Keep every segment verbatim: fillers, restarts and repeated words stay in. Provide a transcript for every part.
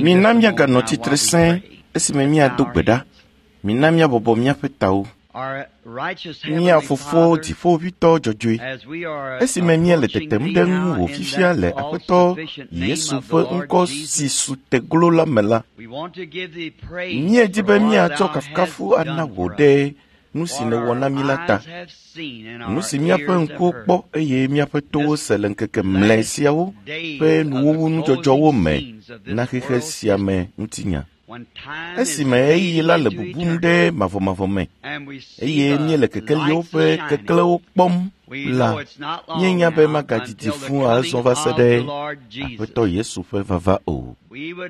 Mina míaganɔ tsitre sẽe esime míado gbe ɖa. Mina míabɔbɔ míaƒe tawo. Mía Fofo Dziƒoʋĩtɔ dzɔdzɔe, esime míele tetem ɖe ŋuwò fifia le Aƒetɔ Yesu ƒe ŋkɔ si su teglo la me la, míedi be míatsɔ kafukafu ana wò ɖe nu si nèwɔ na mí la ta, nu si míaƒe ŋkuwo kpɔ eye míaƒe towo se le ŋkeke mlɔe siawo ƒe nuwuwu nudzɔdzɔwo me na xexe sia me ŋutinya. Esime ɣeyiɣi la le bubum ɖe mavɔmavɔ me eye míele kekeliwo ƒe keklẽwo kpɔm la, míenya be magadidi fũu azɔ va se ɖe Aƒetɔ Yesu ƒe vava o.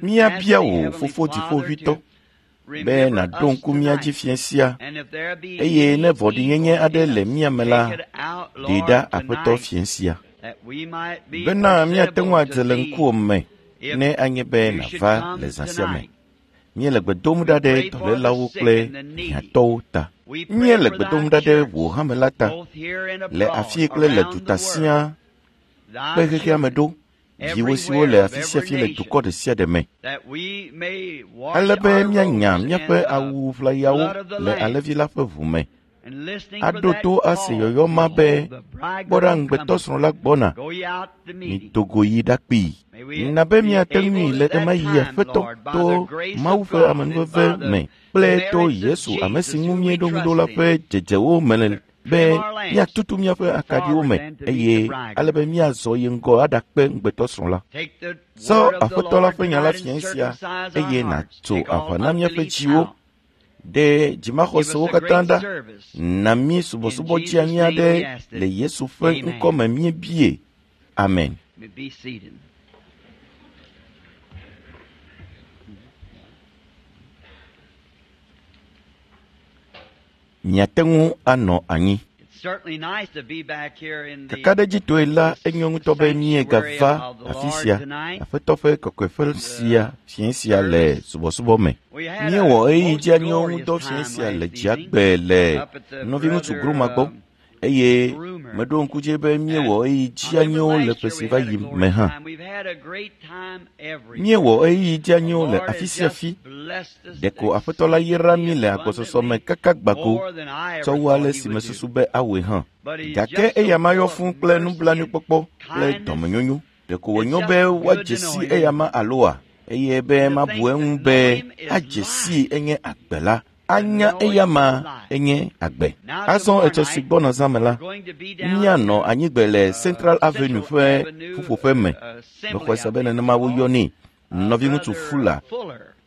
Míabia wò, Fofo Dziƒoʋĩtɔ, be nàɖo ŋku mía dzi fiẽ sia eye ne vɔ̃ɖinyenye aɖe le mía me la, ɖee ɖa Aƒetɔ fiẽ sia, bena míate ŋu adze le ŋkuwò me ne anye be nàva le zã sia me. Míele gbe dom ɖa ɖe dɔlélawo kple hiãtɔwo ta. Míele gbe dom ɖa ɖe wò hame la ta le afii kple le duta siaa kple xexea me ɖo, viwò siwo le afi sia afi le dukɔ ɖe sia ɖe me, ale be míanya míaƒe awu ʋlayawo le Alẽvi la ƒe ʋu me, aɖo to ase yɔyɔ ma be, “Kpɔ ɖa, ŋugbetɔsrɔ̃ la gbɔna, mido go yi ɖakpee.” Na be míate ŋui le ɣemaɣi Aƒetɔ to Mawu ƒe amenuveve me kple to Yesu ame si ŋu míeɖo ŋu ɖo la ƒe dzedzewo me be míatutu míaƒe akaɖiwo me eye ale be míazɔ yi ŋgɔ aɖakpe ŋugbetɔsrɔ̃ la. Tsɔ Aƒetɔ la ƒe nya la fiẽ sia eye nàtso aʋa na míaƒe dziwo ɖe dzimaxɔsewo katã ɖa. Na mí subɔsubɔ dzeanyi aɖe le Yesu ƒe ŋkɔ me míebie. Amen. Miate ŋu anɔ anyi. Kakaɖedzitɔe la, enyo ŋutɔ be míegava afi sia, Aƒetɔ ƒe kɔkɔeƒe sia fiẽ sia le subɔsubɔ me. Míewɔ ɣeyiɣi dzeanyiwo ŋudɔ fiẽ sia le dziagbe le nɔviŋutsu Gruma gbɔ eye meɖo ŋku dzi be míewɔ ɣeyiɣi dzeanyiwo le ƒe si va yi me hã. Míewɔ ɣeyiɣi dzeanyiwo le afi sia afi. Ɖeko Aƒetɔ la yra mí le agbɔsɔsɔ me kaka gbako tsɔ wu ale si mesusu be awɔe hã. Gake eya ma yɔ fũu kple nublanuikpɔkpɔ kple dɔmenyonyo. Ɖeko wònyo be woadze si eyama aloa, eye be mabu eŋu be adze sii enye agbe la. Anya eyama enye agbe. Azɔ etsɔ si gbɔna zã me la, míanɔ anyigbe le Central Avenue ƒe ƒuƒoƒe me. Mexɔe se be nenema woyɔnɛ. Nɔviŋutsu Fuller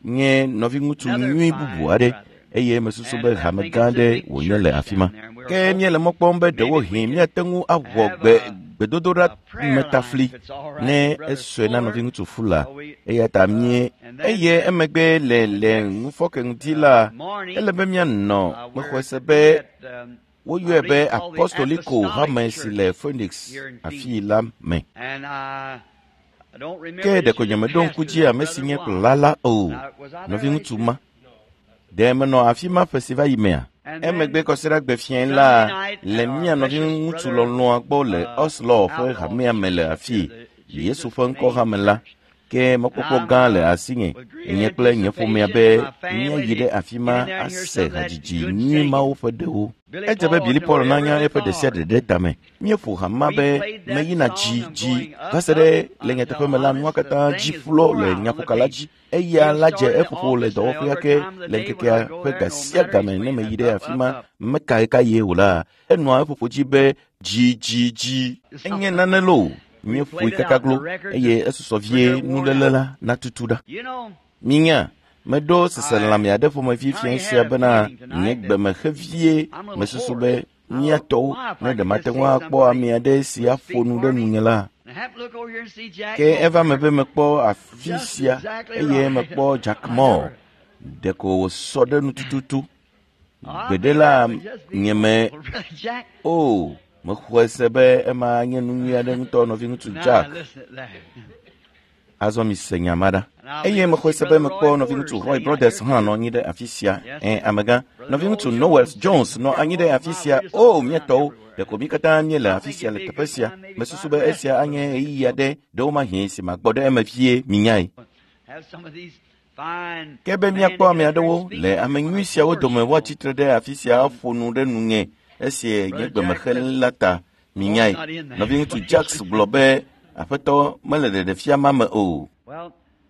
nye nɔviŋutsu nyui bubu aɖe eye mesusu be hame gã aɖe wònye le afi ma. Ke míele mɔ kpɔm be ɖewohĩ míate ŋu awɔ gbe gbedodoɖa metafli ne esɔe na nɔviŋutsu Fuller eya ta mie eye emegbe le le ŋufɔke ŋuti la, ele be míanɔ mexɔe se be woyɔe be Apostoliko hame si le Phoenix afii la me. Ke ɖeko nyemeɖo ŋku dzi ame si nye kplɔla la o, nɔviŋutsu ma. Ɖe menɔ afi ma ƒe si va yi mea? Emegbe kɔsiɖagbe fiẽ la le mía nɔviŋutsu lɔlɔ̃a gbɔ le Oslo ƒe hamea me le afii, Yesu ƒe ŋkɔ hame la. Ke mɔkpɔkpɔ gã le asinye, nye kple nye ƒomea be míayi ɖe afi ma ase hadzidzi nyui mawo ƒe ɖewo. Edze be Billy Paul nanya eƒe ɖe sia ɖe ɖe tame. Míeƒo hama be meyina dzi dzi va se ɖe le nyateƒe me la nua katã dzi ƒlɔ le nyaƒoka la dzi. Eya la dze eƒoƒo le dɔwɔƒea ke le ŋkekea ƒe ga sia game ne meyi ɖe afi ma meka ɣekaɣie o la, enɔa eƒoƒo dzi be dzi dzi dzi. Enye nane loo. Míeƒoe kakaglo eye esusɔ vie nuléle la natutu ɖa. Minya, meɖo seselelãme aɖe ƒomevi fiẽ sia bena nye gbeme xevie mesusu be mía tɔwo ne ɖe mate ŋu akpɔ ame aɖe si aƒo nu ɖe nunye la. Ke eva me be mekpɔ afi sia eye mekpɔ Jack Moore. Ɖeko wòsɔ ɖe nu tututu. Gbeɖe la nye me o mexɔe se be ema nye nu nyui aɖe ŋutɔ nɔviŋutsu Jack. Azɔ mise nya ma ɖa. Eye mexɔe se be mekpɔ nɔviŋutsu Roy Brothers hã nɔ anyi ɖe afi sia. Ẽ, amegã, nɔviŋutsu Noel Jones nɔ anyi ɖe afi sia. O, mía tɔwo, ɖeko mí katã míele afi sia le teƒe sia. Mesusu be esia anye ɣeyiɣi aɖe ɖewomahi si magbɔ ɖe eme vie minyae. Ke be míakpɔ ame aɖewo le ame nyui siawo dome woatsitre ɖe afi sia aƒo nu ɖe nunye esi nye gbemexelẽ la ta minyae. Nɔviŋutsu Jacks gblɔ be aƒetɔ mele ɖeɖefia ma me o.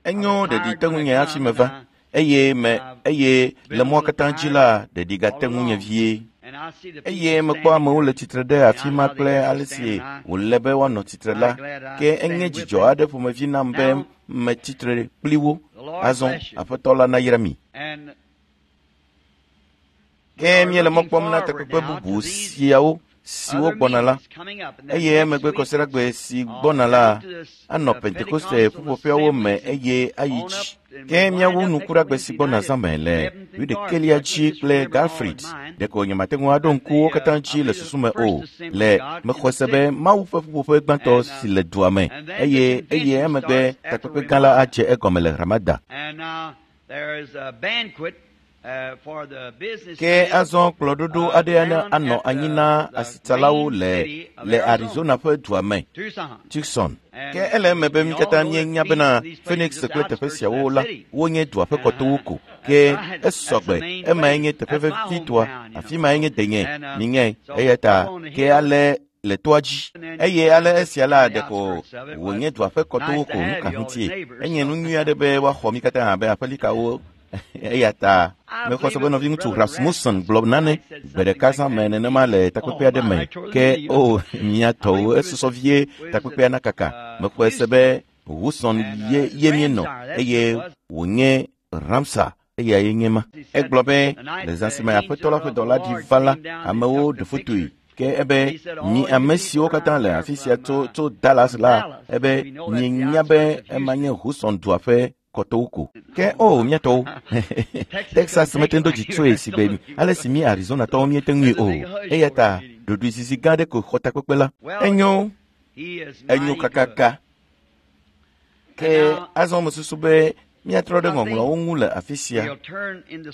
Enyo ɖeɖi te ŋunye hafi meva eye me eye le mɔa katã dzi la ɖeɖi gate ŋunye vie. Eye mekpɔ amewo le tsitre ɖe afi ma kple ale si wòle be woanɔ tsitre la, ke enye dzidzɔ aɖe ƒomevi nam be metsitre kpli wo. Azɔ aƒetɔ la nayra mi. Ke míele mɔ kpɔm na takpekpe bubu siawo siwo gbɔna la, eye emegbe kɔsiɖagbe si gbɔna la anɔ Pentekoste ƒuƒoƒeawo me eye ayi dzi. Ke míawu nukuɖagbe si gbɔna zã me le wuiɖekɛlia dzi kple Galfrid. Ɖeko nyemate ŋu aɖo ŋku wo katã dzi le susu me o. Le mexɔ se be Mawu ƒe ƒuƒoƒe gbãtɔ si le dua me eye eye emegbe takpekpe gã la adze egɔme le Ramada. Ke azɔ kplɔɖoɖo aɖe anɔ anyi na asitsalawo le le Arizona ƒe dua me, Tucson. Ke ele eme be mí katã míenya bena Phoenix kple teƒe siawo la wonye dua ƒe kɔtowo ko. Ke esɔgbe emae nye teƒe vevitɔa, afi mae nye denye, minyae. Eya ta ke ale le toa dzi. Eye ale esia la ɖeko wònye dua ƒe kɔtowo ko nu ka ŋutie. Enye nu nyui aɖe be woaxɔ mí katã abe aƒelikawo. Eya ta mexɔ se be nɔviŋutsu Rasmussen gblɔ nane gbe ɖeka zã me nenema le takpekpe aɖe me. Ke o mía tɔwo esusɔ vie takpekpea nakaka. Mexɔe se be Wilson ye ye míenɔ eye wònye Ramsa eyae nye ma. Egblɔ be le zã si me aƒetɔ la ƒe dɔla ɖi va la, amewo ɖe fotoe. Ke ebe mi ame siwo katã le afi sia tso tso Dallas la, ebe mienya be ema nye Houston dua ƒe kɔtowo ko. Ke o mía tɔwo, Texas mete ŋu do dzi tsoe si be ale si mi Arizonatɔwo míete ŋui o. Eya ta ɖoɖoezizi gã aɖe ko xɔ takpekpe la. Enyo, enyo kakaka. Ke azɔ mesusu be míatrɔ ɖe ŋɔŋlɔawo ŋu le afi sia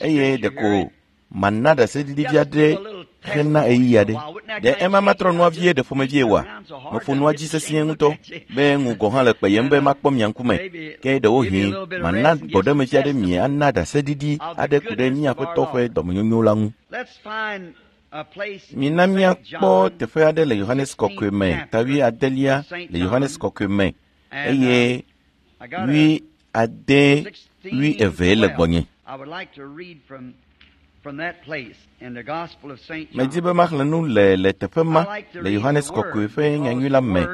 eye ɖeko mana ɖaseɖiɖi vi aɖe hena ɣeyiɣi aɖe. Ɖe ema matrɔ nua vie ɖe ƒomevie oa? Meƒo nua dzi sesĩe ŋutɔ be ŋu gɔ̃ hã le kpeyem be makpɔ mia ŋkume. Ke ɖewohĩ mana gbɔɖemevi aɖe mi ana ɖaseɖiɖi aɖe ku ɖe mía Aƒetɔ ƒe dɔmenyonyo la ŋu. Mina míakpɔ teƒe aɖe le Yohanes Kɔkɔe me, ta wui adelia le Yohanes Kɔkɔe me eye wui ade wui eve le gbɔnye. Medi be maxlẽ nu le le teƒe ma le Yohanes Kɔkɔe ƒe nyanyui la me.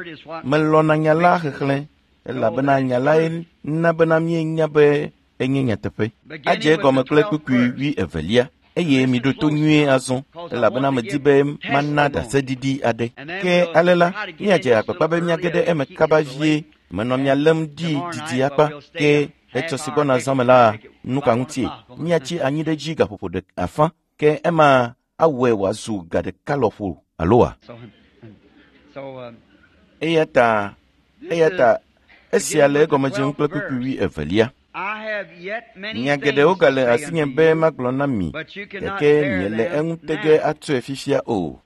Melɔ̃na nya la xexlẽ elabena nya lae na bena míenya be enye nyateƒe. Adze egɔme kple kpukpui wui evelia eye miɖo to nyuie azɔ elabena medi be mana ɖaseɖiɖi aɖe. Ke ale la, míadze agbagba be míage ɖe eme kaba vie. Menɔ mia lém ɖi didi akpa. Ke etsɔ si gbɔna zã me la, nu ka ŋutie? Míatsi anyi ɖe dzi gaƒoƒo ɖe afã. Ke ema awɔe wòazu ga ɖeka lɔƒo aloa? Eya ta, eya ta esia le egɔme dzem kple kpukpui wui evelia. Nya geɖewo gale asinye be magblɔ na mi, gake miele eŋu te ge atsoe fifia o.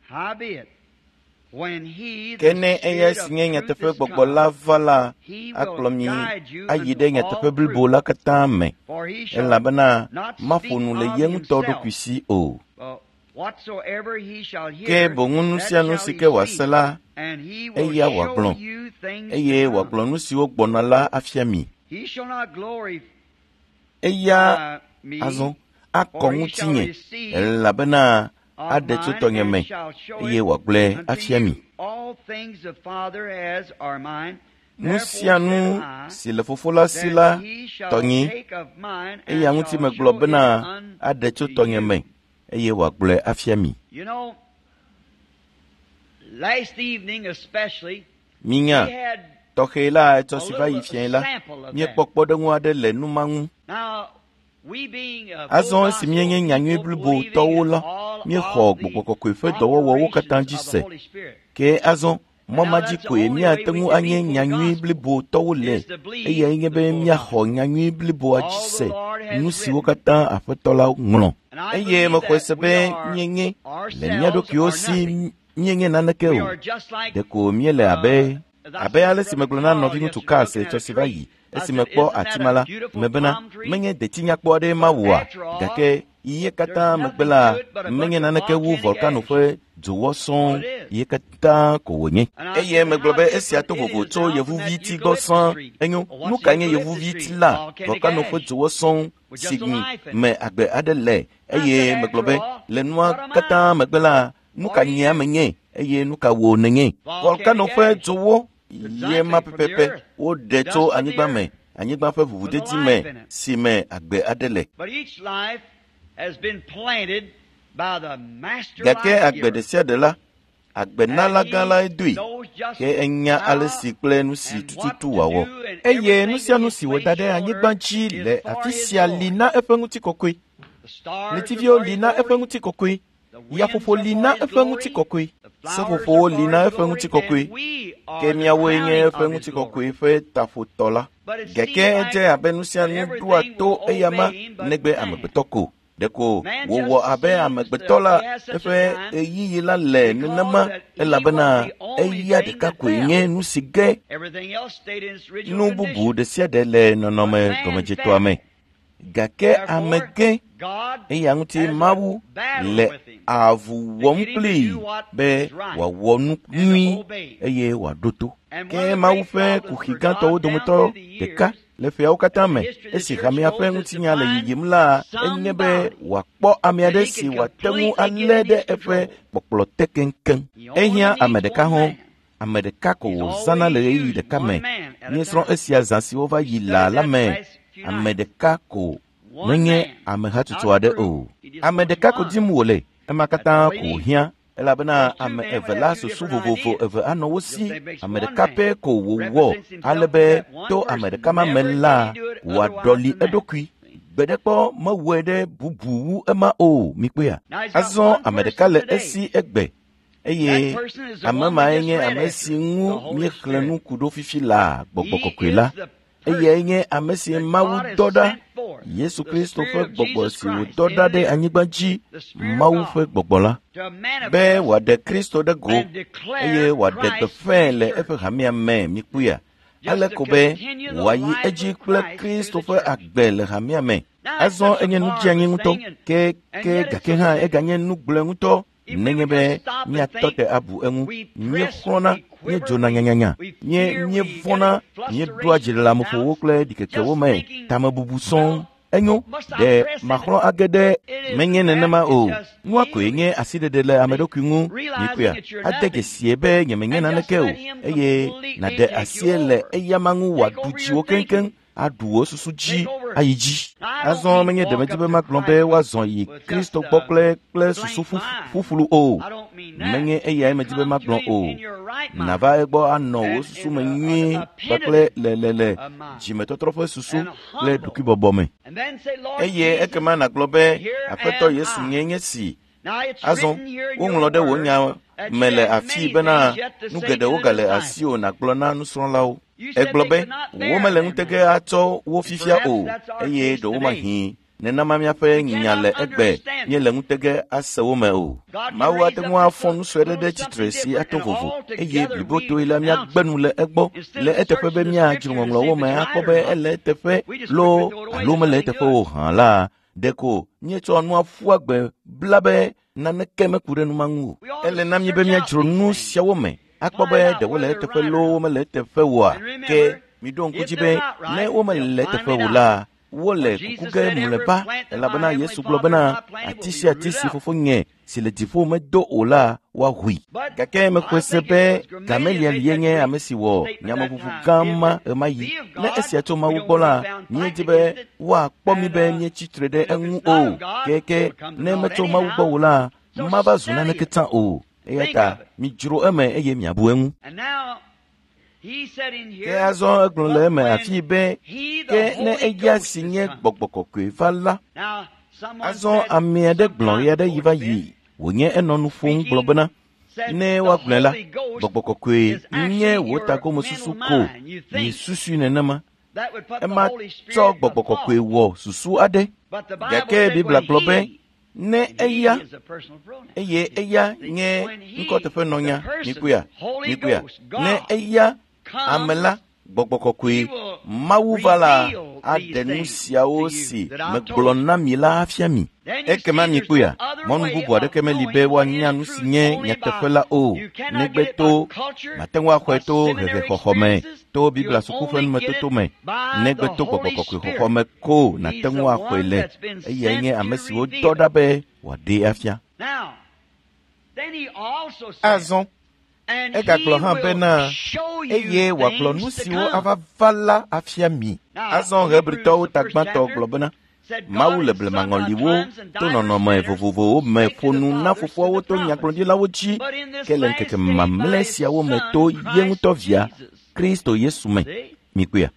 Ke ne eya si nye nyateƒe gbɔgbɔ la va la, akplɔ mi ayi ɖe nyateƒe blibo la katã me, elabena maƒo nu le ye ŋutɔ ɖokui si o. Ke boŋ nu sia nu si ke wòase la, eya wòagblɔ, eye wòagblɔ nu siwo gbɔna la afia mi. Eya azɔ akɔ ŋutinye, elabena aɖe tso tɔnye me eye wòagblɔe afia mi. Nu sia nu si le fofo la si la tɔnye, eya ŋuti megblɔ bena aɖe tso tɔnye me eye wòagblɔe afia mi. Minya, tɔxɛ la etsɔ si va yi fiae la, míekpɔ kpɔɖeŋu aɖe le nu ma ŋu. Azɔ esi míenye nyanyui blibotɔwo la, míexɔ Gbɔgbɔ Kɔkɔe ƒe dɔwɔwɔwo katã dzi se. Ke azɔ mɔ ma dzi koe míate ŋu anye nyanyui blibotɔwo le, eyae nye be míaxɔ nyanyui bliboa dzi se, nu siwo katã Aƒetɔ la ŋlɔ. Eye mexɔe se be míenye le mía ɖokuiwo si míenye naneke o. Ɖeko míele abe abe ale si megblɔ na nɔviŋutsu Carl etsɔ si va yi Esi mekpɔ ati ma la, mebena menye deti nyakpɔ aɖee mawɔa, gake ye katã megbe la, menye naneke wu volkano ƒe dzowɔ sɔŋ ye katã ko wònye. Eye megblɔ be esia to vovo tso yevuviti gbɔ sãa. Enyo, nu ka nye yevuviti la? Volkano ƒe dzowɔ sɔŋ si me agbe aɖe le. Eye megblɔ be le nua katã megbe la, nu ka nye ame nye eye nu ka wò nenye? Volkano ƒe dzowɔ ye ma pɛpɛpɛ woɖe tso anyigba me, anyigba ƒe ʋuʋudedi me si me agbe aɖe le. Gake agbe ɖe sia ɖe la, agbenala gã lae doe, ke enya ale si kple nu si tututu wòawɔ. Eye nu sia nu si wòda ɖe anyigba dzi le afi sia li na eƒe ŋutikɔkɔe. Ɣletiviwo li na eƒe ŋutikɔkɔe. Yaƒoƒo li na eƒe ŋutikɔkɔe. Seƒoƒowo li na eƒe ŋutikɔkɔe. Ke míawoe nye eƒe ŋutikɔkɔe ƒe taƒotɔ la. Gake edze abe nu sia nu ɖoa to eyama negbe amegbetɔ ko. Ɖeko wòwɔ abe amegbetɔ la eƒe ɣeyiɣi la le nenema elabena eya ɖeka koe nye nu si ge nu bubu ɖe sia ɖe le nɔnɔme gɔmedzetɔa me. Gake ame ge eya ŋuti Mawu le avu wɔm kplii be wòawɔ nu nyui eye wòaɖo to. Ke Mawu ƒe kuxi gãtɔwo dometɔ ɖeka le ƒeawo katã me esi hamea ƒe ŋutinya le yiyim la enye be wòakpɔ ame aɖe si wòate ŋu alé ɖe eƒe kpɔkplɔ te keŋkeŋ. Ehiã ame ɖeka hɔ̃. Ame ɖeka ko wòzãna le ɣeyiɣi ɖeka me. Míesrɔ̃ esia zã siwo va yi laa la me. Ame ɖeka ko menye ame hatsotso aɖe o. Ame ɖeka ko dim wòle, ema katã ko wòhiã elabena ame eve la susu vovovo eve anɔ wo si. Ame ɖeka pɛ ko wòwɔ ale be to ame ɖeka ma me la wòaɖɔli eɖokui. Gbeɖekpɔ mewɔe ɖe bubu wu ema o, mikpɔea? Azɔ ame ɖeka le esi egbe eye ame mae nye ame si ŋu míexlẽ nu ku ɖo fifi laa, Gbɔgbɔ Kɔkɔe la. Eyae nye ame si Mawu dɔ ɖa, Yesu Kristo ƒe gbɔgbɔ si wòdɔ ɖa ɖe anyigba dzi, Mawu ƒe gbɔgbɔ la, be wòaɖe Kristo ɖe go eye wòaɖe gbeƒãe le eƒe hamea me, mikpɔea? Ale ko be wòayi edzi kple Kristo ƒe agbe le hamea me. Azɔ enye nu dzeanyi ŋutɔ, ke ke gake hã eganye nu gblɔe ŋutɔ nenye be míatɔ te abu eŋu. Míexlɔ̃na, míedzona nyanyanya, míe míevɔ̃na, míeɖoa dziɖeleameƒowo kple ɖikekewo me, tamebubu sɔŋ. Enyo, ɖe maxlɔ̃ age ɖe menye nenema o. Nua koe nye asiɖeɖe le ame ɖokui ŋu, mikpɔea? Ade dzesie be nyemenye naneke o, eye nàɖe asie le eyama ŋu wòaɖu dziwò keŋkeŋ, aɖu wò susu dzi ayi dzi. Azɔ menye ɖe medi be magblɔ be woazɔ yi Kristo gbɔ kple kple susu ƒuƒlu o. Menye eyae medi be magblɔ o. Nàva egbɔ anɔ wò susu me nyuie kpakple le le le dzimetɔtrɔ ƒe susu kple ɖokuibɔbɔ me. Eye ekema nàgblɔ be Aƒetɔ Yesu nye nye si. Azɔ woŋlɔ ɖe wò nya me le afii bena nu geɖewo gale asiwò nàgblɔ na nusrɔ̃lawo. Egblɔ be womele ŋutege atsɔ wo fifia o, eye ɖewomahĩ nenema míaƒe nya le egbe míele ŋutege ase wo me o. Mawu ate ŋu afɔ nu sue aɖe ɖe tsitre si ato vovo, eye blibotoe la míagbe nu le egbɔ le eteƒe be míadzro ŋɔŋlɔwo me akpɔ be ele eteƒe loo alo mele eteƒe o hã la, ɖeko míetsɔ nua ƒu agbe bla be naneke meku ɖe nu ma ŋu o. Ele na mí be míadzro nu siawo me akpɔ be ɖe wole eteƒe loo womele eteƒe oa. Ke miɖo ŋku dzi be ne womele eteƒe o la, wole kuku ge mlɔeba elabena Yesu gblɔ bena ati sia ati si fofonye si le dziƒo medo o la woahui. Gake mexɔe se be Gamaliel ye nye ame si wɔ nyameʋuʋu gã ma ɣemaɣi. Ne esia tso Mawu gbɔ la, míedi be woakpɔ mí be míetsi tre ɖe eŋu o. Ke ne metso Mawu gbɔ o la, mava zu naneke tsã o. Eya ta midzro eme eye miabu eŋu. Ke azɔ egblɔ le eme afii be ke ne eya si nye Gbɔgbɔ Kɔkɔe va la, azɔ ame aɖe gblɔ ɣe aɖe yi va yi wònye enɔ nu ƒom gblɔ bena ne woagblɔe la, Gbɔgbɔ Kɔkɔe nye wò tagomesusu ko miesusui nenema. Ema tsɔ Gbɔgbɔ Kɔkɔe wɔ susu aɖe. Gake Biblia gblɔ be ne eya eye eya nye ŋkɔteƒenɔnya, mikpɔea, mikpɔea, ne eya ame la, Gbɔgbɔ kɔkɔe Mawu va la aɖe nu siawo si megblɔ na mi la afia mi. Ekema mikpɔea, mɔnu bubu aɖeke meli be woanya nu si nye nyateƒe la o, negbe to mate ŋu axɔe to hehexɔxɔ me, to Biblia suku ƒe numetoto me, negbe to gbɔgbɔ kɔkɔe xɔxɔ me ko nàte ŋu axɔe le. Eyae nye ame si wodɔ ɖa be wòaɖee afia. Azɔ egagblɔ hã bena eye wòagblɔ nu siwo ava va la afia mi. Azɔ Hebritɔwo ta gbãtɔ gblɔ bena Mawu le blemaŋɔliwo to nɔnɔme vovovowo me ƒo nu na fofoawo to nyagblɔɖilawo dzi, ke le ŋkeke mamlɛ siawo me to ye ŋutɔ via Kristo Yesu me. Mikpɔea?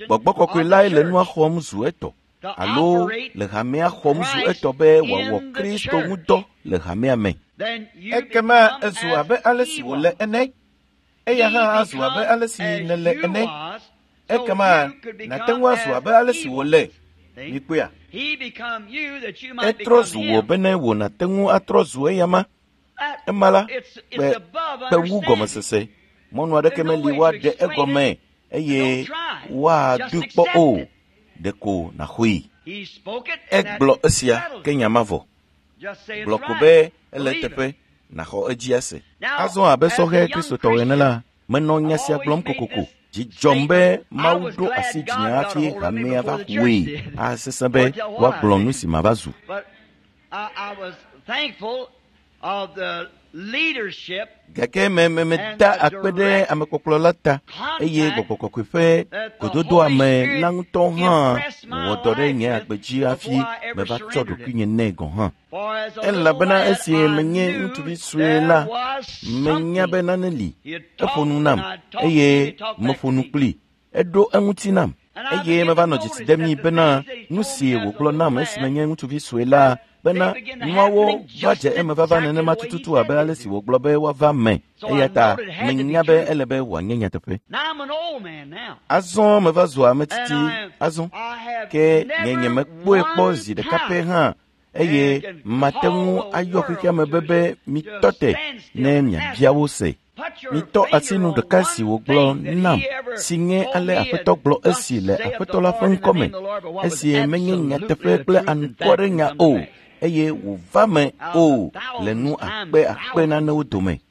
Gbɔgbɔ kɔkɔe lae le nua xɔm zu etɔ alo le hamea xɔm zu etɔ be wòawɔ Kristo ŋu dɔ le hamea me. Ekema ezu abe ale si wòle ene. Eya hã azu abe ale si nèle ene. Ekema nàte ŋu azu abe ale si wòle. Mikpɔea? Etrɔ zu wò bene wò nàte ŋu atrɔ zu eyama. Ema la, kpe kpe wu gɔmesese. Mɔnu aɖeke meli woaɖe egɔme eye woadoe kpɔ o. Ɖeko nàxɔe. Egblɔ esia ke nya ma vɔ. Gblɔ ko be ele eteƒe nàxɔ edzi ase. Azɔ abe sɔhɛ Kristotɔ ene la, menɔ nya sia gblɔm kokoko. Dzi dzɔm be Mawu ɖo asi dzinye hafi hamea va ƒoe asesẽ be woagblɔ nu si mava zu. Gake me me meda akpe ɖe amekpɔkplɔ la ta eye gbɔgbɔ kɔkɔe ƒe gododoame la ŋutɔ hã wɔ dɔ ɖe nye agbe dzi hafi meva tsɔ ɖokuinye nɛ gɔ̃ hã. Elabena esi menye ŋutsuvi sue la, menya be nane li. Eƒo nu nam eye meƒo nu kplii. Eɖo eŋuti nam eye meva nɔ dzesi dem mi bena nu si wògblɔ nam esi menye ŋutsuvi sue la bena nuawo va dze eme vava nenema tututu abe ale si wògblɔ be woava me. Eya ta menya be ele be wòanye nyateƒe. Azɔ meva zu ame tsitsi azɔ, ke nye nyemekpɔe kpɔ zi ɖeka pɛ hã eye mate ŋu ayɔ xexea me be be mitɔ te ne miabia wo se. Mitɔ asi nu ɖeka si wògblɔ nam si nye ale Aƒetɔ gblɔ esi le Aƒetɔ la ƒe ŋkɔme, esi menye nyateƒe kple anukware nya o eye wòva me o le nu akpe akpe nanewo dome.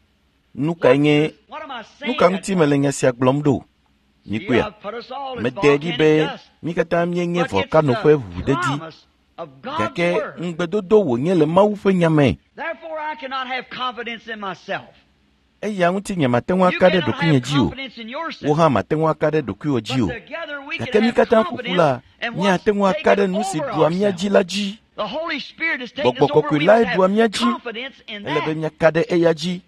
Nu kae nye nu ka ŋuti mele nya sia gblɔm ɖo? Mikpɔea? Mede ɖi be mí katã míenye volkano ƒe ʋuʋudedi, gake ŋugbedodo wònye le Mawu ƒe nya me. Eya ŋuti nye mate ŋu aka ɖe ɖokuinye dzi o. Wò hã mate ŋu aka ɖe ɖokuiwò dzi o. Gake mí katã ƒoƒu la, míate ŋu aka ɖe nu si ɖua mía dzi la dzi. Gbɔgbɔ kɔkɔe lae ɖua mía dzi. Ele be míaka ɖe eya dzi.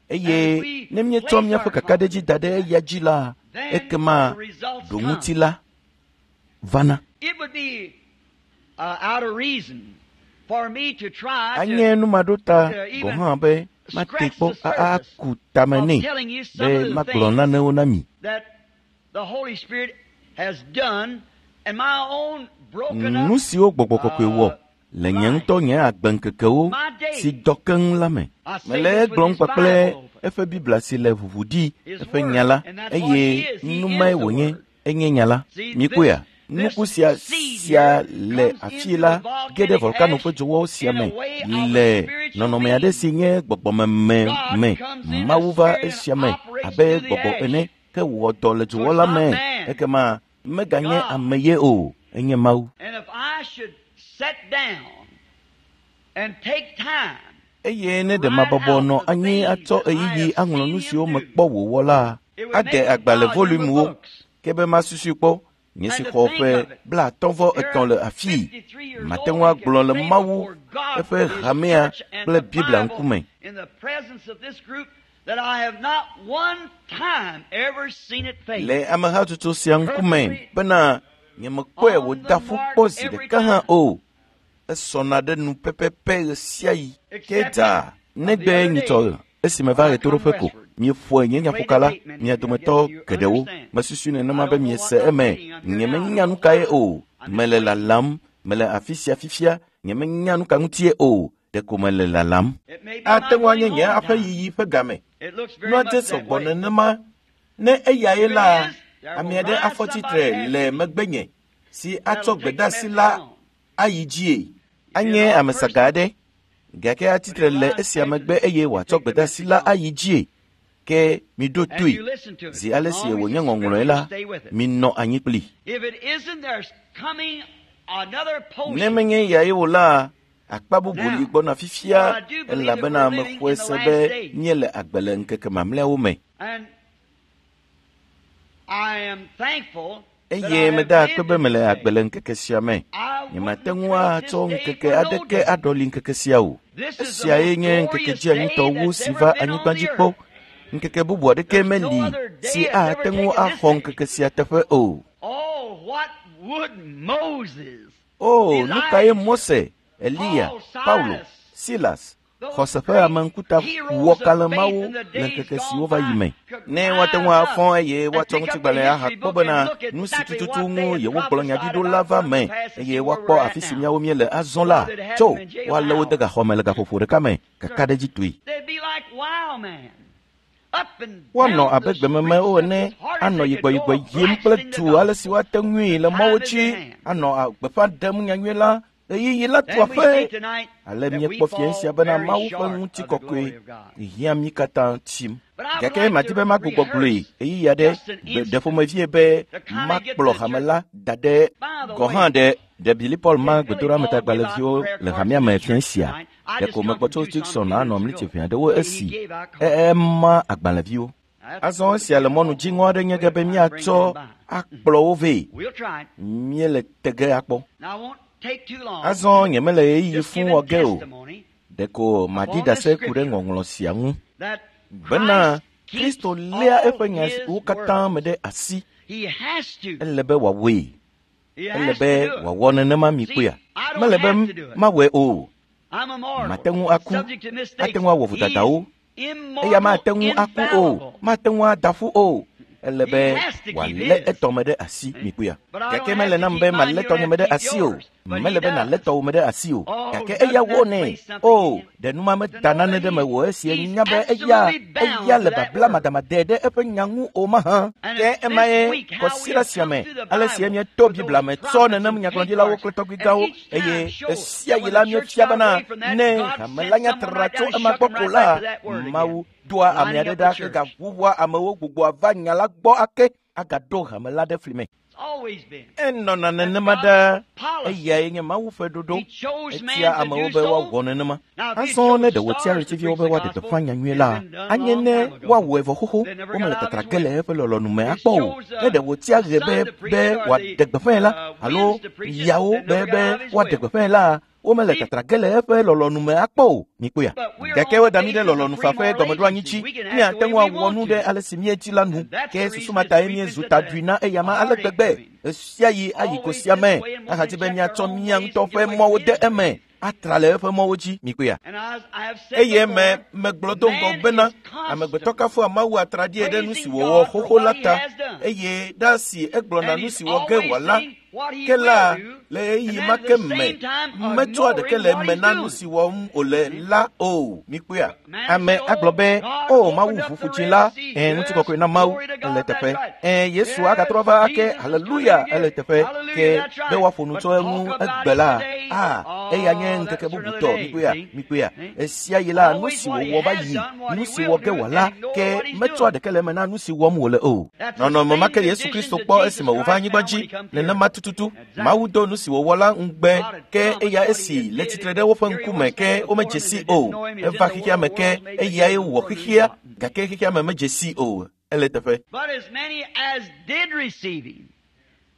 Eye ne míetsɔ míaƒe kakaɖedzi da ɖe eya dzi la, ekema ɖoŋuti la vana. Anye numaɖota gɔ̃ hã be mate kpɔ aku tame nɛ be magblɔ nanewo na mi. Nu siwo gbɔgbɔ kɔkɔe wɔ le nye ŋutɔ nye agbeŋkekewo si dɔ keŋ la me. Mele egblɔm kpakple eƒe Biblia si le ʋuʋu ɖi eƒe nya la eye numae wònye enye nya la. Mikpɔea? Nuku sia sia le afii la ge ɖe volkano ƒe dzowɔwo sia me le nɔnɔme aɖe si nye gbɔgbɔmeme me. Mawu va esia me abe gbɔgbɔ ene ke wɔ dɔ le dzowɔ la me. Ekema meganye ame ye o, enye Mawu. Eye ne ɖe mabɔbɔ nɔ anyi atsɔ ɣeyiɣi aŋlɔ nu siwo mekpɔ wòwɔ la, ade agbalẽ volumewo ke be masusui kpɔ. Nye si xɔ ƒe blaatɔ̃ vɔ etɔ̃ le afii, mate ŋu agblɔ le Mawu eƒe hamea kple Biblia ŋkume. Le amehatsotso sia ŋkume bena nyemekpɔe wòda ƒu kpɔ zi ɖeka hã o. Esɔna ɖe nu pɛpɛpɛ ɣe sia ɣi. Ke dzaa negbe nyitsɔ esime va ɣetoɖoƒe ko. Mieƒoe nye nyaƒoka la, mia dometɔ geɖewo. Mesusui nenema be miese eme. Nyemenya nu kae o. Mele lalam, mele afi sia fifia, nyemenya nu ka ŋutie o. Ɖeko mele lalam. Ate ŋu anye nye aƒe yiyi ƒe game. Nua dze sɔgbɔ nenema. Ne eyae la, ame aɖe afɔ tsitre le megbenye si atsɔ gbedeasi la ayi dzie. Anye ame saga aɖe gake atsitre le esia megbe eye wòatsɔ gbedeasi la ayi dzie. Ke miɖo toe. Zi ale si wònye ŋɔŋlɔe la, minɔ anyi kpli. Ne menye yae o la, akpa bubu li gbɔna fifia elabena mexɔe se be míele agbe le ŋkeke mamlɛawo me. Eye meda akpe be mele agbe le ŋkeke sia me. Nyemate ŋu atsɔ ŋkeke aɖeke aɖɔli ŋkeke sia o. Esiae nye ŋkeke dzianyitɔ wu si va anyigba dzi kpɔ. Ŋkeke bubu aɖeke meli si ate ŋu axɔ ŋkeke sia teƒe o. O, nu kae Mose, Eliya, Paulo, Silas, xɔse ƒe ame ŋkuta wɔ kalẽmawo le ŋkeke siwo va yi me. Ne woate ŋu afɔ eye woatsɔ ŋutigbalẽ ahakpɔ bena nu si tututu ŋu yewogblɔ nya ɖi ɖo la va me eye woakpɔ afi si míawo míele azɔ la, tso woalé wo de gaxɔ me le gaƒoƒo ɖeka me kakaɖedzitɔe. Woanɔ abe gbememewo ene, anɔ yigbɔyigbɔ yim kple du ale si woate ŋui le mɔwo dzi, anɔ gbeƒã ɖem nyanyui la ɣeyiɣi la tu aƒe. Ale míekpɔ fia sia bena Mawu ƒe ŋutikɔkɔe hiã mí katã tsim. Gake madi be magbugbɔ gblɔe ɣeyiɣi aɖe ɖe ƒomevie be makplɔ hame la da ɖe gɔ̃ hã ɖe ɖe Billy Paul ma gbedoɖametagbalẽviwo le hamea me fia sia. Ɖeko megbɔ tso Dixon anɔ mlitsi ʋɛ aɖewo esi ema agbalẽviwo. Azɔ esia le mɔnu dziŋɔ aɖe nye ge be míatsɔ akplɔ wo vɛ. Míele tege akpɔ. Azɔ nyemele ɣeyiɣi fũ wɔ ge o. Ɖeko maɖi ɖase ku ɖe ŋɔŋlɔ sia ŋu bena Kristo léa eƒe nyawo katã me ɖe asi. Ele be wòawɔe. Ele be wòawɔ nenema mi kpɔea. Mele be mawɔe o. Mate ŋu aku, ate ŋu awɔ vodadawo. Eya mate ŋu aku o, mate ŋu ada ƒu o. Ele be wòalé etɔ me ɖe asi mi kpɔea. Gake mele nam be malé tɔnye me ɖe asi o. Mele be nalé tɔwò me ɖe asi o. Gake eya wɔnɛ. O, ɖe numa meda nane ɖe mewò esi enya be eya eya le babla madamade ɖe eƒe nya ŋu o mahã. Ke emae kɔsiɖa sia me ale si míeto Biblia me tsɔ nenem nyagblɔɖilawo kple tɔgbuigãwo eye esia yi la míefia bena ne hame la nya tra tso ema gbɔ ko la, Mawu doa ame aɖe ɖa hegaʋuʋua amewo gbugbɔa va nya la gbɔ ake agaɖo hame la ɖe fli me. Enɔna nenema ɖaa. Eyae nye Mawu ƒe ɖoɖo. Etia amewo be woawɔ nenema. Azɔ ne ɖe wòtia ɣletiviwo be woaɖe gbeƒã nyanyui la, anye ne woawɔe vɔ xoxo. Womele tatra ge le eƒe lɔlɔ̃nu me akpɔ o. Ne ɖe wòtia ɣe be be wòaɖe gbeƒãe la, alo yawo be be woaɖe gbeƒãe la, womele tatra ge le eƒe lɔlɔ̃nu me akpɔ o. Mikpɔea? Gake woda mí ɖe lɔlɔ̃nu fafe gɔmeɖoanyi dzi. Míate ŋu awɔ nu ɖe ale si míedzi la nu. Ke susu ma tae míezu taɖui na eyama ale gbegbe. Esia yi ayi go sia me ahadi be míatsɔ mía ŋutɔ ƒe mɔwo de eme atra le eƒe mɔwo dzi. Mikpɔea? Eye me megblɔ do ŋgɔ bena amegbetɔ kafua Mawu atraɖie ɖe nu si wòwɔ xoxo la ta eye ɖa si egblɔna nu si wɔ ge wòala ke la le ɣeyiɣi ma ke me metsɔa ɖeke le eme na nu si wɔm wòle la o. Mikpɔea? Ame agblɔ be o Mawu ʋuƒu dzi la, ẽ ŋutikɔkɔe na Mawu ele teƒe. Ẽ Yesu agatrɔ va ake, haleluya ele teƒe. Ke be woaƒo nu tso eŋu egbe la, a eya nye ŋkeke bubutɔ. Mikpɔea? Mikpɔea? Esia yi la nu si wòwɔ va yi, nu si wɔ ge wòala ke metsɔa ɖeke le eme na nu si wɔm wòle o. Nɔnɔme ma ke Yesu Kristo kpɔ esime wòva anyigba dzi nenema tututu. Mawu do nu si wòwɔ la ŋugbe ke eya esi le tsitre ɖe woƒe ŋkume ke womedze si o. Eva xexea me ke eyae wɔ xexea gake xexea me medze si o. Ele teƒe.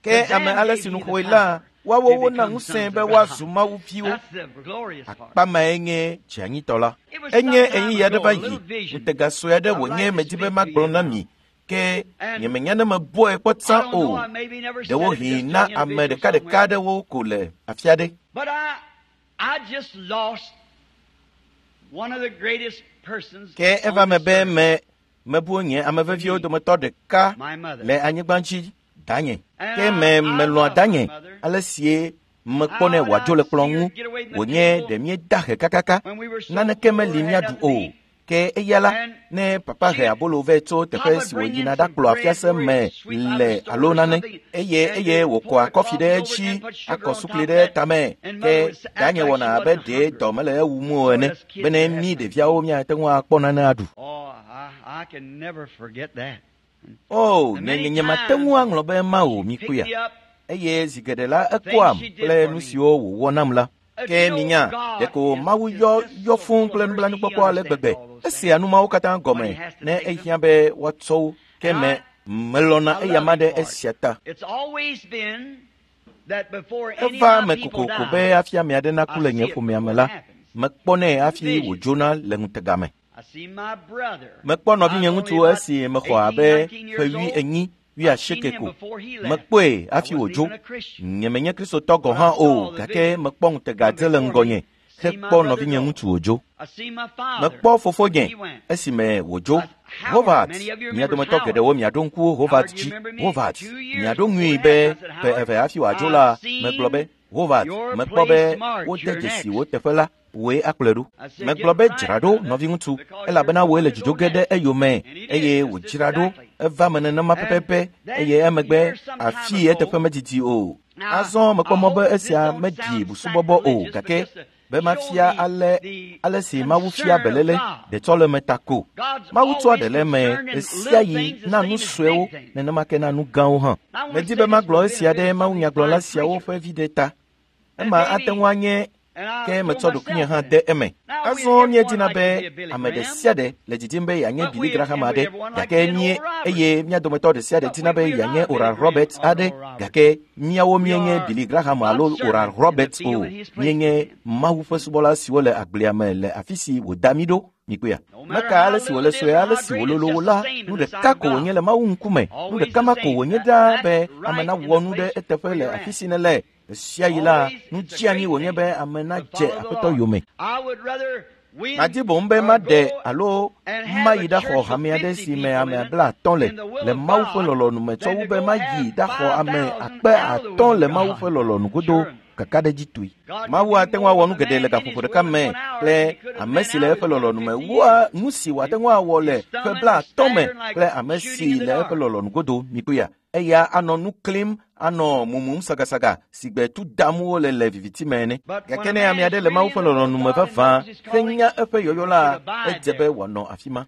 Ke ame ale si nu xɔe la, woawo wona ŋusẽ be woazu Mawu viwo. Akpa mae nye dzianyitɔ la. Enye ɣeyiɣi aɖe va yi, ŋutega sue aɖe wònye medi be magblɔ na mi. Ke nyemenya ne mebɔe kpɔ tsã o. Ɖewohĩ na ame ɖekaɖeka aɖewo ko le afi aɖe. Ke eva me be me mebu nye ame veviwo dometɔ ɖeka le anyigba dzi, danye. Ke me melɔ̃a danye ale sie Mekpɔnɛ wòadzo le kplɔ ŋu wònye ɖe míeda he kakaka naneke meli míaɖu o. Ke eya la, ne papa he abolo vɛ tso teƒe si wòyina ɖakplɔ afiase me le alo nane eye eye wòkɔa kɔfi ɖe edzi akɔ sukli ɖe tame ke danye wɔna abe ɖe dɔ mele ewum o ene bene mí ɖeviawo míate ŋu akpɔ nane aɖu. O, nye nyemate ŋu aŋlɔ be ema o, mikpɔea. Eye zi geɖe la ekɔam kple nu siwo wòwɔ nam la. Ke minya, ɖeko Mawu yɔ yɔ fũu kple nublanuikpɔkpɔ ale gbegbe. Esea nu mawo katã gɔme ne ehiã be woatsɔ wo. Ke me melɔ̃na eyama ɖe esia ta. Eva me kokoko be hafi ame aɖe naku le nye ƒomea me la, mekpɔnɛ hafi wòdzona le ŋutega me. Mekpɔ nɔvinye ŋutsu esi mexɔ abe ƒe wui enyi wuiasieke ko. Mekpɔe hafi wòdzo. Nyemenye Kristotɔ gɔ̃ hã o, gake mekpɔ ŋutega dze le ŋgɔnye hekpɔ nɔvinye ŋutsu wòdzo. Mekpɔ fofonye esime wòdzo. Hovat, mia dometɔ geɖewo miaɖo ŋku Hovat dzi. Hovat, miaɖo ŋui be ƒe eve hafi wòadzo la, megblɔ be, Hovat, mekpɔ be wode dzesi wò teƒe la, wòe akplɔe ɖo. Megblɔ be dzra ɖo, nɔviŋutsu, elabena wòe le dzodzo ge ɖe eyome eye wòdzra ɖo. Eva me nenema pɛpɛpɛ eye emegbe afii eteƒe medidi o. Azɔ mekpɔ mɔ be esia meɖi busubɔbɔ o, gake be mafia ale ale si Mawu fia beléle ɖetsɔleme ta ko. Mawu tsɔa ɖe le eme ɣesiaɣi na nu suewo nenema ke na nu gãwo hã. Medi be magblɔ esia ɖe mawunyagblɔla siawo ƒe viɖe ta. Ema ate ŋu anye ke metsɔ ɖokuinye hã de eme. Azɔ míedina be ame ɖe sia ɖe le didim be yeanye Billy Graham aɖe, gake mí eye mía dometɔ ɖe sia ɖe dina be yeanye Oral Roberts aɖe, gake míawo míenye Billy Graham alo Oral Roberts o. Míenye Mawu ƒe subɔla siwo le agblea me le afi si wòda mí ɖo. Mikpɔea? Meka ale si wòle sue ale si wòlolo wo la, nu ɖeka ko wònye le Mawu ŋkume. Nu ɖeka ma ko wònye ɖaa be ame nawɔ nu ɖe eteƒe le afi si nele. Ɣesiaɣi la, nu dzeanyi wònye be ame nadze Aƒetɔ yome. Madi boŋ be maɖe alo mayi ɖaxɔ hame aɖe si me ame blaatɔ̃ le le Mawu ƒe lɔlɔ̃nu me tsɔ wu be mayi ɖaxɔ ame akpe atɔ̃ le Mawu ƒe lɔlɔ̃nu godo kakaɖedzitɔe. Mawu ate ŋu awɔ nu geɖe le gaƒoƒo ɖeka me kple ame si le eƒe lɔlɔ̃nu me wua nu si wòate ŋu awɔ le ƒe blaatɔ̃ me kple ame si le eƒe lɔlɔ̃nu godo. Mikpɔea? Eya anɔ nu klim, anɔ mumum sagasaga si gbe tu dam wole le viviti me ene. Gake ne ame aɖe le Mawu ƒe lɔlɔ̃nu me vavã henya eƒe yɔyɔ la, edze be wòanɔ afi ma.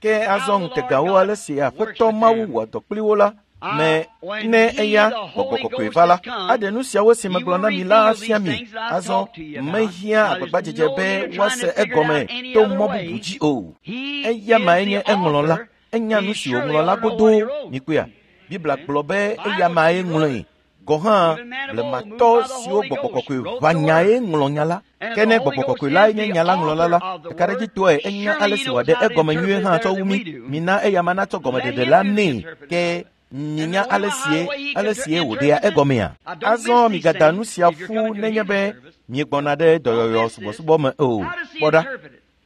Ke azɔ ŋutegawo ale si Aƒetɔ Mawu wɔ dɔ kpli wo la me ne eya Gbɔgbɔ Kɔkɔe va la, aɖe nu siawo si megblɔ na mi la afia mi. Azɔ mehiã agbagbadzedze be woase egɔme to mɔ bubu dzi o. Eya mae nye eŋlɔla. Enya nu si wòŋlɔ la godoo. Mikpɔea? Biblia gblɔ be eya mae ŋlɔe. Gɔ̃ hã blematɔ siwo Gbɔgbɔ Kɔkɔe ʋã nyae ŋlɔ nya la. Ke ne Gbɔgbɔ Kɔkɔe lae nye nya la ŋlɔla la, kakaɖedzitɔe enya ale si wòaɖe egɔme nyuie hã tsɔ wu mí. Mina eya ma natsɔ gɔmeɖeɖe la nɛ. Ke minya ale sie ale sie wòɖea egɔmea. Azɔ migada nu sia ƒu nenye be miegbɔna ɖe dɔyɔyɔ subɔsubɔ me o. Kpɔ ɖa,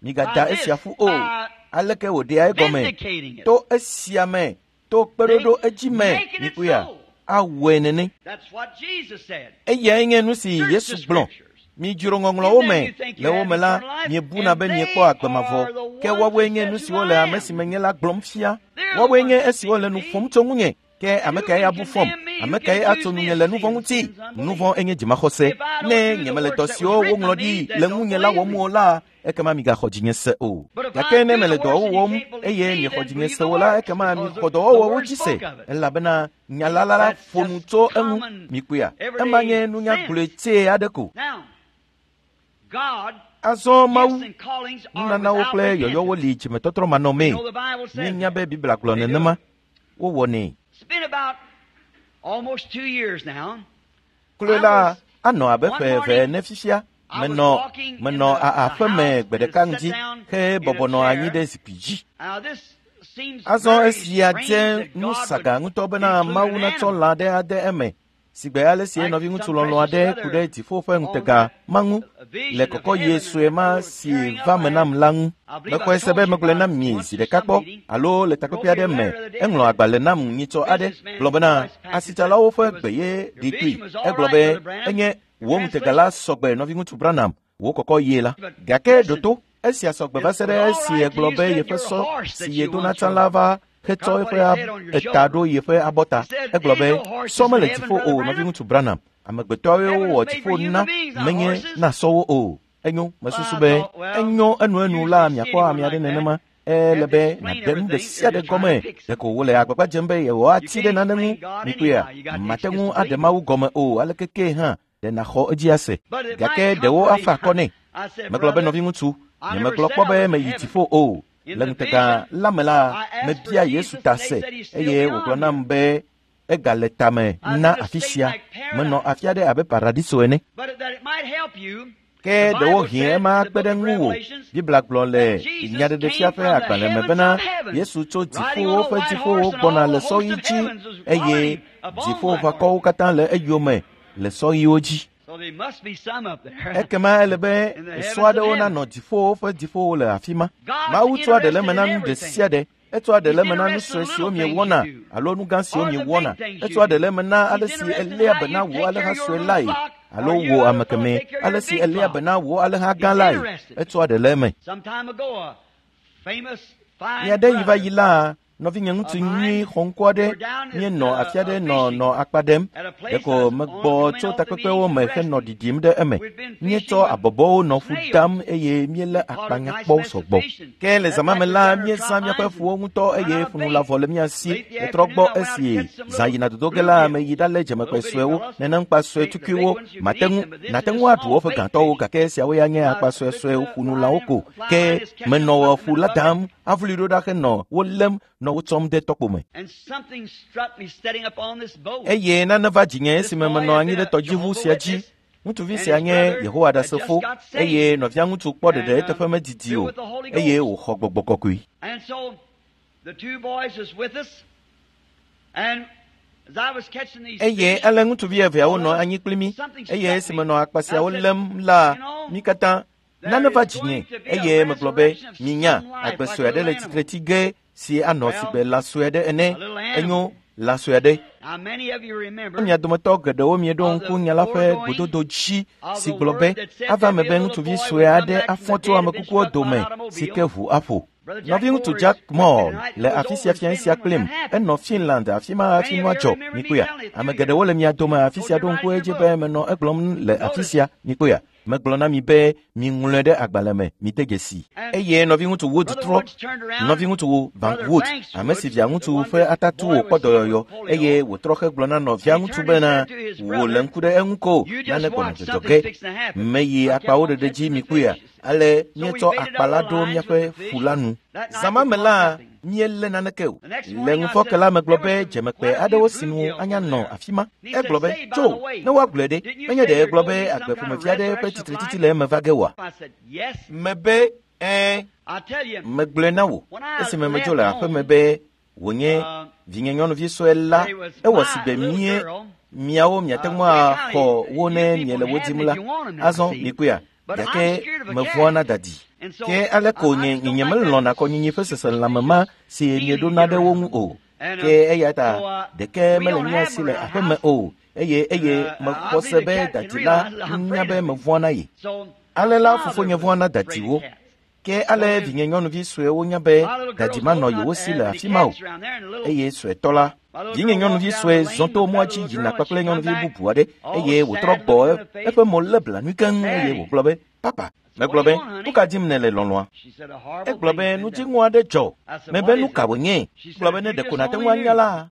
migada esia ƒu o. Aleke wòɖea egɔme? To esia me, to kpeɖoɖo edzi me, mikpɔea? Awɔe nene. Eyae nye nu si Yesu gblɔ. Midzro ŋɔŋlɔwo me. Le wo me la, miebuna be miekpɔ agbe mavɔ. Ke woawoe nye nu siwo le ame si menye la gblɔm fia. Woawoe nye esiwo le nu ƒom tso ŋunye. Ke ame kae abu fɔm? Ame kae atso nunye le nu vɔ̃ ŋuti? Nu vɔ̃ enye dzimaxɔse. Ne nyemele dɔ siwo woŋlɔ ɖi le ŋunye la wɔm o la, ekema migaxɔ dzinye se o. Gake ne mele dɔwo wɔm eye miexɔ dzinye se o la, ekema mixɔ dɔwɔwɔwo dzi se, elabena nya la la ƒo nu tso eŋu. Mikpɔea? Ema nye nunya gblɔe tsɛ aɖe ko. Azɔ Mawu nunanawo kple yɔyɔwo li dzimetɔtrɔ manɔmee. Míenya be Biblia gblɔ nenema. Wowɔnɛ. Kloe la anɔ abe ƒe eve ene fifia. Menɔ menɔ aƒe me gbe ɖeka ŋdi he bɔbɔ nɔ anyi ɖe zikpui dzi. Azɔ esia dze nu saga ŋutɔ bena Mawu natsɔ lã ɖe ade eme Sigbe ale si nɔviŋutsu lɔlɔ̃ aɖe ku ɖe dziƒo ƒe ŋutega ma ŋu le kɔkɔye sue ma si va me nam la ŋu. Mexɔe se be megblɔe na mi zi ɖeka kpɔ alo le takpekpe aɖe me. Eŋlɔ agbalẽ nam nyitsɔ aɖe gblɔ bena asitsalawo ƒe gbe ye ɖi toe. Egblɔ be enye wò ŋutega la sɔgbe nɔviŋutsu Branham wò kɔkɔye la. Gake ɖo to esia sɔgbe va se ɖe esi egblɔ be yeƒe sɔ si yedona tsã la va hetsɔ eƒe eta ɖo yeƒe abɔta. Egblɔ be sɔ mele dziƒo o nɔviŋutsu Branham. Amegbetɔwoe wowɔ dziƒo na menye na sɔwo o. Enyo mesusu be enyo enuenu la miakpɔ ame aɖe nenema. Ele be nàɖe nu ɖe sia ɖe gɔme. Ɖeko wole agbagba dzem be yewoatsi ɖe nane ŋu. Mikpɔea, mate ŋu aɖe Mawu gɔme o aleke ke hã ɖe nàxɔ edzi ase. Gake ɖewo afa akɔ nɛ. Megblɔ be nɔviŋutsu, nyemegblɔ kpɔ be meyi dziƒo o. Le ŋutega la me la, mebia Yesu ta se eye wògblɔ nam be egale tame na afi sia. Menɔ afi aɖe abe paradiso ene. Ke ɖewohĩ ema kpe ɖe ŋuwò. Biblia gblɔ le Nyaɖeɖefia ƒe agbalẽ me bena Yesu tso dziƒowo ƒe dziƒowo gbɔna le sɔɣi dzi eye dziƒoʋakɔwo katã le eyome le sɔɣiwo dzi. Ekema ele be sɔ aɖewo nanɔ dziƒowo ƒe dziƒowo le afi ma. Mawu tsɔa ɖe le eme na nu ɖe sia ɖe. Etsɔa ɖe le eme na nu sue siwo miewɔna alo nu gã siwo miewɔna. Etsɔa ɖe le eme na ale si eléa be na wò alẽha sue lae alo wò ame kemɛ, ale si eléa be na wò alẽha gã lae. Etsɔa ɖe le eme. Mia ɖe yi va yi la, nɔvinye ŋutsu nyui xɔŋkɔ aɖe míenɔ afi aɖe nɔ nɔ akpa ɖem. Ɖeko megbɔ tso takpekpewo me henɔ ɖiɖim ɖe eme. Míetsɔ abɔbɔwo nɔ ƒu dam eye míelé akpa nyakpɔ sɔgbɔ. Ke le zã ma me la, míezã míaƒe ƒuwo ŋutɔ eye ƒunu la vɔ le mía si. Metrɔ gbɔ esi zã yina dodo ge la, meyi ɖalé dzemekpe suewo, nenemkpa sue tukuiwo. Mate ŋu nate ŋu aɖu woƒe gãtɔwo gake esiawo ya nye akpa suesue ƒunulawo ko. Ke menɔ ƒu la dam avuli ɖo ɖa henɔ wo lém nɔ wo tsɔm ɖe tɔkpo me. Eye nane va dzinye esime menɔ anyi ɖe tɔdziʋu sia dzi. Ŋutsuvi sia nye Yehowa Ɖasefo eye nɔvia ŋutsu kpɔ ɖeɖe eteƒe medidi o eye wòxɔ gbɔgbɔ kɔkɔe. Eye ale ŋutsuvi eveawo nɔ anyi kpli mí eye esime nɔ akpa siawo lém la, mí katã nane va dzinye eye megblɔ be minya agbe sue aɖe le tsitre tsi ge si anɔ sigbe lã sue aɖe ene. Enyo lã sue aɖe. Mia dometɔ geɖewo mieɖo ŋku nya la ƒe gododo dzi si gblɔ be ava me be ŋutsuvi sue aɖe afɔ tso ame kukuwo dome si ke ʋu aƒo. Nɔviŋutsu Jack Moore le afi sia fia sia kplim. Enɔ Finland afi ma hafi nua dzɔ. Mikpɔea, ame geɖewo le mia dome afi sia ɖo ŋku edzi be menɔ egblɔm le afi sia. Mikpɔea, megblɔ na mi be miŋlɔe ɖe agbalẽ me, mide dzesi. Eye nɔviŋutsu Wood trɔ, nɔviŋutsu Bank Wood, ame si via ŋutsu ƒe atatu wòkpɔ dɔyɔyɔ eye wòtrɔ hegblɔ na nɔvia ŋutsu bena wò le ŋku ɖe eŋu ko nane gbɔna dzɔdzɔ ge. Meyi akpawo ɖeɖe dzi mikpɔea, ale míetsɔ akpa la ɖo míaƒe ƒu la nu. Zã ma me la, míelé naneke o. Le ŋufɔke la megblɔ be dzemekpe aɖewo sinu anya nɔ afi ma. Egblɔ be tso ne woagblɔe ɖe, menye ɖe egblɔ be agbe ƒomevi aɖe ƒe tsitretsitsi le eme va ge oa? Mebe ɛ̃, megblɔe na wò esime medzo le aƒeme be wònye vinye nyɔnuvi sue la, ewɔ sigbe mie miawo miate ŋu axɔ wo ne miele wo dim la. Azɔ mikpɔea, gake mevɔ̃a na dadi. Ke ale ko nye nye melɔ̃na kɔnyinyi ƒe seselãme ma si mieɖona ɖe wo ŋu o. Ke eya ta ɖeke mele mía si le aƒeme o eye eye mexɔ se be dadi la nya be mevɔ̃a na ye. Ale la fofonye vɔ̃a na dadiwo. Ke ale vinye nyɔnuvi suewo nya be dadi manɔ yewo si le afi ma o. Eye suetɔ la, vinye nyɔnuvi sue zɔ to mɔa dzi yina kpakple nyɔnuvi bubu aɖe eye wòtrɔ gbɔ eƒe mo lé blanui keŋ eye wògblɔ be papa. Megblɔ be nu ka dim nèle lɔlɔ̃a? Egblɔ be nu dziŋɔ aɖe dzɔ. Mebe nu ka wònye? Egblɔ be ne ɖeko nàte ŋu anya la.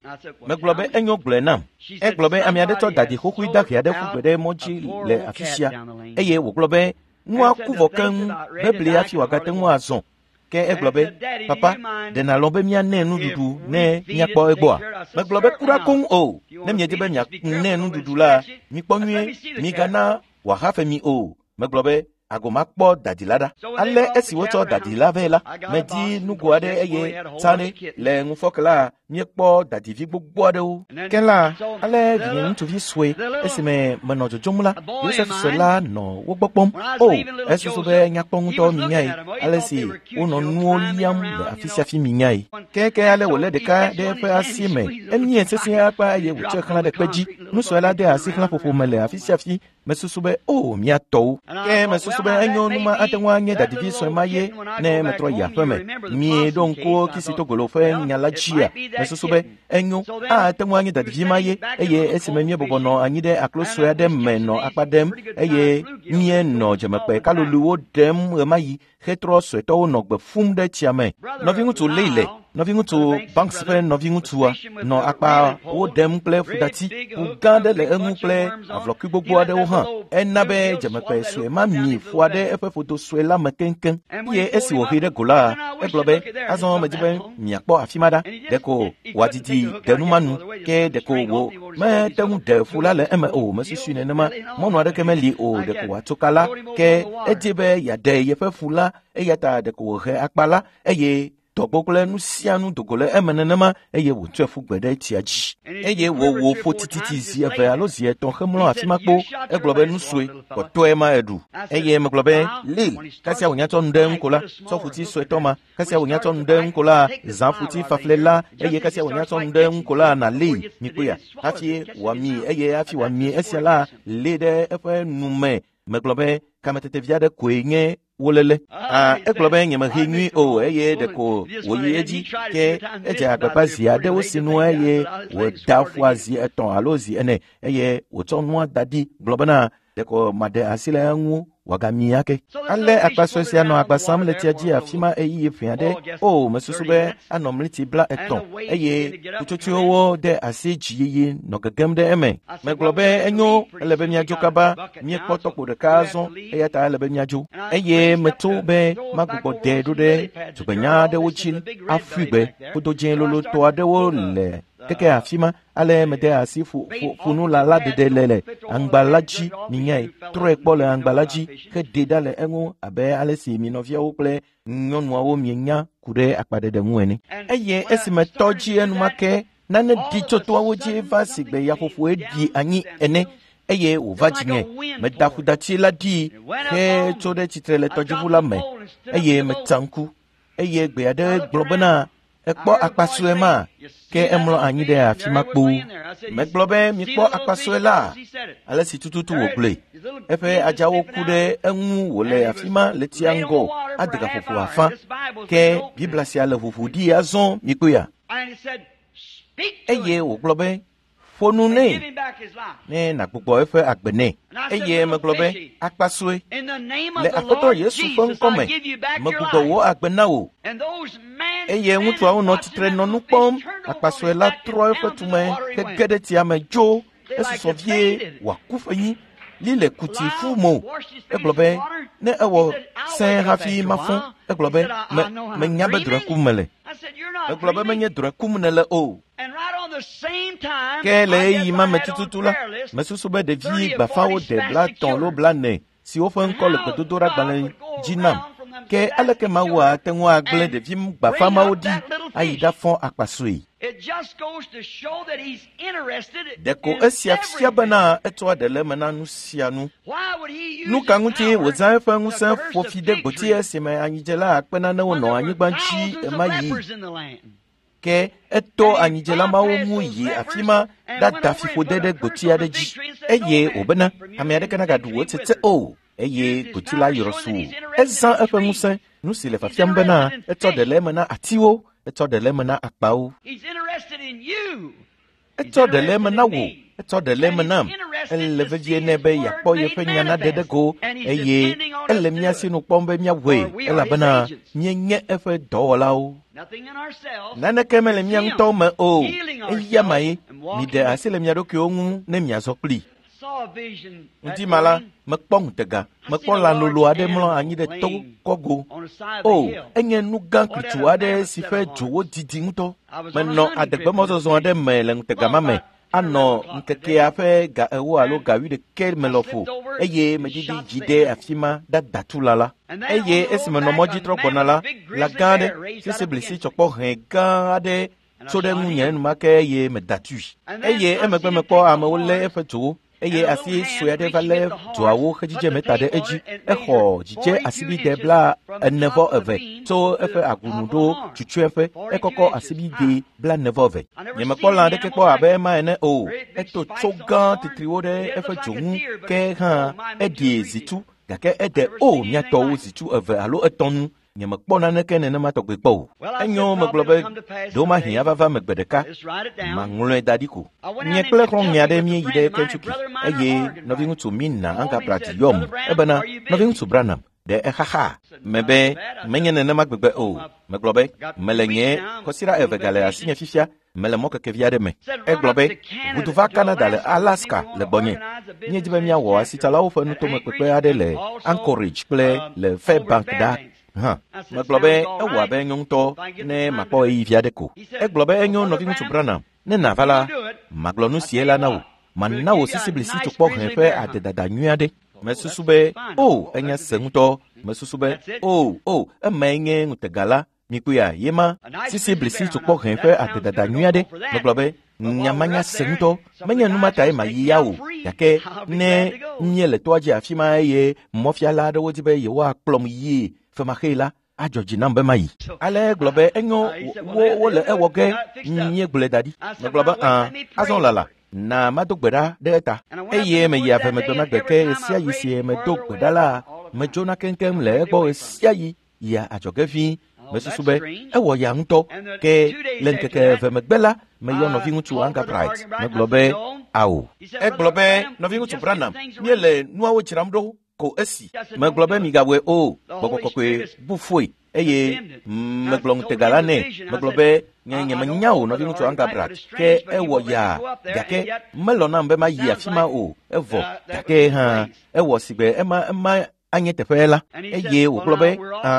Megblɔ be enyo gblɔe nam. Egblɔ be ame aɖe tsɔ dadi xoxoe dahe aɖe ƒu gbe ɖe mɔ dzi le afi sia eye wògblɔ be nua ku vɔ keŋ bebli hafi wòagate ŋu azɔ. Ke egblɔ be papa, ɖe nàlɔ̃ be míanɛ nuɖuɖu ne míakpɔ egbɔa? Megblɔ be kura koŋ o. Ne miedi be mianɛ nuɖuɖu la, mikpɔ nyuie, migana wòahafe mi o. Megblɔ be Agomakpɔ dadi la ɖa. Ale esi wotsɔ dadi la vɛ la, medi nugo aɖe eye tsã ɖe le ŋufɔke la míekpɔ dadivi gbogbo aɖewo. Ke la, ale vinye ŋutsuvi sue esime menɔ dzodzom la, Yosef sue la nɔ wo gbɔ kpɔm. O, esusu be nyakpɔ ŋutɔ minyae ale si wonɔ nuwo liam le afi sia fi minyae. Keke ale wòlé ɖeka ɖe eƒe asi me, emie sesĩe akpa eye wòtsɔe xlã ɖe kpe dzi. Nusue la de asi xlãƒoƒo me le afi sia fi. Mesusu be o mía tɔwo. Ke mesusu be enyo nu ma ate ŋu anye dadivi sue ma ye ne metrɔ yi aƒe me. Mieɖo ŋku Kisitogolo ƒe nya la dzia. Mesusu be enyo ate ŋu anye dadivi ma ye eye esime míebɔbɔ nɔ anyi ɖe aklo sue aɖe me nɔ akpa ɖem eye míenɔ dzemekpe kaloluwo ɖem ɣemaɣi hetrɔ suetɔwo nɔ gbe fum ɖe tsia me. Nɔviŋutsu Leile, nɔviŋutsu Banks ƒe nɔviŋutsua nɔ akpa wo ɖem kple ƒudati. Ƒu gã aɖe le eŋu kple avlɔkui gbogbo aɖewo hã. Ena be dzemekpe sue ma mi ƒua ɖe eƒe ƒodo sue la me keŋkeŋ. Eye esi wòhee ɖe go la, egblɔ be azɔ medzi be miakpɔ afi ma ɖa. Ɖeko wòadidi ɖe nu ma nu ke ɖeko wò mete ŋu ɖe ƒu la le eme o. Mesusui nenema. Mɔnu aɖeke meli o. Ɖeko wòatso ka la ke edzi be yeaɖe yeƒe ƒu la eya ta ɖeko wòhe akpa la eye dɔgbo kple nu sia nu dogo le eme nenema eye wòtsɔe ƒu gbe ɖe tsia dzi. Eye wòwò ƒo tititi zi eve alo zi etɔ̃ hemlɔ afi ma kpo. Egblɔ be nu sue kpɔtɔe ma eɖu. Eye megblɔ be Lil, kasia wònya tsɔ nu ɖe eŋu ko la, tsɔ ƒuti suetɔ ma. Kasia wònya tsɔ nu ɖe eŋu ko la, zã ƒuti faflɛ la eye kasia wònya tsɔ nu ɖe eŋu ko la nalée mikpɔea. Hafi wòami eye hafi wòami esia la lée ɖe eƒe nu me. Megblɔ be kametetevi aɖe koe nye wolele. Ah, egblɔ be nyemehe nyui o eye ɖeko wòyi edzi ke edze agbagba zi aɖewo sinu eye wòda ƒua zi etɔ̃ alo zi ene eye wòtsɔ nua da ɖi gblɔ bena ɖeko maɖe asi le eŋu wòagami ake. Ale akpa sue sia nɔ agba sam le tsia dzi afi ma ɣeyiɣi ʋɛ aɖe. O, mesusu be anɔ mliti bla etɔ̃ eye ƒutsotsoewo de asi dziyiyi nɔ gegem ɖe eme. Megblɔ be enyo ele be míadzo kaba. Míekpɔ tɔkpo ɖeka azɔ eya ta ele be míadzo. Eye metso be magbugbɔ ɖe ɖo ɖe dzogbenya aɖewo dzi afui gbe. Ƒodo dzẽ lolotɔ aɖewo le keke afi ma. Ale mede asi ƒu ƒunu la la ɖeɖe le le aŋgba la dzi minyae. Trɔe kpɔ le aŋgba la dzi heɖe ɖa le eŋu abe ale si mi nɔviawo kple nyɔnuawo mienya ku ɖe akpaɖeɖe ŋu ene. Eye esime tɔ dzi enumake nane ɖi tso toawo dzi va si gbe yaƒoƒoe ɖi anyi ene eye wòva dzinye. Meda ƒudati la ɖi hetso ɖe tsitre le tɔdziʋu la me eye metsa ŋku eye gbe aɖe gblɔ bena ekpɔ akpa sue ma ke emlɔ anyi ɖe afi ma kpoo. Megblɔ be mikpɔ akpa sue la ale si tututu wògblɔe. Eƒe adzawo ku ɖe eŋu wòle afi ma le tsia ŋgɔ ade gaƒoƒo afã. Ke Biblia sia le ʋuʋu ɖi azɔ mikpɔea. Eye wògblɔ be ƒo nu nɛ ne nàgbugbɔ eƒe agbe nɛ. Eye megblɔ be akpa sue le Aƒetɔ Yesu ƒe ŋkɔ me megbugbɔ wò agbe na wò. Eye ŋutsuawo nɔ tsitre nɔ nu kpɔm. Akpa sue la trɔ eƒe tume hege ɖe tsia me dzo. Esusɔ vie wòaku ƒenyi. Li le kuti fu mo. Egblɔ be ne ewɔ sẽe hafi mafɔ. Egblɔ be me menya be drɔ̃e kum mele. Megblɔ be menye drɔ̃e kum nèle o. Ke le ɣeyiɣi ma me tututu la, mesusu be ɖevi gbafawo de blaetɔ̃ alo blaene siwo ƒe ŋkɔ le gbedodoɖagbalẽ dzi nam. Ke aleke Mawu ate ŋu agblẽ ɖevi gbafa mawo ɖi ayi ɖafɔ akpa sue? Ɖeko esia fia bena etsɔa ɖe le eme na nu sia nu. Nu ka ŋuti wòzã eƒe ŋusẽ ƒo fi ɖe gboti esime anyidzela akpe nanewo nɔ anyigba dzi ɣemaɣi? Ke eto anyidzela mawo ŋu yi afi ma ɖada fiƒode ɖe gboti aɖe dzi eye wòbena ame aɖeke nagaɖu wò tsetse o. Eye gboti la yrɔ su. Ezã eƒe ŋusẽ, nu si le fiafiam bena etsɔ ɖe le eme na atiwo, etsɔ ɖe le eme na akpawo. Etsɔ ɖe le eme na wò, etsɔ ɖe le eme nam. Ele vevie nɛ be yeakpɔ yeƒe nya naɖe ɖe go eye ele mía sinu kpɔm be míawɔe elabena míenye eƒe dɔwɔlawo. Naneke mele mía ŋutɔwo me o. Eya mae miɖe asi le mia ɖokuiwo ŋu ne miazɔ kplii. Ŋdi ma la, mekpɔ ŋutega, mekpɔ lã lolo aɖe mlɔ anyi ɖe to kɔgo. O, enye nu gã klitsu aɖe si ƒe dzowo didi ŋutɔ. Menɔ adegbemɔzɔzɔ aɖe me le ŋutega ma me. Anɔ ŋkekea ƒe ga ewo alo ga wuiɖekɛ me lɔƒo eye medidi dzi ɖe afi ma ɖada tu lã la. Eye esime nɔ mɔ dzi trɔ gbɔna la, lã gã aɖe, sisiblisi tsɔkpɔ hẽ gã aɖe tso ɖe ŋunye enumake eye meda tui. Eye emegbe mekpɔ amewo lé eƒe dzowo eye asi sue aɖe va lé dzoawo hedzidze meta ɖe edzi. Exɔ dzidze asibide bla ene vɔ eve tso eƒe agunu ɖo tsutsueƒe. Ekɔkɔ asibide bla ene vɔ eve. Nyemekpɔ lã aɖeke kpɔ abe ema ene o. Eto tso gã titriwo ɖe eƒe dzo ŋu ke hã eɖie zitu gake ede o mía tɔwo zitu eve alo etɔ̃ nu. Nyemekpɔ naneke nenema tɔgbe kpɔ o. Enyo megblɔ be ɖewomahi ava va megbe ɖeka maŋlɔe da ɖi ko. Nye kple xlɔ̃nye aɖe míeyi ɖe Kentucky eye nɔviŋutsu Mina Angabrat yɔm ebena nɔviŋutsu Branham ɖe exaxa. Mebe menye nenema gbegbe o. Megblɔ be mele nye kɔsiɖa eve gale asinye fifia mele mɔkekevi aɖe me. Egblɔ be ʋudu va Canada le Alaska le gbɔnye. Míedi be míawɔ asitsalawo ƒe nutomekpekpe aɖe le Anchorage kple le Fairbank ɖa hã. Megblɔ be ewɔ abe enyo ŋutɔ ne makpɔ ɣeyiɣi aɖe ko. Egblɔ be enyo nɔviŋutsu Branham ne nàva la, magblɔ nu sie la na wò. Mana wò sisiblisi tsokpɔ hẽ ƒe adedada nyui aɖe. Mesusu be o enya se ŋutɔ. Mesusu be o o emae nye ŋutega la. Mikpɔea ye ma sisiblisi tsokpɔ hẽ ƒe adedada nyui aɖe. Megblɔ be nyamanya se ŋutɔ menye nu ma tae mayi ya o gake ne míele toa dzi afi ma eye mɔfiala aɖewo di be yewoakplɔm yie femaxee la adzɔ dzi nam be mayi. Ale egblɔ be enyo wo wole ewɔ ge míegblɔe da ɖi. Megblɔ be ã azɔ lala na mado gbe ɖa ɖe eta. Eye meyi ave megbe magbe ke ɣesiaɣi si medo gbe ɖa la medzona keŋkeŋ le egbɔ ɣesiaɣi yia adzɔge vĩi. Mesusu be ewɔ ya ŋutɔ ke le ŋkeke eve megbe la meyɔ nɔviŋutsu Angabright. Megblɔ be ao. Egblɔ be nɔviŋutsu Branham míele nuawo dzram ɖo ko esi. Megblɔ be migawɔe o. Gbɔgbɔ kɔkɔe bu foe eye megblɔ ŋutega la nɛ. Megblɔ be nye nyemenya o nɔviŋutsu Angabrat ke ewɔ ya gake melɔ nam be mayi afi ma o evɔ gake hã ewɔ sigbe ema ema anye teƒe la. Eye wògblɔ be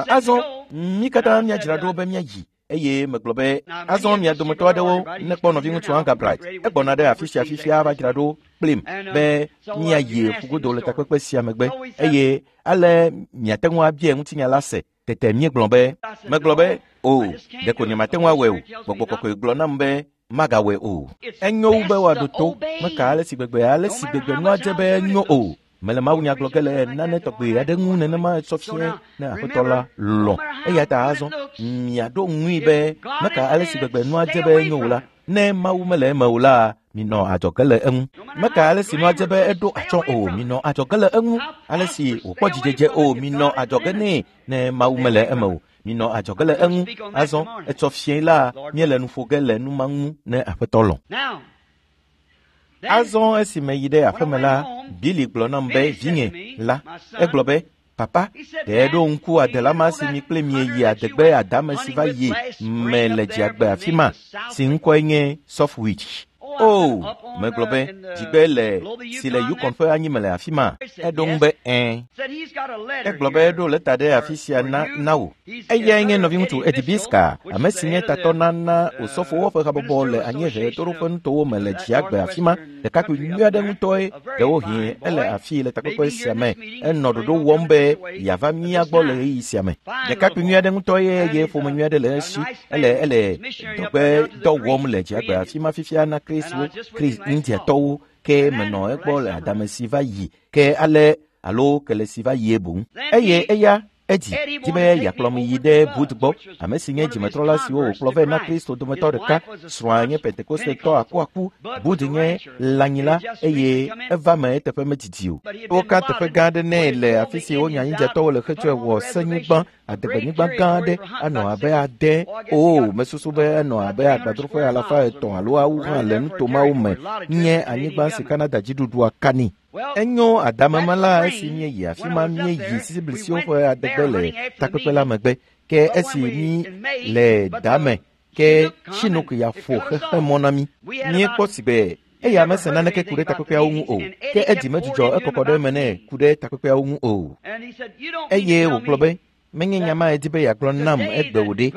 azɔ mí katã míadzra ɖo be míayi. Eye megblɔ be azɔ mia dometɔ aɖewo nekpɔ nɔviŋutsu Angabrat egbɔna ɖe afi sia fifia va dzra ɖo kplim be míayi ƒugodo le takpekpe sia megbe eye ale miate ŋu abia ŋutinya la se. Tete míegblɔ be megblɔ be o ɖeko nyemate ŋu awɔe o. Gbɔgbɔ kɔkɔe gblɔ nam be magawɔe o. Enyo wu be woaɖo to meka ale si gbegbe ale si gbegbe nua dze be enyo o. Mele mawunya gblɔ ge le nane tɔgbe aɖe ŋu nenema etsɔ fie ne aƒetɔ la lɔ̃. Eya ta azɔ miaɖo ŋui be meka ale si gbegbe nua dze be enyo o la ne Mawu mele eme o la minɔ adzɔge le eŋu. Meka ale si nua dze be eɖo atsyɔ̃ o minɔ adzɔge le eŋu. Ale si wòkpɔ dzidzedze o minɔ adzɔge nɛ ne Mawu mele eme o minɔ adzɔge le eŋu. Azɔ etsɔ fie la míele nu ƒo ge le nu ma ŋu ne aƒetɔ lɔ̃. Azɔ esi meyi ɖe aƒeme la, Billy gblɔ nam be vinye la, egblɔ be papa, ɖe ɖo ŋku adela ma si mi kple mieyi adegbe adame si va yi me le dziagbe afi ma si ŋkɔe nye Softwich. O, megblɔ be dzigbe le si le Yukon ƒe anyime le afi ma. Eɖo ŋu be ɛ̃. Egblɔ be eɖo lɛta ɖe afi sia na na wò. Eyae nye nɔviŋutsu Eddie Biska, ame si nye tatɔ na na osɔfowo ƒe habɔbɔ le anyiehe ɣetoɖoƒe nutowo me le dziagbe afi ma. Ɖekakpui nyui aɖe ŋutɔe ɖewohĩ ele afii le takpekpe sia me. Enɔ ɖoɖo wɔm be yeava mía gbɔ le ɣeyiɣi sia me. Ɖekakpui nyui aɖe ŋutɔe eye ƒome nyui aɖe le esi. Ele ele dɔgbe dɔ wɔm le dziagbe afi ma fifia na Kristwo Chris Indiatɔwo ke menɔ egbɔ le adame si va yi ke ale alo kele si va yie boŋ. Eye eya Edi di be yeakplɔm yi ɖe Bud gbɔ, ame si nye dzimetrɔla siwo wòkplɔ vɛ na Kristo dometɔ ɖeka. Srɔ̃a nye Pentekostetɔ akuaku. Bud nye lãnyila eye eva me eteƒe medidi o. Woka teƒe gã aɖe nɛ le afi si wonya Indiatɔwo le hetsɔe wɔ senyigba adegbenyigba gã aɖe anɔ abe ade o mesusu be enɔ abe agbadroƒe alafa etɔ̃ alo awu hã le nuto mawo me nye anyigba si Canada dziɖuɖua ka nɛ. Enyo adameme la esi míeyi afi ma míeyi sisiblisiwo ƒe adegbe le takpekpe la megbe ke esi mí le dame ke Chinook ya ƒo xexemɔ na mí. Míekpɔ si be eya mese naneke ku ɖe takpekpeawo ŋu o ke edi medzudzɔ ekɔkɔ ɖe eme nɛ ku ɖe takpekpeawo ŋu o. Eye wògblɔ be menye nya ma edi be yeagblɔ nam egbe wò ɖe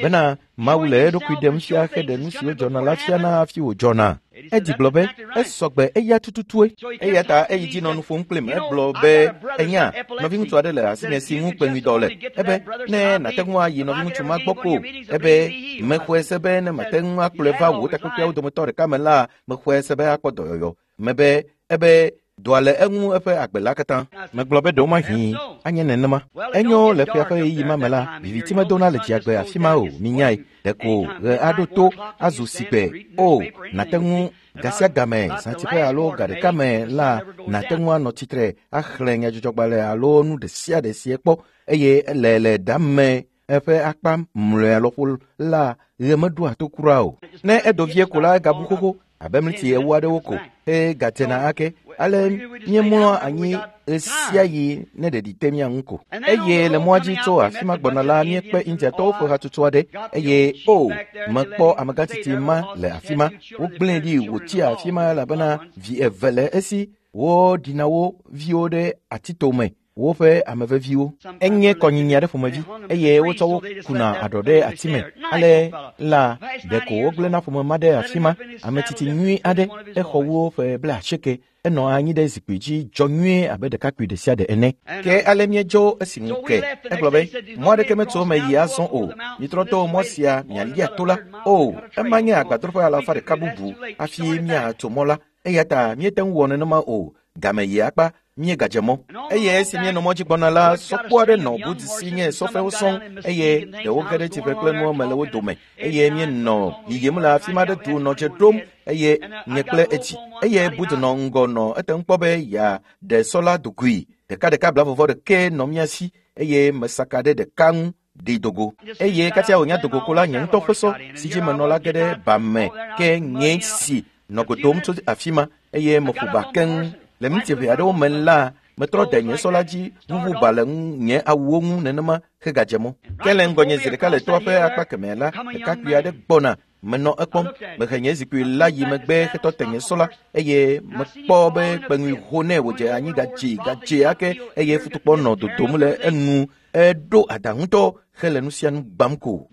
bena Mawu le eɖokui ɖem fia heɖe nu siwo dzɔna la fiana hafi wòdzɔna. Edi gblɔ be esɔgbe eya tututue. Eya ta eyi dzi nɔ nu ƒom kplim. Egblɔ be enya nɔviŋutsu aɖe le asinye si ŋu kpeŋuidɔ le. Ebe ne nàte ŋu ayi nɔviŋutsu ma gbɔ ko. Ebe mexɔe se be ne mate ŋu akplɔe va wò takpekpeawo dometɔ ɖeka me la, mexɔe se be akpɔ dɔyɔyɔ. Mebe ebe dɔa le eŋu eƒe agbe la katã. Megblɔ be ɖewomahi anye nenema. Enyo le ƒea ƒe ɣeyiɣi ma me la, viviti medona le dziagbe afi ma o, minyae. Ɖeko ɣe aɖo to azu sigbe. O, nàte ŋu ga sia game, zãtiƒe alo ga ɖeka me la, nàte ŋu anɔ tsitre axlẽ nyadzɔdzɔgbalẽ alo nu ɖe sia ɖe si ekpɔ eye le le ɖame eƒe akpa mlɔea lɔƒo la, ɣe meɖoa to kura o. Ne edo vie ko la, egabu xoxo abe mliti ewo aɖewo ko eye gadzena ake. Ale míemlɔa anyi ɣe sia ɣi ne ɖeɖi te mía ŋu ko. Eye le mɔa dzi tso afi ma gbɔna la, míekpe Indiatɔwo ƒe hatsotso aɖe eye o, mekpɔ amegãtsitsi ma le afi ma. Wogblẽe ɖi wòtsi afi ma elabena vi eve le esi woɖina wo viwo ɖe atitome. Woƒe ame veviwo. Enye kɔnyinyi aɖe ƒomevi eye wotsɔ wo kuna aɖɔ ɖe ati me. Ale la ɖeko wogblẽna ƒome ma ɖe afi ma. Ame tsitsi nyui aɖe exɔ wo ƒe blaasieke. Enɔ anyi ɖe zikpui dzi dzɔ nyuie abe ɖekakpui ɖe sia ɖe ene. Ke ale míedzo esi ŋu ke. Egblɔ be mɔ aɖeke metso eme yi azɔ o. Mitrɔ to mɔ sia mialia to la. O, ema nye agbadroƒe alafa ɖeka bubu hafi míatso mɔ la. Eya ta míete ŋu wɔ nenema o. Game yi akpa míegadze mɔ. Eye esi míenɔ mɔ dzi gbɔna la, sɔkpo aɖe nɔ Bud si nye sɔfewo sɔŋ eye ɖewo ge ɖe tsiƒe kple nuwo me le wo dome. Eye míenɔ yiyim le afi ma ɖe du nɔ dze ɖom eye nye kple edzi. Eye Bud nɔ ŋgɔ nɔ ete ŋu kpɔ be yeaɖe sɔ la dogoe. Ɖekaɖeka blavɔvɔ ɖeke nɔ mía si eye mesaka ɖe ɖeka ŋu ɖi dogo. Eye kasia wònya dogo ko la, nye ŋutɔ ƒe sɔ si dzi menɔ la ge ɖe ba me ke nye si nɔ godom tso afi ma eye meƒo ba keŋ. Le miniti ʋɛ aɖewo me la, metrɔ de nye sɔ la dzi ʋuʋu ba le nye awuwo ŋu nenema hegadze mɔ. Ke le ŋgɔnye zi ɖeka le toa ƒe akpa kemɛ la, ɖekakpui aɖe gbɔna. Menɔ ekpɔm. Mehe nye zikpui la yi megbe hetɔ te nye sɔ la eye mekpɔ be kpeŋui ho nɛ wòdze anyi gadzi gadze ake eye futukpɔ nɔ dodom le enu. Eɖo ada ŋutɔ hele nu sia nu gbam ko.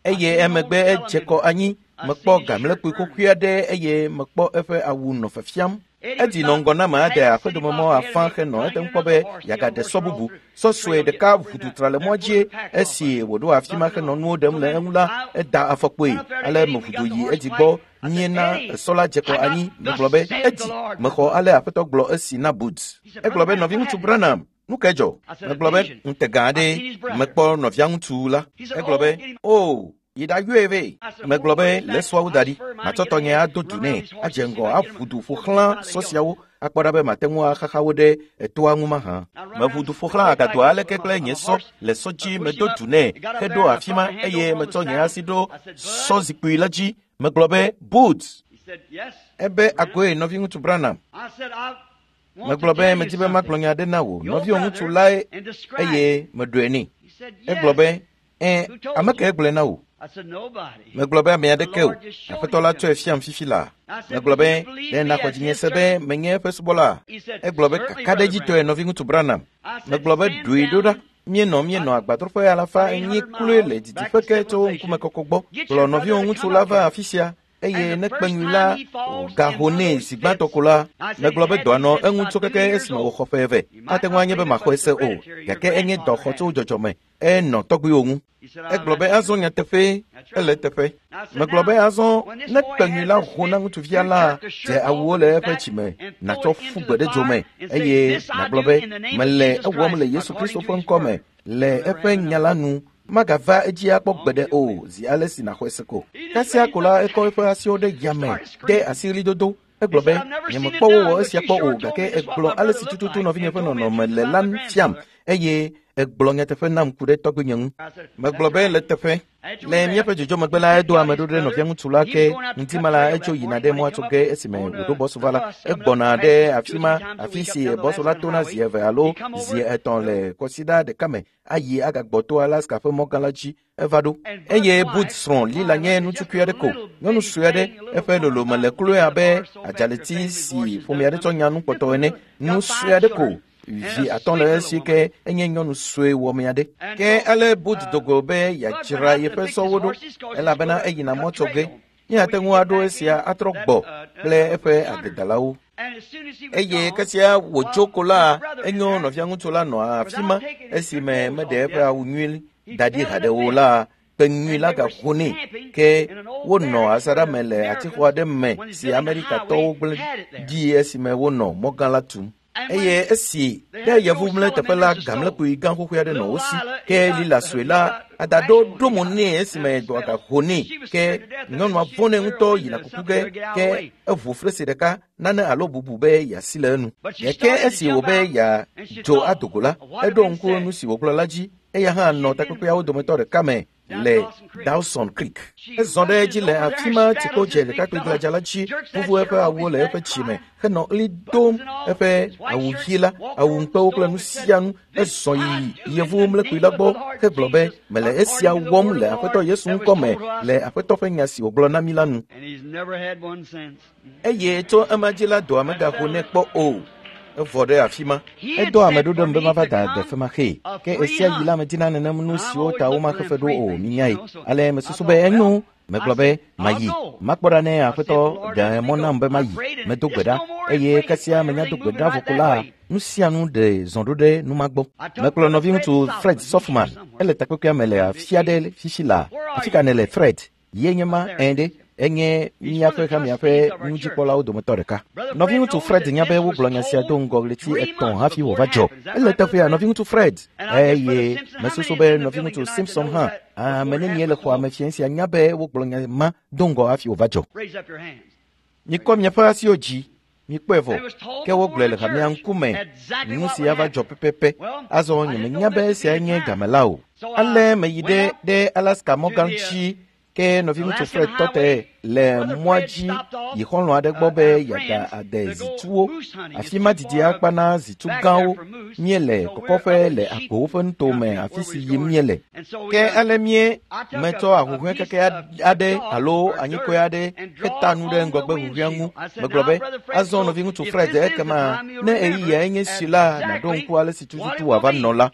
Eye emegbe edze kɔ anyi. Mekpɔ gamlekpui xoxoe aɖe eye mekpɔ eƒe awu nɔ fiafiam. Edi nɔ ŋgɔ na ame aɖe aƒedomemɔ afã henɔ ete ŋu kpɔ be yeagaɖe sɔ bubu. Sɔ sue ɖeka ʋu tra le mɔa dzie. Esi wòɖo afi ma henɔ nuwo ɖem le eŋu la, eda afɔkpoe. Ale meʋu yi edzi gbɔ míena sɔ la dze kɔ anyi. Megblɔ be edi mexɔ ale aƒetɔ gblɔ esi na Bud. Egblɔ be nɔviŋutsu Branham, nu ke dzɔ? Megblɔ be ŋutega aɖee mekpɔ nɔvia ŋutsu la. Egblɔ be o yi ɖayɔe vɛ. Megblɔ be le sɔawo da ɖi. Matsɔ tɔnye ado du nɛ adze ŋgɔ aʋu du ƒo xlã sɔ siawo akpɔ ɖa be mate ŋu axaxa wo ɖe etoa ŋu mahã. Meʋu du ƒo xlã agadoa aleke kple nye sɔ le sɔ dzi medo du nɛ heɖo afi ma eye metsɔ nye asi ɖo sɔ zikpui la dzi. Megblɔ be Bud. Ebe agoe nɔviŋutsu Branham. Megblɔ be medzi be magblɔ nya aɖe na wò. Nɔviwò ŋutsu lae eye meɖoe nɛ. Egblɔ be ẽ, ame kae gblɔe na wò? Megblɔ be ame aɖeke o. Aƒetɔ la tsɔe fiam fifi la. Megblɔ be ɖe nàxɔ dzinye se be menye eƒe subɔla. Egblɔ be kakaɖedzitɔe nɔviŋutsu Branham. Megblɔ be ɖoe ɖo ɖa. Míenɔ míenɔ agbadroƒe alafa enyi kloe le didiƒe ke tso ŋkumekɔkɔ gbɔ. Kplɔ nɔviwò ŋutsu la va afi sia eye ne kpeŋui la gaho nɛ zi gbãtɔ ko la, megblɔ be dɔa nɔ eŋu tso keke esime wòxɔ ƒe eve. Ate ŋu anye be maxɔe se o, gake enye dɔ xɔ tso dzɔdzɔme. Enɔ tɔgbuiwo ŋu. Egblɔ be azɔ nyateƒe ele teƒe. Megblɔ be azɔ ne kpeŋui la ho na ŋutsuvia la, dze awuwo le eƒe dzime nàtsɔ ƒu gbe ɖe dzome eye nàgblɔ be mele ewɔm le Yesu Kristo ƒe ŋkɔ me le eƒe nya la nu. Magava edzi akpɔ gbeɖe o zi ale si nàxɔe se ko. Kasia ko la ekɔ eƒe asiwo ɖe yame de asiɣlidodo. Egblɔ be nyemekpɔ wowɔ esia kpɔ o gake egblɔ ale si tututu nɔvinye ƒe nɔnɔme le la fiam eye egblɔ nyateƒe nam ku ɖe tɔgbuinye ŋu. Megblɔ be le teƒe. Le míaƒe dzodzo megbe la, edo ame ɖo ɖe nɔvia ŋutsu la ke ŋdi ma la etso yina ɖe mɔa tso ge esime wòɖo bɔsu va la, egbɔna ɖe afi ma afi si bɔsu la tona zi eve alo zi etɔ̃ le kɔsiɖa ɖeka me ayi agagbɔ to Alaska ƒe mɔgã la dzi eva ɖo. Eye Bud srɔ̃ Lila nye ŋutsukui aɖe ko, nyɔnu sue aɖe, eƒe lolome le kloe abe adzaleti si ƒome aɖe tsɔ nya nu kpɔtɔ ene, nu sue aɖe ko. Vi atɔ̃ le esi ke enye nyɔnu sue wɔme aɖe. Ke ale Bud dogo be yeadzra yeƒe sɔwo ɖo elabena eyina mɔ tso ge. Míate ŋu aɖo esia atrɔ gbɔ kple eƒe agbedalawo. Eye kesia wòtso ko la, enyo nɔvia ŋutsu la nɔ afi ma esime meɖe eƒe awu nyui da ɖi haɖe o la, kpe nyui la gaƒo nɛ. Ke wonɔ asaɖa me le atixɔ aɖe me si Amerikatɔwo gblẽ ɖi esime wonɔ mɔgã la tum. Eye esi ɖe yevu mle teƒe la gamlekpui gã xoxoe aɖe nɔ wo si. Ke lila sue la adaɖo ɖo mo nɛ esime dɔa gaƒo nɛ. Ke nyɔnua vɔ̃ nɛ ŋutɔ yina kuku ge ke eʋu fresi ɖeka nane alo bubu be yeasi le enu. Gake esi wòbe yeadzo ado go la, eɖo ŋku nu si wògblɔ la dzi. Eya hã nɔ takpekpeawo dometɔ ɖeka me le Dawson Creek. Ezɔ ɖe edzi le afi ma tsikpo dze ɖekakpui gladza la dzi, vuvu eƒe awuwo le eƒe tsime henɔ ɣli dom eƒe awu ɣi la, awu ŋukpewo kple nu sia nu. Ezɔ yi yevu mlekpui la gbɔ hegblɔ be, mele esia wɔm le Aƒetɔ Yesu ŋkɔ me le Aƒetɔ ƒe nya si wògblɔ na mí la nu. Eye tso ema dzi la dɔa megaho nɛ kpɔ o. Evɔ ɖe afi ma. Edɔ ame ɖo ɖem be mava da ade femaxee. Ke esia yi la medina nenem nu siwo ta womaxe fe ɖo o, minyae. Ale mesusu be enyo. Megblɔ be mayi. Makpɔ ɖa ne Aƒetɔ ɖe mɔ nam be mayi. Medo gbe ɖa eye kasia menya do gbe ɖa vɔ ko la, nu sia nu ɖe zɔ ɖo ɖe nu ma gbɔ. Mekplɔ nɔviŋutsu Fred Softman. Ele takpekpea me le afi aɖe fifi la. Afi ka nèle Fred? Ye nye ma ẽ ɖe. Enye míaƒe hamea ƒe nudzikpɔlawo dometɔ ɖeka. Nɔviŋutsu Fred nya be wogblɔ nya sia do ŋgɔ ɣleti etɔ̃ hafi wòva dzɔ. Ele teƒea nɔviŋutsu Fred. Eye mesusu be nɔviŋutsu Simpson hã ame nenie le xɔa me fiẽ sia nya be wogblɔ nya ma do ŋgɔ hafi wòva dzɔ. Mikɔ miaƒe asiwo dzi. Mikpɔe vɔ. Ke wogblɔe le hamea ŋkume nu si ava dzɔ pɛpɛpɛ. Azɔ nyemenya be esia nye game la o. Ale meyi ɖe ɖe Alaska mɔgã dzi. Ke nɔviŋutsu Fred tɔ te le mɔa dzi yi xɔlɔ̃ aɖe gbɔ be yeada ade zituwo. Afi ma didi akpa na zitu gãwo. Míele kɔkɔƒe le agbowo ƒe nutome afi si yim míele. Ke ale mie metsɔ ahuhɔ̃e keke aɖe alo anyikɔe aɖe heta nu ɖe ŋgɔgbe huhɔ̃ea ŋu. Megblɔ be, azɔ nɔviŋutsu Fred ekema ne ɣeyiɣia enye si la nàɖo ŋku ale si tututu wòava nɔ la.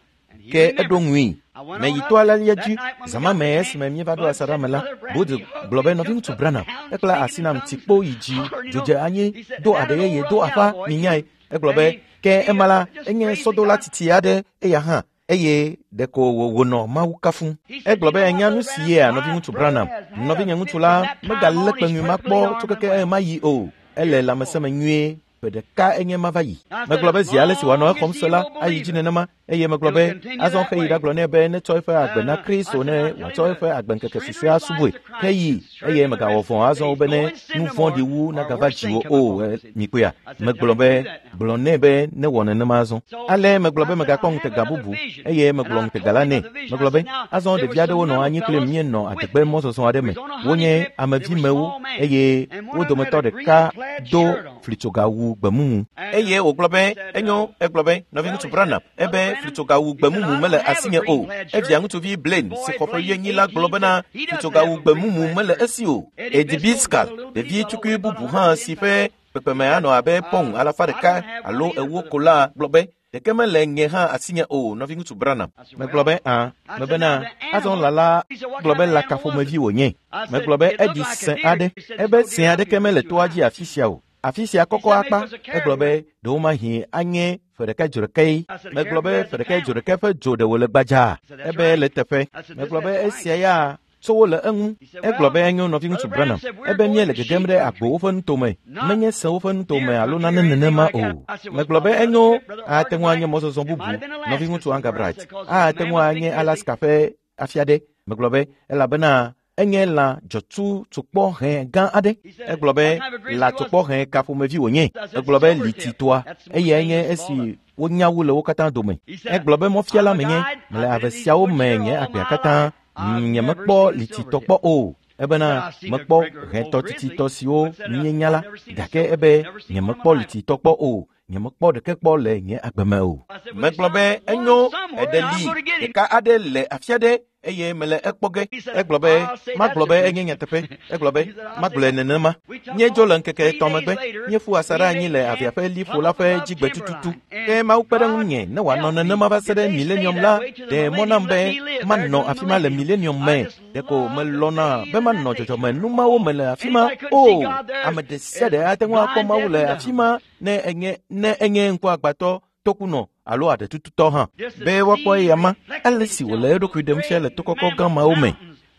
Ke eɖo ŋui. Meyi to alelia dzi zã ma me esime míeva ɖo asaɖa me la, Bud gblɔ be nɔviŋutsu Branham ekpla asi nam tsikpo yi dzi dzodze anyi do aɖe yeye do aƒa minyae. Egblɔ be ke ema la enye sɔdola titi aɖe eya hã eye ɖeko wònɔ Mawu kafum. Egblɔ be enya nu si yea nɔviŋutsu Branham. Nɔvinye ŋutsu la megalé kpeŋui ma kpɔ tso keke ema yi o. Ele lãmesẽ nyuie. Ƒe ɖeka enye ma va yi. Megblɔ be zi ale si wòanɔ exɔm se la ayi dzi nenema eye megblɔ be azɔ xeyi ɖagblɔ nɛ be netsɔ eƒe agbe na Kristo ne wòatsɔ eƒe agbeŋkeke susɔea asubɔe. Xeyi eye megawɔ vɔ̃ azɔ be ne nu vɔ̃ɖi wu nagava dziwò o. Mikpɔea? Megblɔ be gblɔ nɛ be newɔ nenema azɔ. Ale megblɔ be megakpɔ ŋutega bubu eye megblɔ ŋutega la nɛ. Megblɔ be azɔ ɖevi aɖewo nɔ anyi kple míenɔ adegbe mɔzɔzɔ aɖe me. Wonye amevimewo eye wo dometɔ ɖeka do flitsogawu gbemumu. Eye wògblɔ be enyo. Egblɔ be nɔviŋutsu Branham ebe flitsogawu gbemumu mele asinye o. Evia ŋutsuvi Blaine si xɔ ƒe wuienyi la gblɔ bena flitsogawu gbemumu mele esi o. Eddie Biscal, ɖevi tukui bubu hã si ƒe kpekpeme anɔ abe pɔŋ alafa ɖeka alo ewo ko la gblɔ be ɖeke mele nye hã asinye o nɔviŋutsu Branham. Megblɔ be ã mebena azɔ lala gblɔ be lakaƒomevi wònye. Megblɔ be eɖi sẽ aɖe. Ebe sẽ aɖeke mele toa dzi afi sia o. Afi sia kɔkɔ akpa. Egblɔ be ɖewomahi anye ƒe ɖeka dzo ɖekae. Megblɔ be ƒe ɖeka dzo ɖeka ƒe dzo ɖe wòle gbadzaa. Ebe le teƒe. Megblɔ be esia ya tso wo le eŋu. Egblɔ be enyo nɔviŋutsu Branham. Ebe míele gegem ɖe agbowo ƒe nutome, menye sewo ƒe nutome alo nane nenema o. Megblɔ be enyo ate ŋu anye mɔzɔzɔ bubu nɔviŋutsu Angabright. Ate ŋu anye Alaska ƒe afi aɖe. Megblɔ be elabena enye lã dzɔtsu tsukpɔ hẽ gã aɖe. Egblɔ be lã tsukpɔ hẽ ka ƒomevi wònye. Egblɔ be lititoa eyae nye esi wonya wu le wo katã dome. Egblɔ be mɔfiala menye mele ave siawo me nye agbea katã. Nyemekpɔ lititɔ kpɔ o. Ebena mekpɔ hẽtɔ tititɔ siwo míenya la gake ebe nyemekpɔ lititɔ kpɔ o. Nyemekpɔ ɖeke kpɔ le nye agbe me o. Megblɔ be enyo eɖe li ɖeka aɖe le afi aɖe eye mele ekpɔ ge. Egblɔ be magblɔ be enye nyateƒe. Egblɔ be magblɔe nenema. Míedzo le ŋkeke etɔ̃ megbe. Míeƒu asaɖa anyi le avea ƒe liƒo la ƒe dzigbe tututu. Ke Mawu kpe ɖe ŋunye ne wòanɔ nenema va se ɖe milenium la, ɖe mɔ nam be manɔ afi ma le milenium me. Ɖeko melɔ̃na be manɔ dzɔdzɔme numawo me le afi ma. O, ame ɖe sia ɖe ate ŋu akpɔ Mawu le afi ma ne enye ne enye ŋkuagbãtɔ, tokunɔ alo aɖetututɔ hã. Be woakpɔ eya ma, ale si wòle eɖokui ɖem fia le to kɔkɔ gã mawo me.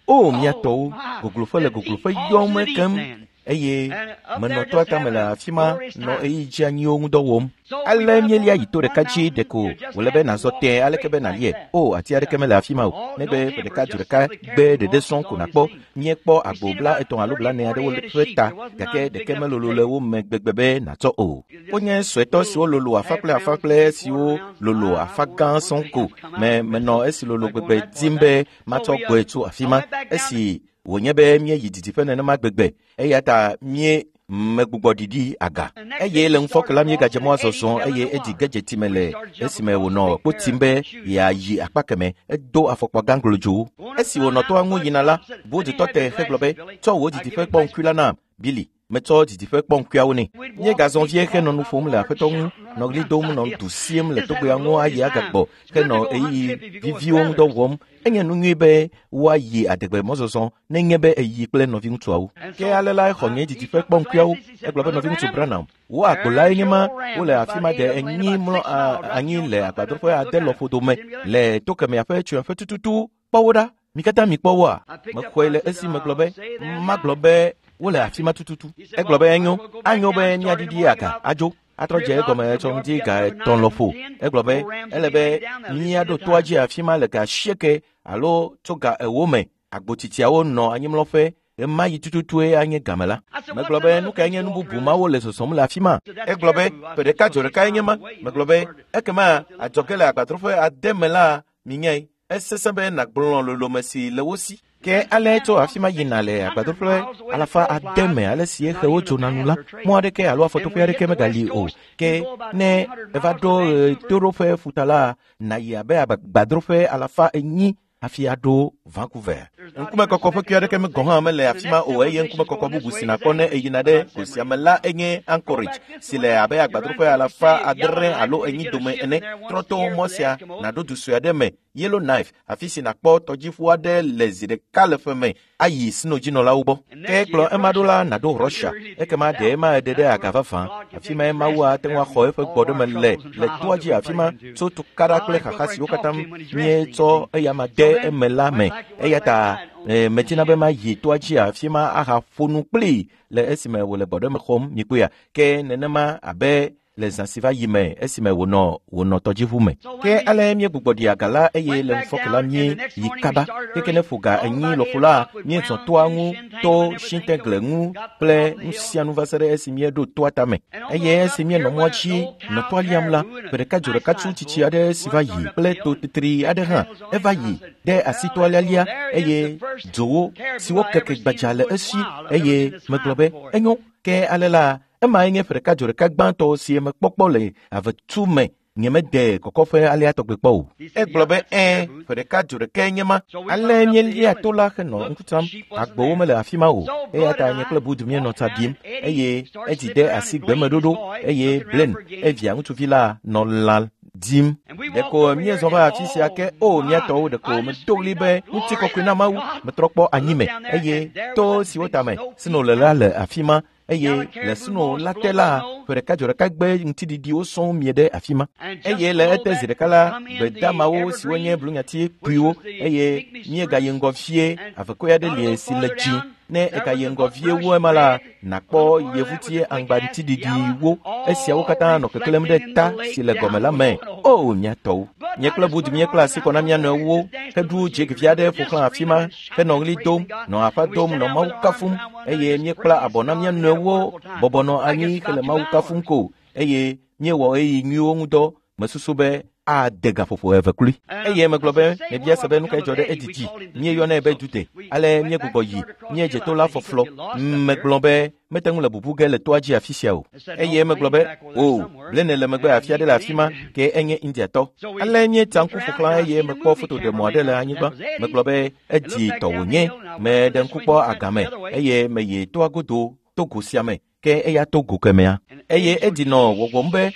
O, mía tɔwo, gogloƒe le gogloƒe yɔm ekem eye menɔ toa tame le afi ma nɔ ɣeyiɣi dzeanyiwo ŋu dɔ wɔm. Ale míelia yi to ɖeka dzi ɖeko wòle be nàzɔ tẽe aleke be nàlie. O, ati aɖeke mele afi ma o, negbe ƒe ɖeka du ɖeka gbe ɖeɖe sɔŋ ko nàkpɔ. Míekpɔ agbo bla etɔ̃ alo blaene aɖewo ƒe ta, gake ɖeke melolo le wo me gbegbe be nàtsɔ o. Wonye suetɔ siwo lolo afa kple afa kple siwo lolo afa gã sɔŋ ko. Me menɔ esi lolo gbegbe dim be matsɔ gbɔe tso afi ma. Esi wònye be míeyi didiƒe nenema gbegbe, eya ta mie megbugbɔ ɖiɖi aga. Eye le ŋufɔke la míegadze mɔa zɔzɔ eye edzi ge dze time le esime wònɔ kpo tim be yeayi akpa keme. Edo afɔkpa gã glodzowo. Esi wònɔ toa ŋu yina la, Budutɔ te hegblɔ be, tsɔ wò didiƒe kpɔ ŋkui la nam, Billy. Metsɔ didiƒe kpɔ ŋkuiawo nɛ. Míegazɔ vie henɔ nu ƒom le aƒetɔ ŋu, nɔ ɣli dom nɔ du siem le togbea ŋu ayi agagbɔ henɔ ɣeyiɣi viviwo ŋu dɔ wɔm. Enye nu nyui be woayi adegbe mɔzɔzɔ nenye be eyi kple nɔviŋutsuawo. Ke ale la exɔ nye didiƒe kpɔ ŋkuiawo. Egblɔ be nɔviŋutsu Branham, wo agbo lae nye ma, wole afi ma de enyi mlɔ anyi le agbadroƒe ade lɔƒo dome le to kemɛa ƒe tsyɔ̃eƒe tututu. Kpɔ wo ɖa. Mi katã mikpɔ woa? Mexɔe le esi megblɔ be magblɔ be wole afi ma tututu. Egblɔ be enyo, anyo be míaɖiɖi aga adzo. Atrɔ dze egɔme tsɔ ŋdi ga etɔ̃ lɔƒo. Egblɔ be ele be míaɖo toa dzi afi ma le ga asieke alo tso ga ewo me. Agbotsitsiawo nɔ anyimlɔƒe ɣemaɣi tututue anye game la. Megblɔ be nu kae nye nu bubu mawo le zɔzɔm le afi ma? Egblɔ be ƒe ɖeka dzo ɖekae nye ma. Megblɔ be ekema adzɔge le agbadroƒe ade me la minyae. Esesẽ be nàgblɔ lolome si le wo si. Ke ale tso afi ma yina le agbadroƒe alafa ade me ale si xewo dzona nu la, mɔ aɖeke alo afɔtoƒe aɖeke megali o. Ke ne eva ɖo ɣetoɖoƒe ƒuta la, nàyi abe agbadroƒe alafa enyi hafi aɖo Vancouver. Ŋkumekɔkɔ ƒe kui aɖeke me gɔ̃ hã mele afi ma o eye ŋkumekɔkɔ bubu si nàkpɔ ne eyina ɖe go sia me la enye Anchorage si le abe agbadroƒe alafa adre alo enyi dome ene. Trɔ to mɔ sia nàɖo du sue aɖe me, Yellowknife, afi si nàkpɔ tɔdziʋu aɖe le zi ɖeka le ƒe me ayi sinodzinɔlawo gbɔ. Ke kplɔ ema ɖo la nàɖo Russia. Ekema ɖe ema eɖe ɖe aga vavã. Afi mae Mawu ate ŋu axɔ eƒe gbɔɖeme le le toa dzi afi ma tso tukaɖa kple xaxa siwo katã míetsɔ eyama de eme la me. Eya ta medina be mayi toa dzi afi ma ahaƒo nu kplii le esime wòle gbɔɖeme xɔm mikpɔea. Ke nenema abe le zã si va yi me esime wònɔ wònɔ tɔdziʋu me. Ke ale míegbugbɔ ɖi aga la eye le ŋufɔke la míeyi kaba. Keke ne ƒo ga enyi lɔƒo la, míezɔ toa ŋu to Shintegle ŋu kple nu sia nu va se ɖe esi míeɖo toa tame. Eye esi míenɔ mɔa dzi nɔ toa liam la, ƒe ɖeka dzo ɖeka tsu tsitsi aɖe si va yi kple to tetri aɖe hã eva yi de asi toa lialia eye dzowo siwo keke gbadza le esi eye megblɔ be enyo. Ke ale la ema nye ƒe ɖeka dzo ɖeka gbãtɔ si mekpɔkpɔ le avetu me. Nyemede kɔkɔƒe alea tɔgbe kpɔ o. Egblɔ be ɛ̃, ƒe ɖeka dzo ɖekae nye ma. Ale míelia to la henɔ ŋku tsam. Agbowo mele afi ma o. Eya ta nye kple Budu míenɔ tsa ɖim eye edzi de asi gbemeɖoɖo eye Blaine, evia ŋutsuvi la, nɔ lã dim. Ɖeko míezɔ va afi sia ke o mía tɔwo ɖeko medo ɣli be ŋutikɔkɔe na Mawu. Metrɔ kpɔ anyime eye to siwo tame sno le la le afi ma. Eye le sno la te la, ƒe ɖeka dzo ɖeka gbe ŋutiɖiɖiwo sɔŋ mie ɖe afi ma. Eye le ete zi ɖeka la, gbedamawo siwo nye blunyati kpuiwo eye míegayi ŋgɔ vie, avekɔe aɖe li si le dzi. Ne egayi ŋgɔ vie wu ema la, nàkpɔ yevuti aŋgbaŋutiɖiɖiwo. Esiawo katã nɔ keklẽm ɖe ta si le gɔme la me. O, mía tɔwo! Nye kple Budu míekpla asi kɔ na mía nɔewo heɖu dzegevi aɖe ƒo xlã afi ma henɔ ɣli dom, nɔ aƒa dom, nɔ Mawu kafum eye míekpla abɔ na mía nɔewo bɔbɔ nɔ anyi hele Mawu kafum ko eye míewɔ ɣeyiɣi nyuiwo ŋu dɔ. Mesusu be ade gaƒoƒo eve kloe. Eye megblɔ be mebia se be nu kae dzɔ ɖe Eddie dzi. Míeyɔnɛ be Dude. Ale míegbugbɔ yi, míedze to la fɔflɔ. Megblɔ be mete ŋu le bubu ge le toa dzi afi sia o. Eye megblɔ be o, Blene le megbe afi aɖe le afi ma ke enye Indiatɔ. Ale míetsa ŋku ƒo xlã eye mekpɔ fotoɖemɔ aɖe le anyigba. Megblɔ be Eddie tɔ wònye. Meɖe ŋku kpɔ agame eye meyi toa godo to go sia me ke eya to go kemea. Eye Eddie nɔ wɔwɔm be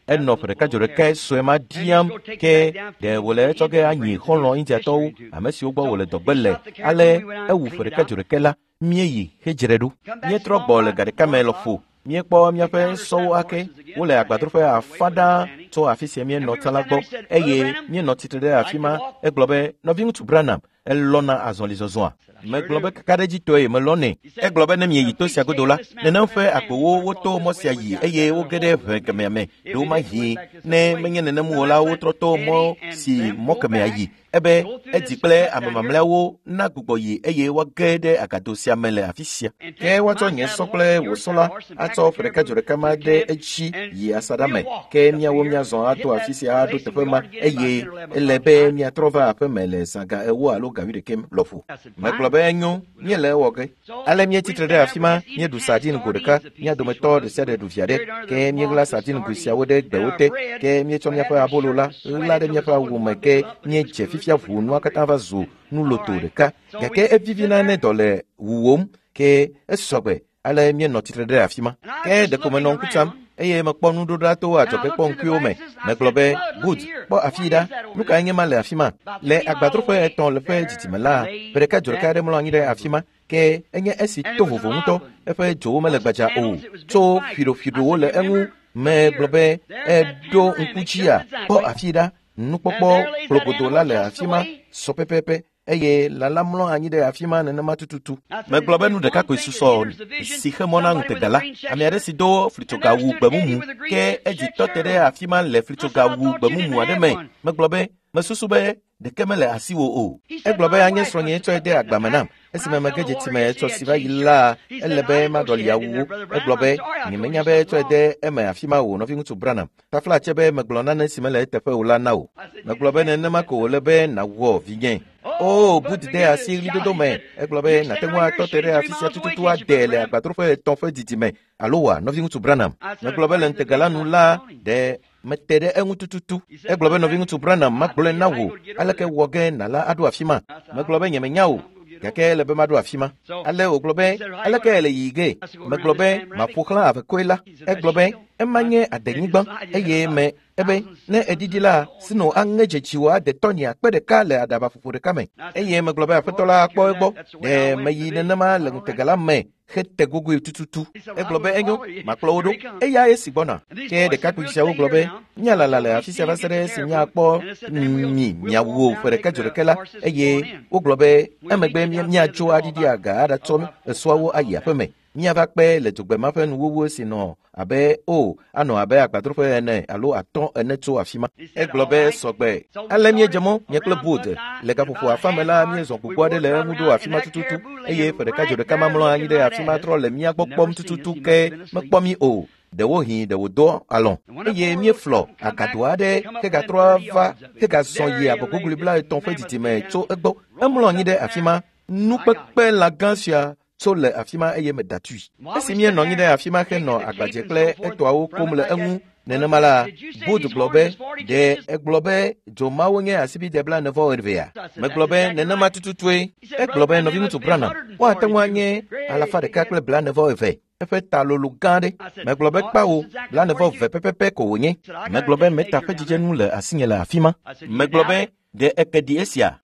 enɔ ƒe ɖeka dzo ɖeka sue ma diam ke ɖe wòle etsɔ ge anyi xɔlɔ̃ Indiatɔwo ame siwo gbɔ wòle dɔgbe le. Ale ewu ƒe ɖeka dzo ɖeka la míeyi hedzre ɖo. Míetrɔ gbɔ le ga ɖeka me lɔƒo. Míekpɔ míaƒe sɔwo ake wole agbadroƒe afã ɖaa tso afi sia míenɔ tsã la gbɔ eye míenɔ tsitre ɖe afi ma. Egblɔ be nɔviŋutsu Branham elɔ̃na azɔlizɔzɔa. Megblɔ be kakaɖedzitɔe melɔ̃nɛ. Egblɔ be ne mieyi to sia godo la, nenem ƒe agbowo woto mɔ sia yi eye woge ɖe ʋe kemea me ɖewomahi ne menye nenem o la wotrɔ to mɔ si mɔ kemea yi. Ebe Eddie kple ame mamlɛawo na gbugbɔ yi eye woage ɖe agado sia me le afi sia. Ke woatsɔ nye sɔ kple wò sɔ la atsɔ ƒe ɖeka dzo ɖeka ma ɖe edzi yi asaɖa me. Ke míawo míazɔ ato afi sia aɖo teƒe ma eye ele be míatrɔ va aƒe me le zã ga ewo alo ga wuiɖekɛ lɔƒo. Megblɔ be enyo, míele ewɔ ge. Ale míetsitre ɖe afi ma, míeɖu sardine go ɖeka, mía dometɔ ɖe sia ɖe ɖu vi aɖe. Ke míeɣla sardine go siawo ɖe gbewo te. Ke míetsɔ míaƒe abolo la ɣla ɖe míaƒe awu me ke míedze fifia ʋu nua katã va zu nuloto ɖeka. Gake evivina ne dɔ le wuwòm ke esɔgbe. Ale míenɔ tsitre ɖe afi ma. Ke ɖeko menɔ ŋku tsam eye mekpɔ nuɖoɖa to adzɔge kpɔ ŋkuiwo me. Megblɔ be Bud, kpɔ afi ɖa, nu kae nye ma le afi ma? Le agbadroƒe etɔ̃ le ƒe didime la, ƒe ɖeka dzo ɖeka aɖe mlɔ anyi ɖe afi ma ke enye esi to vovo ŋutɔ. Eƒe dzowo mele gbadza o, tso ƒiɖoƒiɖowo le eŋu. Megblɔ be eɖo ŋku dzia, kpɔ afi ɖa, nukpɔkpɔ kplogodo la le afi ma sɔ pɛpɛpɛ eye lala mlɔ anyi ɖe afi ma nenema tututu. Megblɔ be nu ɖeka koe susɔ si xe mɔ na ŋutega la. Ame aɖe si do flitsogawu gbemumu ke Eddie tɔ te ɖe afi ma le flitsogawu gbemumu aɖe me. Megblɔ be mesusu be ɖeke mele asiwò o. Egblɔ be anye srɔ̃nye tsɔe de agba me nam. Esime mege dze time etsɔ si va yi la, ele be maɖɔli awuwo. Egblɔ be nyemenya be tsɔe de eme afi ma o, nɔviŋutsu Branham. Tafla tse be megblɔ nane si mele eteƒe o la na wò. Megblɔ be nenema ko wòle be nàwɔ vinye. O, Bud de asi ɣlidodo me. Egblɔ be nàte ŋu atɔ te ɖe afi sia tututu ade le agbadroƒe etɔ̃ ƒe didime alo wòa, nɔviŋutsu Branham. Megblɔ be le ŋutega la nu la, ɖe mete ɖe eŋu tututu. Egblɔ be nɔviŋutsu Branham magblɔe na wò aleke wɔ ge nàla aɖo afi ma. Megblɔ be nyemenya o, gake ele be maɖo afi ma. Ale wògblɔ be aleke ele yiyi ge? Megblɔ be maƒo xlã avekoe la. Egblɔ be ema nye adenyigba eye me ebe ne eɖiɖi la sino aŋe dzedziwò ade tɔnyi akpe ɖeka le aɖabaƒoƒo ɖeka me. Eye megblɔ be aƒetɔ la akpɔ egbɔ. Ɖe meyi nenema le ŋutega la me hete gogoe tututu. Egblɔ be enyo, makplɔ wo ɖo. Eya esi gbɔna. Ke ɖekakpui siawo gblɔ be míalala le afi sia va se ɖe esi míakpɔ mi miawu ƒe ɖeka dzo ɖeka la. Eye wogblɔ be emegbe míatso aɖiɖi aga aɖatsɔ esɔawo ayi aƒe me. Míava kpe le dzogbema ƒe nuwuwu si nɔ abe o anɔ abe agbadroƒe ene alo atɔ̃ ene tso afi ma. Egblɔ be sɔgbe. Ale míedze mɔ nye kple Bud le gaƒoƒo afã me la míezɔ gbogbo aɖe le eŋu ɖo afi ma tututu eye ƒe ɖeka dzo ɖeka ma mlɔ anyi ɖe afi ma trɔ le mía gbɔ kpɔm tututu ke mekpɔ mí o. Ɖewohĩ ɖe wòdɔ alɔ̃ eye míeflɔ agado aɖe hegatrɔ va hegazɔ yi abɔgogli blaetɔ̃ ƒe didime tso egbɔ. Emlɔ anyi ɖe afi ma. Nukpekpe lã gã sia tso le afi ma eye meda tui. Esi míenɔ anyi ɖe afi ma henɔ agbadze kple etɔawo kom le eŋu nenema la, Bud gblɔ be ɖe egblɔ be dzomawo nye asibide blaene vɔ evea? Megblɔ be nenema tututue. Egblɔ be nɔviŋutsu Branham, woate ŋu anye alafa ɖeka kple blaene vɔ eve. Eƒe ta lolo gã ɖe. Megblɔ be kpawo blaene vɔ eve pɛpɛpɛ ko wònye. Megblɔ be meta ƒe dzidzenu le asinye le afi ma. Megblɔ be ɖe eke ɖi esia?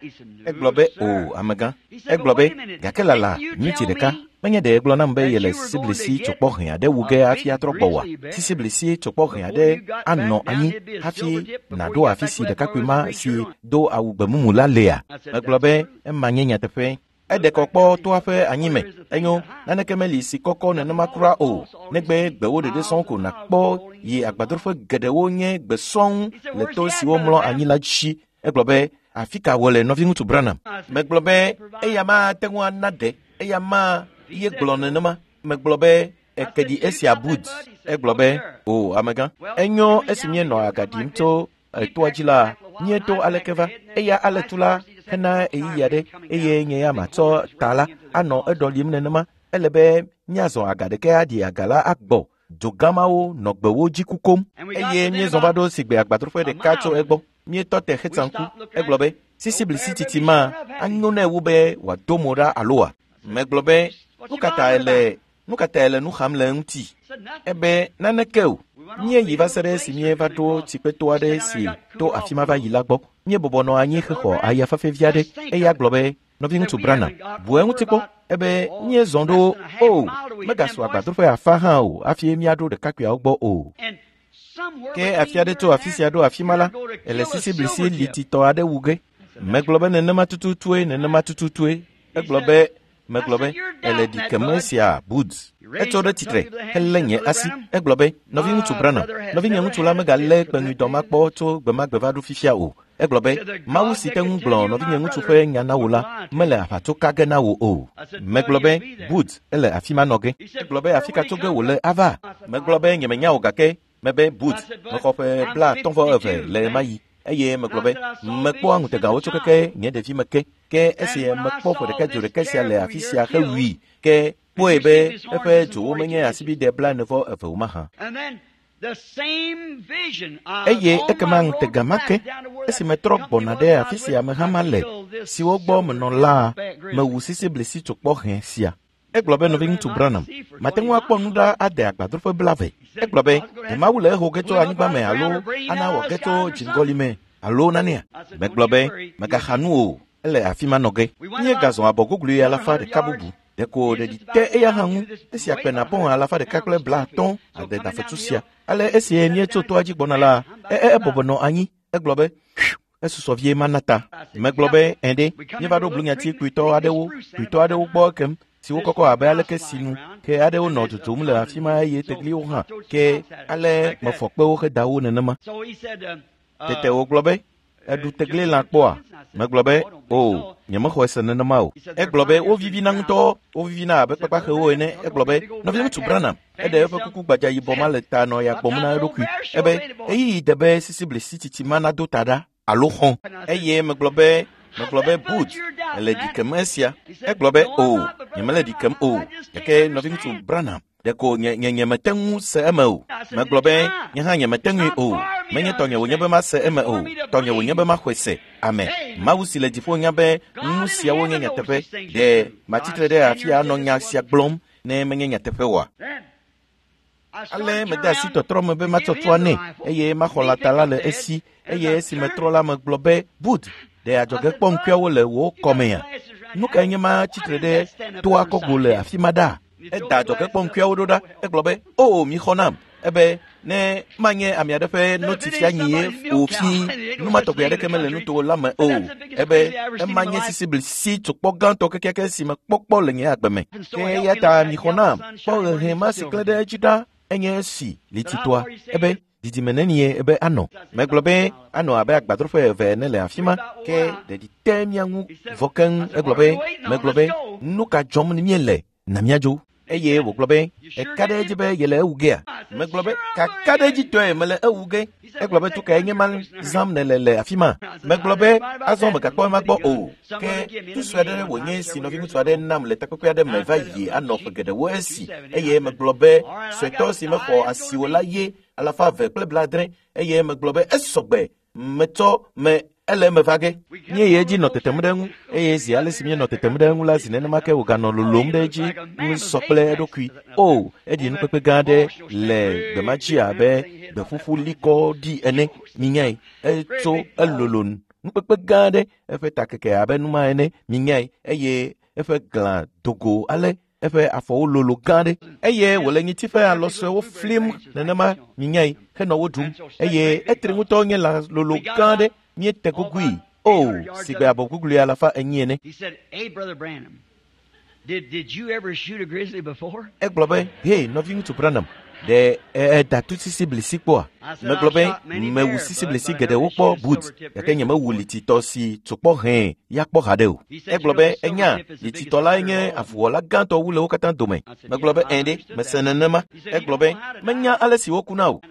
Egblɔ be o, amegã. Egblɔ be gake lala miniti ɖeka. Menye ɖe egblɔ nam be yele sisiblisi tsokpɔ hẽ aɖe wu ge hafi atrɔ gbɔ oa? Sisiblisi tsokpɔ hẽ aɖe anɔ anyi hafi nàɖo afi si ɖekakpui ma si do awu gbemumu la lea? Megblɔ be ema nye nyateƒe. Eɖe kɔ kpɔ toa ƒe anyime. Enyo, naneke meli si kɔkɔ nenema kura o. Negbe gbewo ɖeɖe sɔŋ ko nàkpɔ yi agbadroƒe geɖewo nye gbe sɔŋ le to siwo mlɔ anyi la dzi. Egblɔ be afi ka wòle nɔviŋutsu Branham? Megblɔ be eya mate ŋu ana ɖe, eya ma ye gblɔ nenema. Megblɔ be eke ɖi esia Bud. Egblɔ be, o amegã, enyo esi míenɔ aga ɖim tso etoa dzi la, míeto aleke va. Eya ale tu la hena ɣeyiɣi aɖe eye nye ya matsɔ ta la anɔ eɖɔlim nenema. Ele be míazɔ aga ɖeke aɖi aga la agbɔ. Dzogamawo nɔ gbewo dzi kukom eye míezɔ va ɖo sigbe agbadroƒe ɖeka tso egbɔ. Míetɔ te hetsa ŋku. Egblɔ be, sisiblisi titi ma anyo nɛ wu be wòado mo ɖa aloa? Megblɔ be, nu ka ta ele nu ka ta ele nu xam le eŋuti? Ebe naneke o. Míeyi va se ɖe esi míeva ɖo tsikpeto aɖe si to afi ma va yi la gbɔ. Míebɔbɔ nɔ anyi hexɔ aya fafɛ vi aɖe. Eya gblɔ be, nɔviŋutsu Branham, bu eŋuti kpɔ. Ebe míezɔ ɖo o, megasu agbadroƒe afa hã o hafi míaɖo ɖekakpuiawo gbɔ o. Ke afi aɖe tso afi sia ɖo afi ma la, ele sisiblisi lititɔ aɖe wu ge. Megblɔ be nenema tututue, nenema tututue. Egblɔ be, megblɔ be, ele ɖikem esia Bud. Etso ɖe tsitre helé nye asi. Egblɔ be, nɔviŋutsu Branham, nɔvinye ŋutsu la megalé kpeŋuidɔ ma kpɔ tso gbe ma gbe va ɖo fifia o. Egblɔ be, Mawu si te ŋu gblɔ nɔvinye ŋutsu ƒe nya na wò la, mele aʋatso ka ge na wò o. Megblɔ be, Bud, ele afi ma nɔ ge. Egblɔ be, afi ka tso ge wòle ava? Megblɔ be, nyemenya o gake mebe Bud, mexɔ ƒe blaatɔ̃ vɔ eve le ɣemaɣi. Eye megblɔ be, mekpɔa ŋutegawo tso keke nye ɖevime ke. Ke esi mekpɔ ƒe ɖeka dzo ɖeka sia le afi sia hewui, ke kpɔe be eƒe dzowo menye asibide blaene vɔ eve o mahã. Eye ekema ŋutega ma ke, esi metrɔ gbɔna ɖe afi si ameha ma le, siwo gbɔ menɔ la, mewu sisiblisi tsokpɔ hẽ sia. Egblɔ be, nɔviŋutsu Branham, mate ŋu akpɔ nu ɖa ade agbadroƒe blave. Egblɔ be, ɖe Mawu le eho ge tso anyigba me alo ana wòage tso dziŋgɔli me alo nanea? Megblɔ be, megaxa nu o, ele afi ma nɔ ge. Míegazɔ abɔ guglu alafa ɖeka bubu. Ɖeko ɖeɖi te eya hã ŋu. Esi akpena pɔn alafa ɖeka kple blaatɔ̃ ade dafetsu sia. Ale esi míetso toa dzi gbɔna la, e ebɔbɔ nɔ anyi. Egblɔ be, esusɔ vie mana ta. Megblɔ be, ẽ ɖe, míeva ɖo blunyati kpuitɔ aɖewo, kpuitɔ aɖewo gbɔ ekem, siwo kɔkɔ abe aleke sinu, ke aɖewo nɔ dzodzom le afi ma eye tegliwo hã, ke ale mefɔ kpewo heda wo nenema. Tete wògblɔ be, eɖu tegli lã kpɔa? Megblɔ be, o, nyemexɔe se nenema o. Egblɔ be, wovivina ŋutɔ, wovivina abe kpakpaxewo ene. Egblɔ be, nɔviŋutsu Branham, eɖe eƒe kuku gbadza yibɔ ma le ta nɔ ya gbɔm na eɖokui. Ebe, ɣeyiɣi de be sisiblisi tsitsi ma nado ta ɖa alo xɔ̃. Eye megblɔ be, megblɔ be, Bud, ele ɖikem esia. Egblɔ be, o, nyemele ɖikem o. Gake nɔviŋutsu Branham, ɖeko nye nye nyemete ŋu se eme o. Megblɔ be, nye hã nyemete ŋui o. Menye tɔnye wònye be mase eme o. Tɔnye wònye be maxɔe se. Ame, Mawu si le dziƒo nya be nu siawo nye nyateƒe. Ɖe matsitre ɖe afia anɔ nya sia gblɔm ne menye nyateƒe oa? Ale mede asi tɔtrɔ me be matsɔ tua nɛ eye maxɔ lãta la le esi. Eye esi metrɔ la megblɔ be, Bud, ɖe adzɔge kpɔ ŋkuawo le wò kɔmea? Nu kae nye ma tsitre ɖe toa kɔgo le afi ma ɖa? Eda adzɔge kpɔ ŋkuawo ɖo ɖa. Egblɔ be, o, mixɔ nam. Ebe, ne manye ame aɖe ƒe notifia nyie o fi, nu ma tɔgbi aɖeke mele nuto la me o. Ebe, ema nye sisiblisi tsokpɔ gãtɔ kekeake si mekpɔkpɔ le nye agbe me. Ke eya ta mixɔ nam. Kpɔ ʋeʋẽ ma si klẽ ɖe edzi ɖa enye esi lititoa. Ebe, didime nenie ebe anɔ? Megblɔ be, anɔ abe agbadroƒe eve ene le afi ma. Ke ɖeɖi te mía ŋu vɔ keŋ. Egblɔ be, megblɔ be, nu ka dzɔm míele? Na míadzo. Eye wògblɔ be, eka ɖe edzi be yele ewu gea? Megblɔ be, kaka ɖe edzi tɔe mele ewu ge. Egblɔ be, tu kae nye ma zãm nèle le afi ma? Megblɔ be, azɔ megakpɔ ema gbɔ o. Ke tu sue aɖe wònye si nɔviŋutsu aɖe nam le takpekpe aɖe me va yi anɔ ƒe geɖewo esi. Eye megblɔ be, suetɔ si mexɔ asiwò la ye alafa eve kple blaadre. Eye megblɔ be, esɔgbe, metsɔ me ele eme va ge. Míeyi edzi nɔ tetem ɖe eŋu eye zi ale si míenɔ tetem ɖe eŋu la, zi nenema ke wòganɔ lolom ɖe edzi ŋu sɔ kple eɖokui. O, eɖi nukpekpe gã aɖe le gbe ma dzi abe gbeƒuƒu likɔ ɖi ene. Minyae, etso elolo nukpekpe gã aɖe, eƒe ta keke abe nu ma ene. Minyae, eye eƒe glã dogo ale eƒe afɔwo lolo gã aɖe eye wòle nyiti ƒe alɔ suewo flim nenema. Minyae, henɔ wo ɖum eye etri ŋutɔ nye lã lolo gã aɖe. Míete gogui o, si gbe abɔ guglu alafa enyi ene. Egblɔ be, hey, nɔviŋutsu Branham, Ɖe eda tu sisiblisi kpɔa? Megblɔ be mewu sisiblisi geɖewo kpɔ Bud, gake nyemewu lititɔ si tsokpɔ hɛ̃ ya kpɔ haɖe o. Egblɔ be enya lititɔ lae nye avuwɔla gãtɔ wu le wo katã dome. Megblɔ be ɛ̃ ɖe, mese nenema. Egblɔ be menya ale si wokuna o.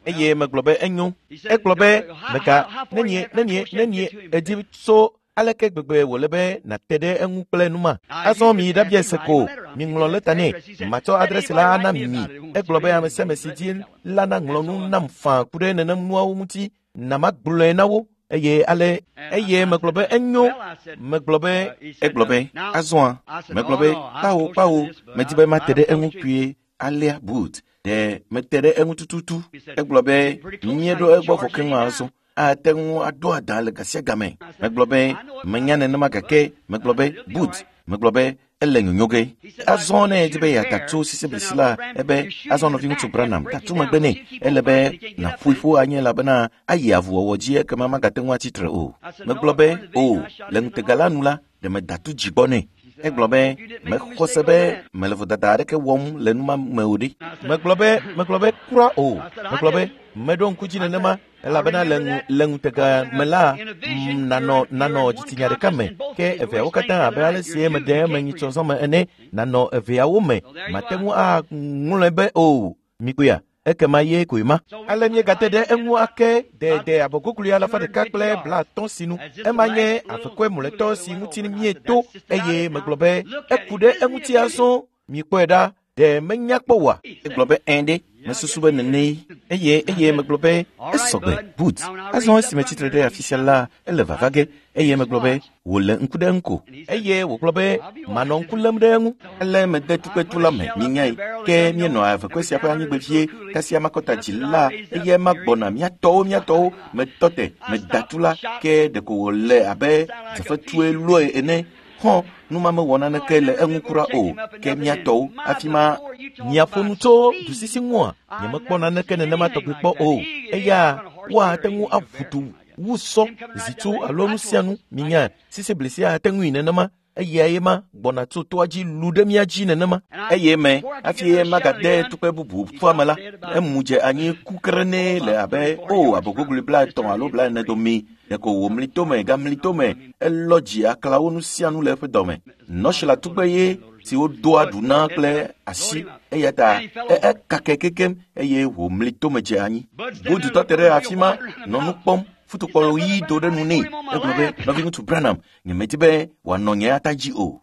Eye megblɔ be enyo. Egblɔ be mega nenie nenie nenie edi tso aleke gbegbe wòle be nàte ɖe eŋu kple numa. Azɔ mi ɖabia se ko, miŋlɔ lɛta nɛ, matsɔ adresi la ana mi. Egblɔ be ame sia ame si dzi la naŋlɔ nu nam faa ku ɖe nenem nuawo ŋuti, na magblɔe na wo. Eye ale eye megblɔ be enyo. Megblɔ be egblɔ be azɔa. Megblɔ be kpawo kpawo, medi be mate ɖe eŋu kpuie alea Bud. Ɖe mete ɖe eŋu tututu. Egblɔ be míeɖo egbɔ vɔ keŋ azɔ. Ate ŋu aɖo adã le ga sia game. Megblɔ be menya nenema gake megblɔ be Bud. Megblɔ be ele nyonyo ge. Azɔ ne edi be yeada tso sisiblisi la, ebe azɔ nɔviŋutsu Branham tatu megbe nɛ. Ele be nàƒoe ƒu anyi elabena ayi avuwɔwɔ dzi ekema magate ŋu atsitre o. Megblɔ be o le ŋutega la nu la, ɖe meda tu dzigbɔ nɛ. Egblɔ be mexɔ se be mele vodada aɖeke wɔm le numa me o ɖe. Megblɔ be megblɔ be kura o. Megblɔ be meɖo ŋku dzi nenema elabena le ŋu le ŋutega me la nanɔ nanɔ dzitsinya ɖeka me ke eveawo katã abe ale si meɖe eme nyitsɔzɔme ene nanɔ eveawo me mate ŋu aŋlɔe be o. Mikpɔea ekema ye koe ma. Ale míegate ɖe eŋu ake dede abɔgogli alafa ɖeka kple blaatɔ̃ sinu. Ema nye avekɔe mlɔetɔ si ŋuti míeto eye megblɔ be eku ɖe eŋuti azɔ. Mikpɔe ɖa, ɖe menya kpɔ oa? Egblɔ be ɛ̃ ɖe, mesusu be nenee. Eye eye megblɔ be esɔgbe Bud. Azɔ esime tsitre ɖe afi sia la, ele vava ge. Eye megblɔ be wòle ŋku ɖe eŋu ko. Eye wògblɔ be manɔ ŋku lém ɖe eŋu. Ele mede tukpetu la me, minyae. Ke míenɔ avekɔe sia ƒe anyigbe vie, kasia makɔta dzi la, eye ema gbɔna míatɔwo míatɔwo metɔ te meda tu la, ke ɖeko wòle abe dzefetue lɔe ene. Xɔ numa mewɔ naneke le eŋu kura o, ke míatɔwo afi ma miaƒo nu tso dusisi ŋua, nyemekpɔ naneke nenema tɔgbi kpɔ o. Eya woate ŋu aʋu du wu sɔ, zitsu alo nu sia nu. Minya sisiblisi ate ŋui nenema. Eyae ma gbɔna tso toa dzi lu ɖe mía dzi nenema. Eye me hafi magade tukpe bubu ƒua me la, emu dze anyi kukrenɛ le abe o abɔgogli blaetɔ̃ alo blaene dome. Ɖeko wòmli tome gamli tome, elɔ dzi aklawo nu sia nu le eƒe dɔme. Nɔsila tugbe ye si wodoa ɖu na kple asi eya ta ekake kekem eye wòmli tome dze anyi. Bud tɔ te ɖe afi ma nɔ nu kpɔm. Futukpɔ ɣi do ɖe nu nɛ. Egblɔ be nɔviŋutsu Branham, nyemedi be wòanɔ nye ata dzi o.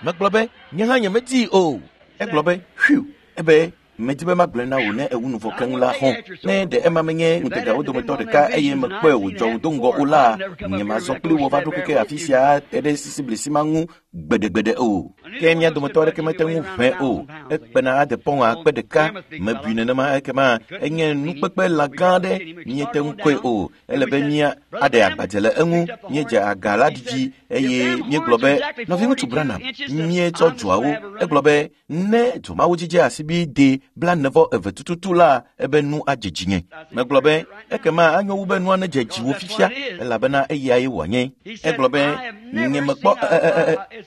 Megblɔ be nye hã nyemedii o. Egblɔ be ƒiu, ebe medi be magblɔe na wò ne ewu nu vɔ keŋ la hɔ̃. Ne ɖe ema menye ŋutegawo dometɔ ɖeka eye mekpɔe wòdzɔ wò do ŋgɔ o la, nyemazɔ kpli wò va ɖo keke afi sia te ɖe sisiblisi ma ŋu gbeɖegbeɖe o. Ke mía dometɔ aɖeke mete ŋu ʋẽ o. Ekpena ade pɔŋ akpe ɖeka. Mebui nenema ekema enye nukpekpe lã gã aɖe míete ŋu kɔe o. Ele be mía aɖe agbadze le eŋu. Míedze aga la ɖiɖi eye míegblɔ be nɔviŋutsu Branham, míetsɔ dzoawo. Egblɔ be ne dzomawo dzidze asibi de blaene vɔ eve tututu la, ebe nu adze dzinye. Megblɔ be ekema anyo wu be nua nedze dziwò fifia elabena eyae wòanye. Egblɔ be nyemekpɔ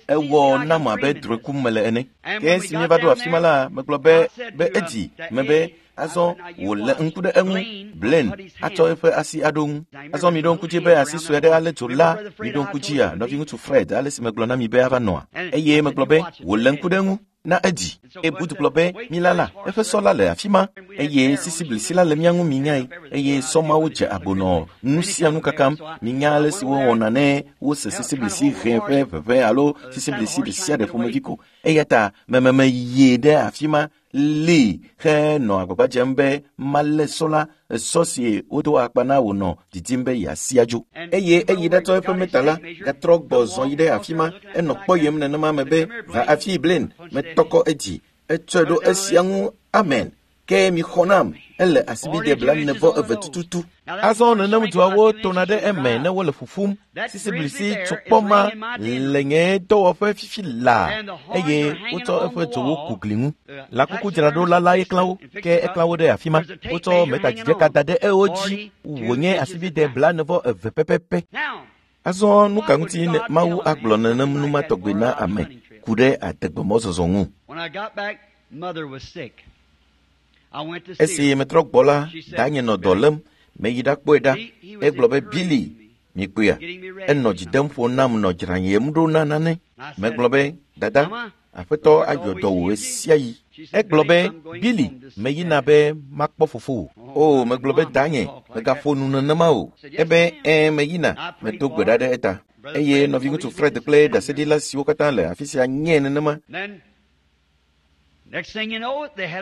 ewɔ nam abe drɔ̃e kum mele ene. Ke esi míeva ɖo afi ma la, megblɔ be be edzi mebe azɔ wòle ŋku ɖe eŋu. Blaine atsɔ eƒe asi aɖo ŋu. Azɔ miɖo ŋku dzi be asi sue aɖe alé dzo la. Miɖo ŋku dzia nɔviŋutsu Fred ale si megblɔ na mi be ava nɔa. Eye megblɔ be wòle ŋku ɖe eŋu na edzi. Eye Bud gblɔ be milala, eƒe sɔ la le afi ma eye sisiblisi la le mía ŋu minyae. Eye sɔ mawo dze agbo nɔ nu sia nu kakam. Minya ale si wowɔna ne wose sisiblisi ʋẽ ƒe ʋeʋẽ alo sisiblisi ɖe sia ɖe ƒomevi ko. Eya ta mememe yie ɖe afi ma lée henɔ agbagba dzem be malé sɔ la, sɔ si wodo akpa na wònɔ didim be yeasi adzo. Eye eyi ɖatsɔ eƒe meta la, gatrɔ gbɔ zɔ yi ɖe afi ma, enɔ kpɔyem nenema me be va afii Blaine, metɔ kɔ edzi, etsɔe ɖo esia ŋu, amen. Ke mixɔ nam, ele asibide blaene vɔ eve tututu. Azɔ nenem dzoawo tona ɖe eme ne wole ƒuƒum. Sisiblisi tsokpɔ ma le nye dɔwɔƒe fifi laa eye wotsɔ eƒe dzowo ku gli ŋu. Lãkukudzraɖola la ye klã wo, ke eklã wo ɖe afi ma. Wotsɔ metadzidze da ɖe ewo dzi wònye asibide blaene vɔ eve pɛpɛpɛ. Azɔ nu ka ŋuti Mawu agblɔ nenem nu ma tɔgbi na ame ku ɖe adegbemɔzɔzɔ ŋu? Esi metrɔ gbɔ la, danye nɔ dɔ lém. Meyi ɖakpɔe ɖa. Egblɔ be Billy, mikpɔea, enɔ dzi dem ƒo nam nɔ dzranyem ɖo na nane. Megblɔ be, dada, aƒetɔ ayɔ dɔ wò ɣe sia ɣi. Egblɔ be, Billy, meyina be makpɔ fofowò. O, megblɔ be danye, megaƒo nu nenema o. Ebe, ɛ̃, meyina, medo gbe ɖa ɖe eta. Eye nɔviŋutsu Fred kple ɖaseɖila siwo katã le afi sia nye nenema.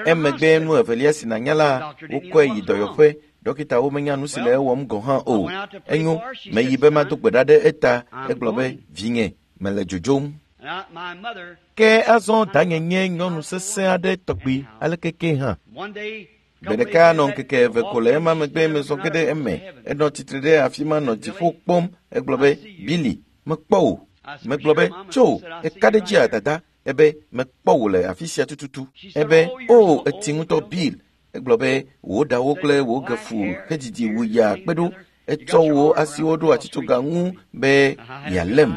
Emegbe nu evelia si nànya la, wokɔe yi dɔyɔƒe. Dɔkitawo menya nu si le ewɔm gɔ̃ hã o. Enyo, meyi be mado gbe ɖa ɖe eta. Egblɔ be, vinye, mele dzodzom. Ke azɔ danye nye nyɔnu sesẽ aɖe tɔgbi aleke ke hã. Gbe ɖeka nɔ ŋkeke eve ko le ema megbe mezɔ ge ɖe eme. Enɔ tsitre ɖe afi ma nɔ dziƒo kpɔm. Egblɔ be, Billy, mekpɔ wò. Megblɔ be, tso, eka ɖe dzia dada. Ebe, mekpɔ wò le afi sia tututu. Ebe, o, etsi ŋutɔ Bill. Egblɔ be, wò ɖawo kple wò gefu hedzidzi wu ya kpe ɖo. Etsɔ wò asiwo ɖo atsitsoga ŋu be yealém.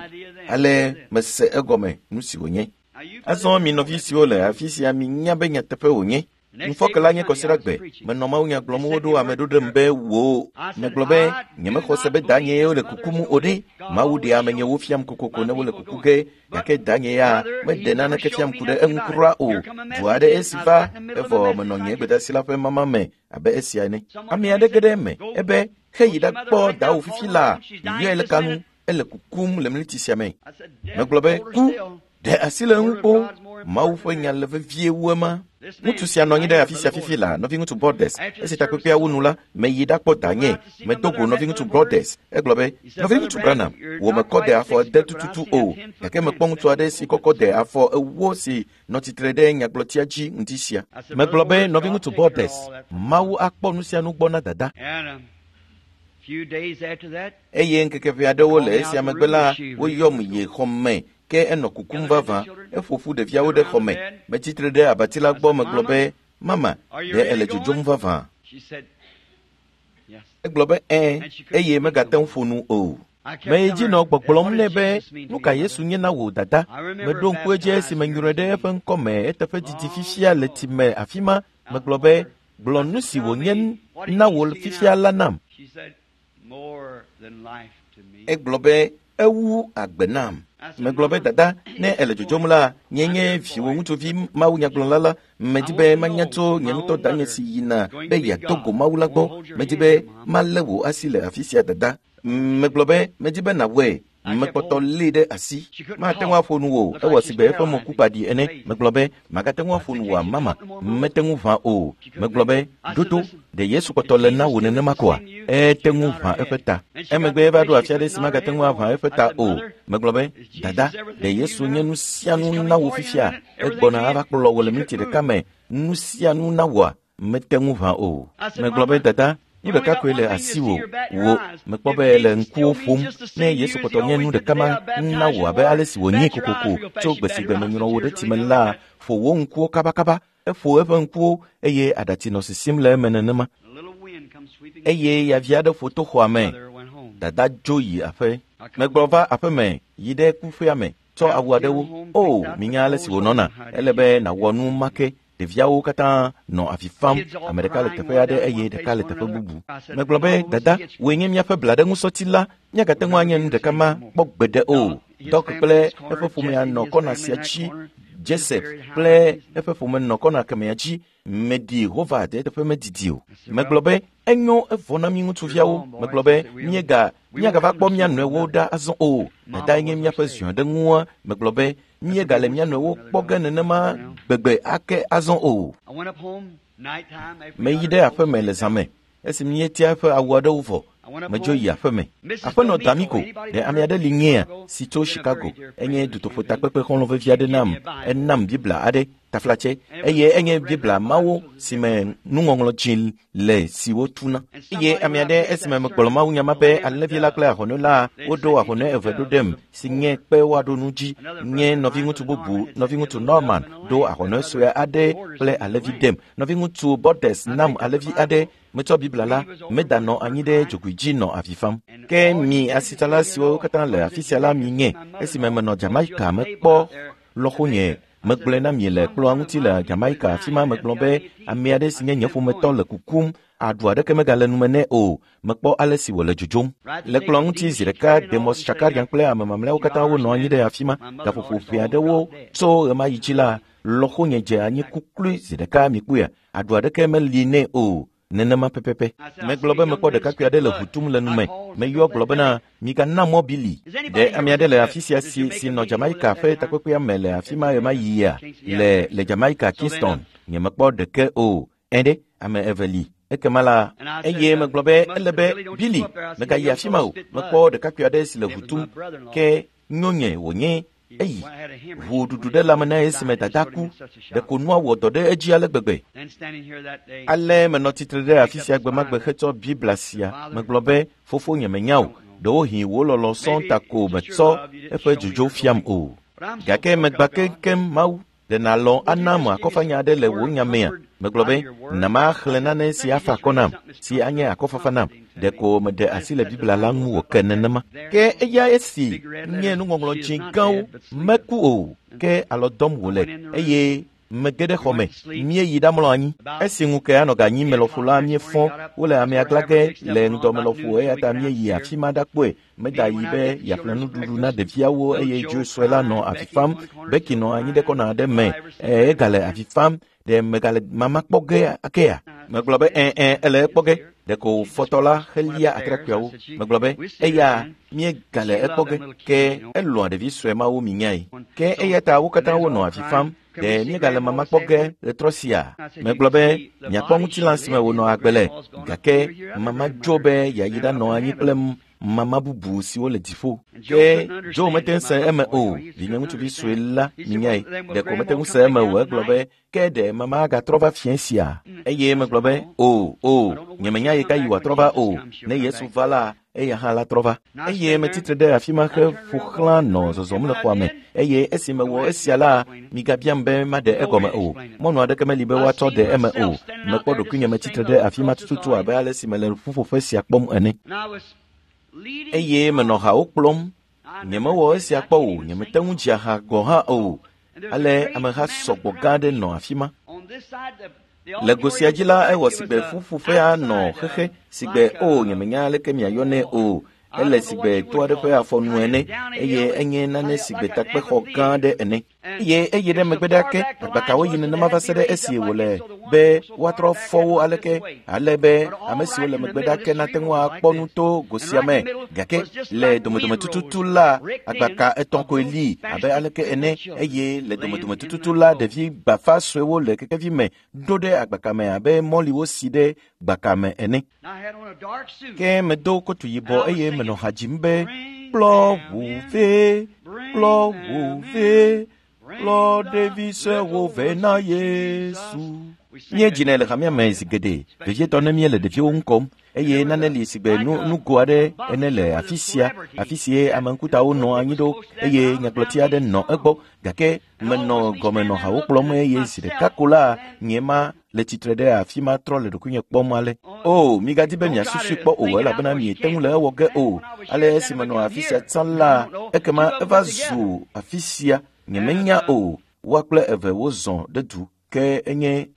Ale mese egɔme nu si wònye. Azɔ mi nɔvi siwo le afi sia minya be nyateƒe wònye. Ŋufɔke nye kɔsiɖagbe, menɔ mawunya gblɔm woɖo ame ɖo ɖem be wò. Megblɔ be nyemexɔ se be danye le kukum o ɖe. Mawu ɖe amenyewo fiam kokoko ne wole kuku ge, gake danye ya meɖe naneke fiam ku ɖe eŋu kura o. Du aɖe esi va, evɔ menɔ nye gbedasi la ƒe mama me abe esia ene. Ame aɖe ge ɖe eme ebe heyi ɖakpɔ dawo fifi la, yɔe le kanu, ele kukum le mliti sia me. Megblɔ be ku ɖe asi le eŋu kpo. Mawu ƒe nya le vevie wu ema. Ŋutsu sia nɔ anyi ɖe afi sia fifi la, nɔviŋutsu Brothers. Esi takpekpea wu nu la, meyi ɖakpɔ danye. Medo go nɔviŋutsu Brothers. Egblɔ be, nɔviŋutsu Branham, wò mekɔ de afɔ ede tututu o, gake mekpɔ ŋutsu aɖe si kɔkɔ de afɔ ewo si nɔ tsitre ɖe nyagblɔtia dzi ŋdi sia. Megblɔ be, nɔviŋutsu Brothers, Mawu akpɔ nu sia nu gbɔ na dada. Eye ŋkeke ʋɛ aɖewo le esia megbe la, woyɔm yi xɔ me. Ke enɔ kukum vavã. Eƒo ƒu ɖeviawo ɖe xɔ me. Metsitre ɖe abati la gbɔ megblɔ be, mama, ɖe ele dzodzom vavã? Egblɔ be, ɛ̃, eye megate ŋu ƒo nu o. Meyi dzi nɔ gbɔgblɔm nɛ be, nu ka Yesu nye na wò dada? Meɖo ŋku edzi esi menyrɔe ɖe eƒe ŋkɔme eteƒe didi fifia le tsi me afi ma. Megblɔ be, gblɔ nu si wònye na wò fifia la nam. Egblɔ be, ewu agbe nam. Megblɔ be, dada, ne ele dzodzom la, nye nye viwò ŋutsuvi mawunyagblɔla la, medi be manya tso nye ŋutɔ danye si yina be yeado go Mawu la gbɔ. Medi be malé wò asi le afi sia dada. Megblɔ be, medi be nàwɔe. Mekpɔtɔ lée ɖe asi. Mate ŋu aƒo nu o, ewɔ sigbe eƒe mo ku kpaɖi ene. Megblɔ be, magate ŋu aƒo nu oa, mama, mete ŋu ʋã o. Megblɔ be, ɖoto, ɖe Yesu kpɔtɔ le na wò nenema koa? Ete ŋu ʋã eƒe ta. Emegbe eva ɖo afi aɖe si magate ŋu aʋã eƒe ta o. Megblɔ be, dada, ɖe Yesu nye nu sia nu na wò fifia? Egbɔna ava kplɔ wò le miniti ɖeka me. Nu sia nu na wòa? Mete ŋu ʋã o. Megblɔ be, dada, nu ɖeka koe le asiwò wò. Mekpɔ be le ŋkuwo ƒom. Ne Yesu kpɔtɔ nye nu ɖeka ma na wò abe ale si wònye kokoko tso gbe si gbe menyrɔ wò ɖe tsime la, ƒo wò ŋkuwo kabakaba. Eƒo eƒe ŋkuwo eye aɖatsi nɔ sisim le eme nenema. Eye yavi aɖe ƒo to xɔa me. Dada dzo yi aƒe. Megblɔ va aƒe me yi ɖe kuƒea me tsɔ awu aɖewo. O, minya ale si wònɔna. Ele be nàwɔ nu ma ke. Ɖeviawo katã nɔ avi fam. Ame ɖeka le teƒe aɖe eye ɖeka le teƒe bubu. Megblɔ be, dada, wòe nye míaƒe blaɖeŋusɔti la. Míagate ŋu anye nu ɖeka ma kpɔ gbeɖe o. Dɔk kple eƒe ƒomea nɔ kɔna sia dzi. Joseph kple eƒe ƒome nɔ kɔna kemea dzi. Meɖi Howard eteƒe medidi o. Megblɔ be, enyo evɔ na mi ŋutsuviawo. Megblɔ be, míega míagava kpɔ mía nɔewo ɖa azɔ o. Dadae nye míaƒe ziɔɖeŋua. Megblɔ be, míegale mía nɔewo kpɔ ge nenema gbegbe ake azɔ o. Meyi ɖe aƒeme le zã me. Esi míetia eƒe awu aɖewo vɔ, medzo yi aƒeme. Aƒenɔ D'Amico, ɖe ame aɖe li nyea si tso Chicago. Enye dutoƒotakpekpe xɔlɔ̃ vevi aɖe nam. Enam Biblia aɖe, taflatse, eye enye Biblia mawo si me nuŋɔŋlɔ dzi le si wotuna. Eye ame aɖe esime megblɔ mawunya ma be alẽvi la kple ahɔnɛ la woɖo ahɔnɛ eve ɖo ɖem si nye kpe woaɖo nu dzi. Nye nɔviŋutsu bubu, nɔviŋutsu Norman, ɖo ahɔnɛ sue aɖe kple alẽvi ɖem. Nɔviŋutsu Bordes nam alẽvi aɖe. Metsɔ Biblia la, medanɔ anyi ɖe dzogoe dzi nɔ avi fam. Ke mi asitsala siwo katã le afi sia la mi nye. Esime menɔ Jamaica mekpɔ lɔƒonye Megblɔe na mi le kplɔa ŋuti le Jamaica afi ma megblɔ be ame aɖe si nye nye ƒometɔ le kukum aɖu aɖeke megale nume nɛ o. Mekpɔ ale si wòle dzodzom. Le kplɔa ŋuti zi ɖeka Demos Shakarian kple ame mamlɛawo katã wonɔ anyi ɖe afi ma. Gaƒoƒo ʋɛ aɖewo tso ɣemaɣi dzi la, lɔƒonye dze anyi kuklui zi ɖeka mikpɔea. Aɖu aɖeke meli nɛ o. Nenema pɛpɛpɛ. Megblɔ be mekpɔ ɖekakpui aɖe le ʋu tum le nume. Meyɔ gblɔ bena migana mɔ Billy. Ɖe ame aɖe le afi sia si si nɔ Jamaica ƒe takpekpea me le afi ma ɣemaɣia le le Jamaica Kingston. Nyemekpɔ ɖeke o. Ẽ ɖe ame eve li. Ekema la eye megblɔ be ele be Billy megayi afi ma o. Mekpɔ ɖekakpui aɖe si le ʋu tum ke nyonye wònye eyi. Ʋu ɖuɖu ɖe lãme na esime dada ku. Ɖeko nua wɔ dɔ ɖe edzi ale gbegbe. Ale menɔ tsitre ɖe afi sia gbemagbe hetsɔ Biblia sia. Megblɔ be fofo nye menya o. Ɖewohĩ wò lɔlɔ sɔŋ ta ko metsɔ eƒe dzodzo fiam o. Gake megba keŋkeŋ Mawu. Ɖe nàlɔ̃ ana me akɔfanya aɖe le wò nya mea? Megblɔ be na maxlẽ nane si afa akɔ nam, si anye akɔfafa nam. Ɖeko meɖe asi le Biblia la ŋu wòke nenema. Ke eya esi nye nuŋɔŋlɔ dzĩ gãwo meku o, ke alɔ dɔm wòle eye mege ɖe xɔ me. Míeyi ɖamlɔ anyi. Esi ŋu ke anɔ ganyi me lɔƒo la míefɔ wole amea gla ge le ŋdɔme lɔƒo eya ta míeyi afi ma ɖakpɔe. Meda yi be yeaƒle nuɖuɖu na ɖeviawo eye dzo sue la nɔ avi fam. Becky nɔ anyi ɖe kɔna aɖe me. Egale avi fam. Ɖe megale mama kpɔ ge akea? Megblɔ be ẽ ẽ ele ekpɔ ge. Ɖeko fɔtɔ la helia atrakpuiawo. Megblɔ be eya míegale ekpɔ ge ke elɔ̃a ɖevi sue mawo minyae. Ke eya ta wo katã wonɔ avi fam. Ɖe míegale mama kpɔ ge ɣetrɔ sia? Megblɔ be miakpɔ ŋutilã si me wònɔ agbe le gake mama dzo be yeayi ɖanɔ anyi kple mama bubu siwo le dziƒo. Ke Joe mete ŋu se eme o. Vinye ŋutsuvi sue la minyae. Ɖeko mete ŋu se eme o. Egblɔ be ke ɖe mama agatrɔ va fiẽ sia? Eye megblɔ be o o nyemenya yi ka yi wòatrɔ va o. Ne Yesu va la eya hã la trɔ va. Eye metsitre ɖe afi ma he ƒo xlã nɔ zɔzɔm le xɔa me. Eye esi mewɔ esia la, migabiam be maɖe egɔme o. Mɔnu aɖeke meli be woatsɔ ɖe eme o. Mekpɔ ɖokuinye metsitre ɖe afi ma tututu abe ale si mele ƒuƒoƒe sia kpɔm ene. Eye menɔ hawo kplɔm. Nyemewɔ esia kpɔ o. Nyemete ŋu dzia ha gɔ̃ hã o. Ale ameha sɔgbɔ gã aɖe nɔ afi ma. Le go sia dzi la ewɔ sigbe ƒuƒoƒea nɔ xexe sigbe o nyemenya aleke miayɔnɛ o. Ele sigbe to aɖe ƒe afɔnu ene eye enye nane sigbe takpexɔ gã aɖe ene. Eye eye ɖe megbe ɖa ke agbakawo yi nenema va se ɖe esi wòle be woatrɔ fɔwo aleke ale be ame siwo le megbe ɖa ke nate ŋu akpɔ nu to go sia me. Gake le domedome tututu la agbaka etɔ̃ koe li abe aleke ene eye le domedome tututu la ɖevi gbafa suewo le kekevi me ɖo ɖe agbaka me abe mɔliwo si ɖe gbaka me ene. Ke medo kotu yibɔ eye menɔ ha dzim be kplɔ ʋu vɛ, kplɔ ʋu vɛ, kplɔ ɖevi suewo vɛ na Yesu. Míedzinɛ le hamea me zi geɖe, vevietɔ ne míele ɖeviwo ŋu kɔm eye nane li sigbe nu nugo aɖe ene le afi sia, afi sie ame ŋkutawo nɔ anyi ɖo eye nyagblɔti aɖe nɔ egbɔ gake menɔ gɔme nɔ hawo kplɔm eye zi ɖeka ko la nye ma le tsitre ɖe afi ma trɔ le ɖokuinye kpɔm ale. O, migadi be miasusui kpɔ o elabena miete ŋu le ewɔ ge o. Ale esi menɔ afi sia tsã la, ekema eva zu afi sia. Nyemenya o. Woa kple eve wozɔ ɖe du ke enye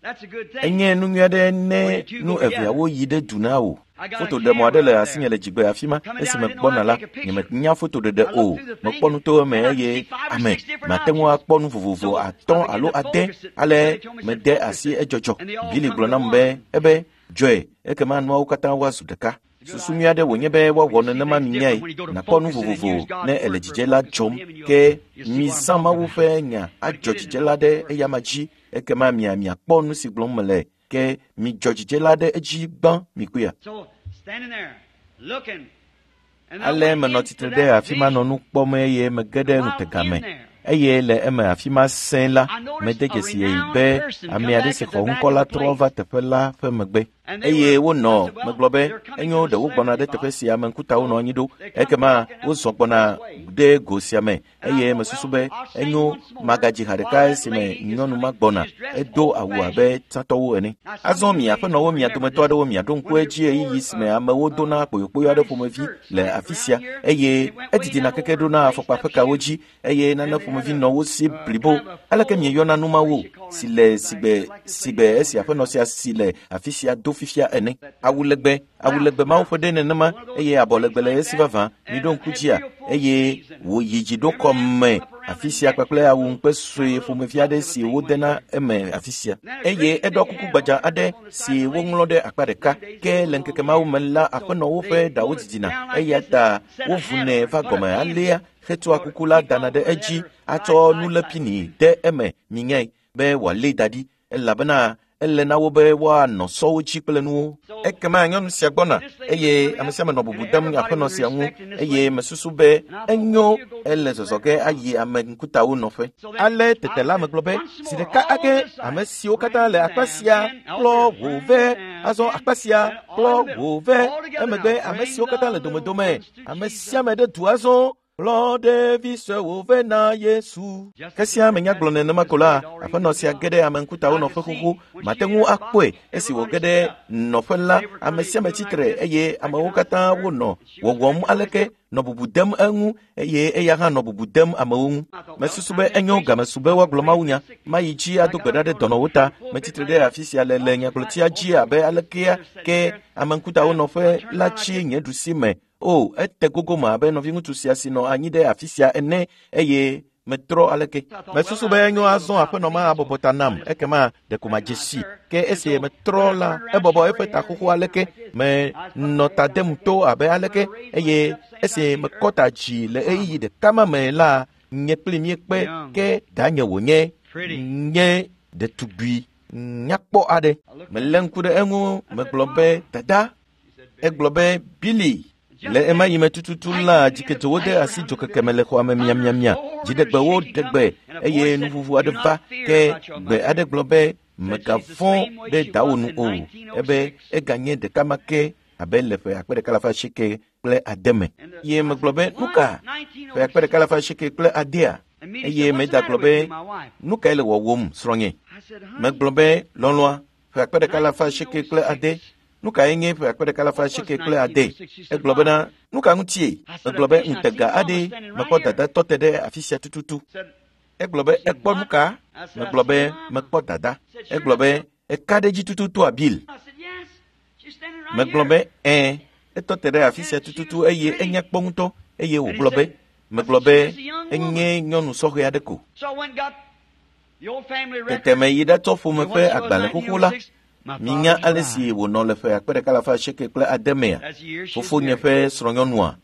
enye nu nyui aɖe ne nu eveawo yi ɖe du na wò. Fotoɖemɔ aɖe le asinye le dzigbe afi ma esime gbɔna la nyemenya fotoɖeɖe o. Mekpɔ nu to eme eye ame mate ŋu akpɔ nu vovovo atɔ̃ alo ade ale mede asi edzɔdzɔ. Billy gblɔ nam be ebe dzɔe ekema nuawo katã woazu ɖeka. Susu nyui aɖe wònye be woawɔ nenema minyae. Nàkpɔ nu vovovo ne ele dzidze la dzɔm ke mizã Mawu ƒe nya adzɔ dzidze la ɖe eyama dzi ekema mia miakpɔ nu si gblɔm mele ke midzɔ dzidze la ɖe edzi gbã mikpɔea. Ale menɔ tsitre ɖe afi ma nɔ nu kpɔm eye mege ɖe ŋutega me. Eye le eme afi ma sẽ la mede dzesi be ame aɖe si xɔ ŋkɔ la trɔ va teƒe la ƒe megbe. Eye wonɔ megblɔ be enyo ɖe wogbɔna ɖe teƒe sia ame ŋkutawo nɔ anyi ɖo ekema wozɔ gbɔna ɖe go sia me eye mesusu be enyo magadzi ha ɖeka esime nyɔnu ma gbɔna edo awu abe tsãtɔwo ene. Azɔ mi aƒenɔwo mia dometɔ aɖewo miaɖo ŋku edzi ɣeyiɣi si me amewo dona kpoyokpoyo aɖe ƒomevi le afi sia eye edidina keke ɖona afɔkpa ƒe kawo dzi eye nane ƒomevi nɔ wo si blibo. Aleke mieyɔna nu mawo si le sigbe sigbe esi aƒenɔ sia si le afi sia do fifia ene. Awu legbe awu legbe mawo ƒe ɖe nenema eye abɔ legbe le esi vavã miɖo ŋku dzia eye wòyi dzi ɖo kɔme afi sia kpakple awu ŋukpe sue ƒomevi aɖe si wodena eme afi sia eye eɖɔ kuku gbadza aɖe si woŋlɔ ɖe akpa ɖeka ke le ŋkeke mawo me la aƒenɔwo ƒe ɖawo didina eya ta wovunɛ va gɔme alea hetsɔa kuku la dana ɖe edzi atsɔ nulepini de eme minyae be wòalé da ɖi elabena ele na wo be woanɔ sɔwo dzi kple nuwo. Ekema nyɔnu sia gbɔna eye ame sia ame nɔ bubu dem aƒenɔ sia ŋu eye mesusu be enyo ele zɔzɔ ge ayi ame ŋkutawo nɔƒe. Ale tete la megblɔ be zi ɖeka ake ame siwo katã le akpa sia kplɔ wò vɛ azɔ akpa sia kplɔ wò vɛ emegbe ame siwo katã le domedome ame sia ame ɖe du azɔ kplɔ ɖevi suewo vɛ na Yesu. Ke sia menya gblɔ nenema ko la aƒenɔ sia ge ɖe ame ŋkutawo nɔƒe xoxo mate ŋu akpɔe esi wòge ɖe nɔƒe la ame sia ame tsitre eye amewo katã wonɔ wɔwɔm aleke nɔ bubu dem eŋu eye eya hã nɔ bubu dem amewo ŋu. Mesusu be enyo gamesu be woagblɔ mawunya mayi dzi ado gbe ɖa ɖe dɔnɔwo ta. Metsitre ɖe afi sia le le nyagblɔtia dzi abe alekea ke ame ŋkutawo nɔƒe la tsi nye ɖusi me. O ete gogo me abe nɔviŋutsu sia si nɔ anyi ɖe afi sia ene eye metrɔ aleke. Mesusu be enyo azɔ aƒenɔ ma abɔbɔ ta nam ekema ɖeko madze si ke esi metrɔ la ebɔbɔ eƒe ta xoxo aleke menɔ ta dem to abe aleke eye esi mekɔ ta dzi le ɣeyiɣi ɖeka ma me la nye kpli míekpe ke danye wònye nye ɖetugbui nyakpɔ aɖe. Melé ŋku ɖe eŋu megblɔ be dada. Egblɔ be Billy. Le ema yi me tututu la dzikedzo de asi dzokeke me le xɔa me miamiamia dziɖegbewo ɖe gbe eye nuvuvu aɖe va ke gbe aɖe gblɔ be megavɔ̃ ɖe dawò nu o ebe eganye ɖeka ma ke abe le ƒe akpe ɖeka alafa asieke kple ade me. Ye megblɔ be nu ka ƒe akpe ɖeka alafa asieke kple adea eye meda gblɔ be nu kae le wɔwɔm srɔ̃nye. Megblɔ be lɔlɔ̃a ƒe akpe ɖeka alafa asieke kple ade nu kae nye ƒe akpe ɖeka alafa asieke kple ade. Egblɔ bena nu ka ŋutie. Megblɔ be ŋutega aɖe mekpɔ dada tɔ te ɖe afi sia tututu. Egblɔ be ekpɔ nu ka. Megblɔ be mekpɔ dada. Egblɔ be eka ɖe dzi tututu Bill. Megblɔ be ɛ̃ etɔ te ɖe afi sia tututu eye enya kpɔ ŋutɔ eye wògblɔ be megblɔ be enye nyɔnu sɔhɛ aɖe ko. Tete meyi ɖatsɔ ƒome ƒe agbalẽ xoxo la. Minya ale si wònɔ le ƒe akpe ɖeka alafa asieke kple ade mea fofonye ƒe srɔ̃nyɔnua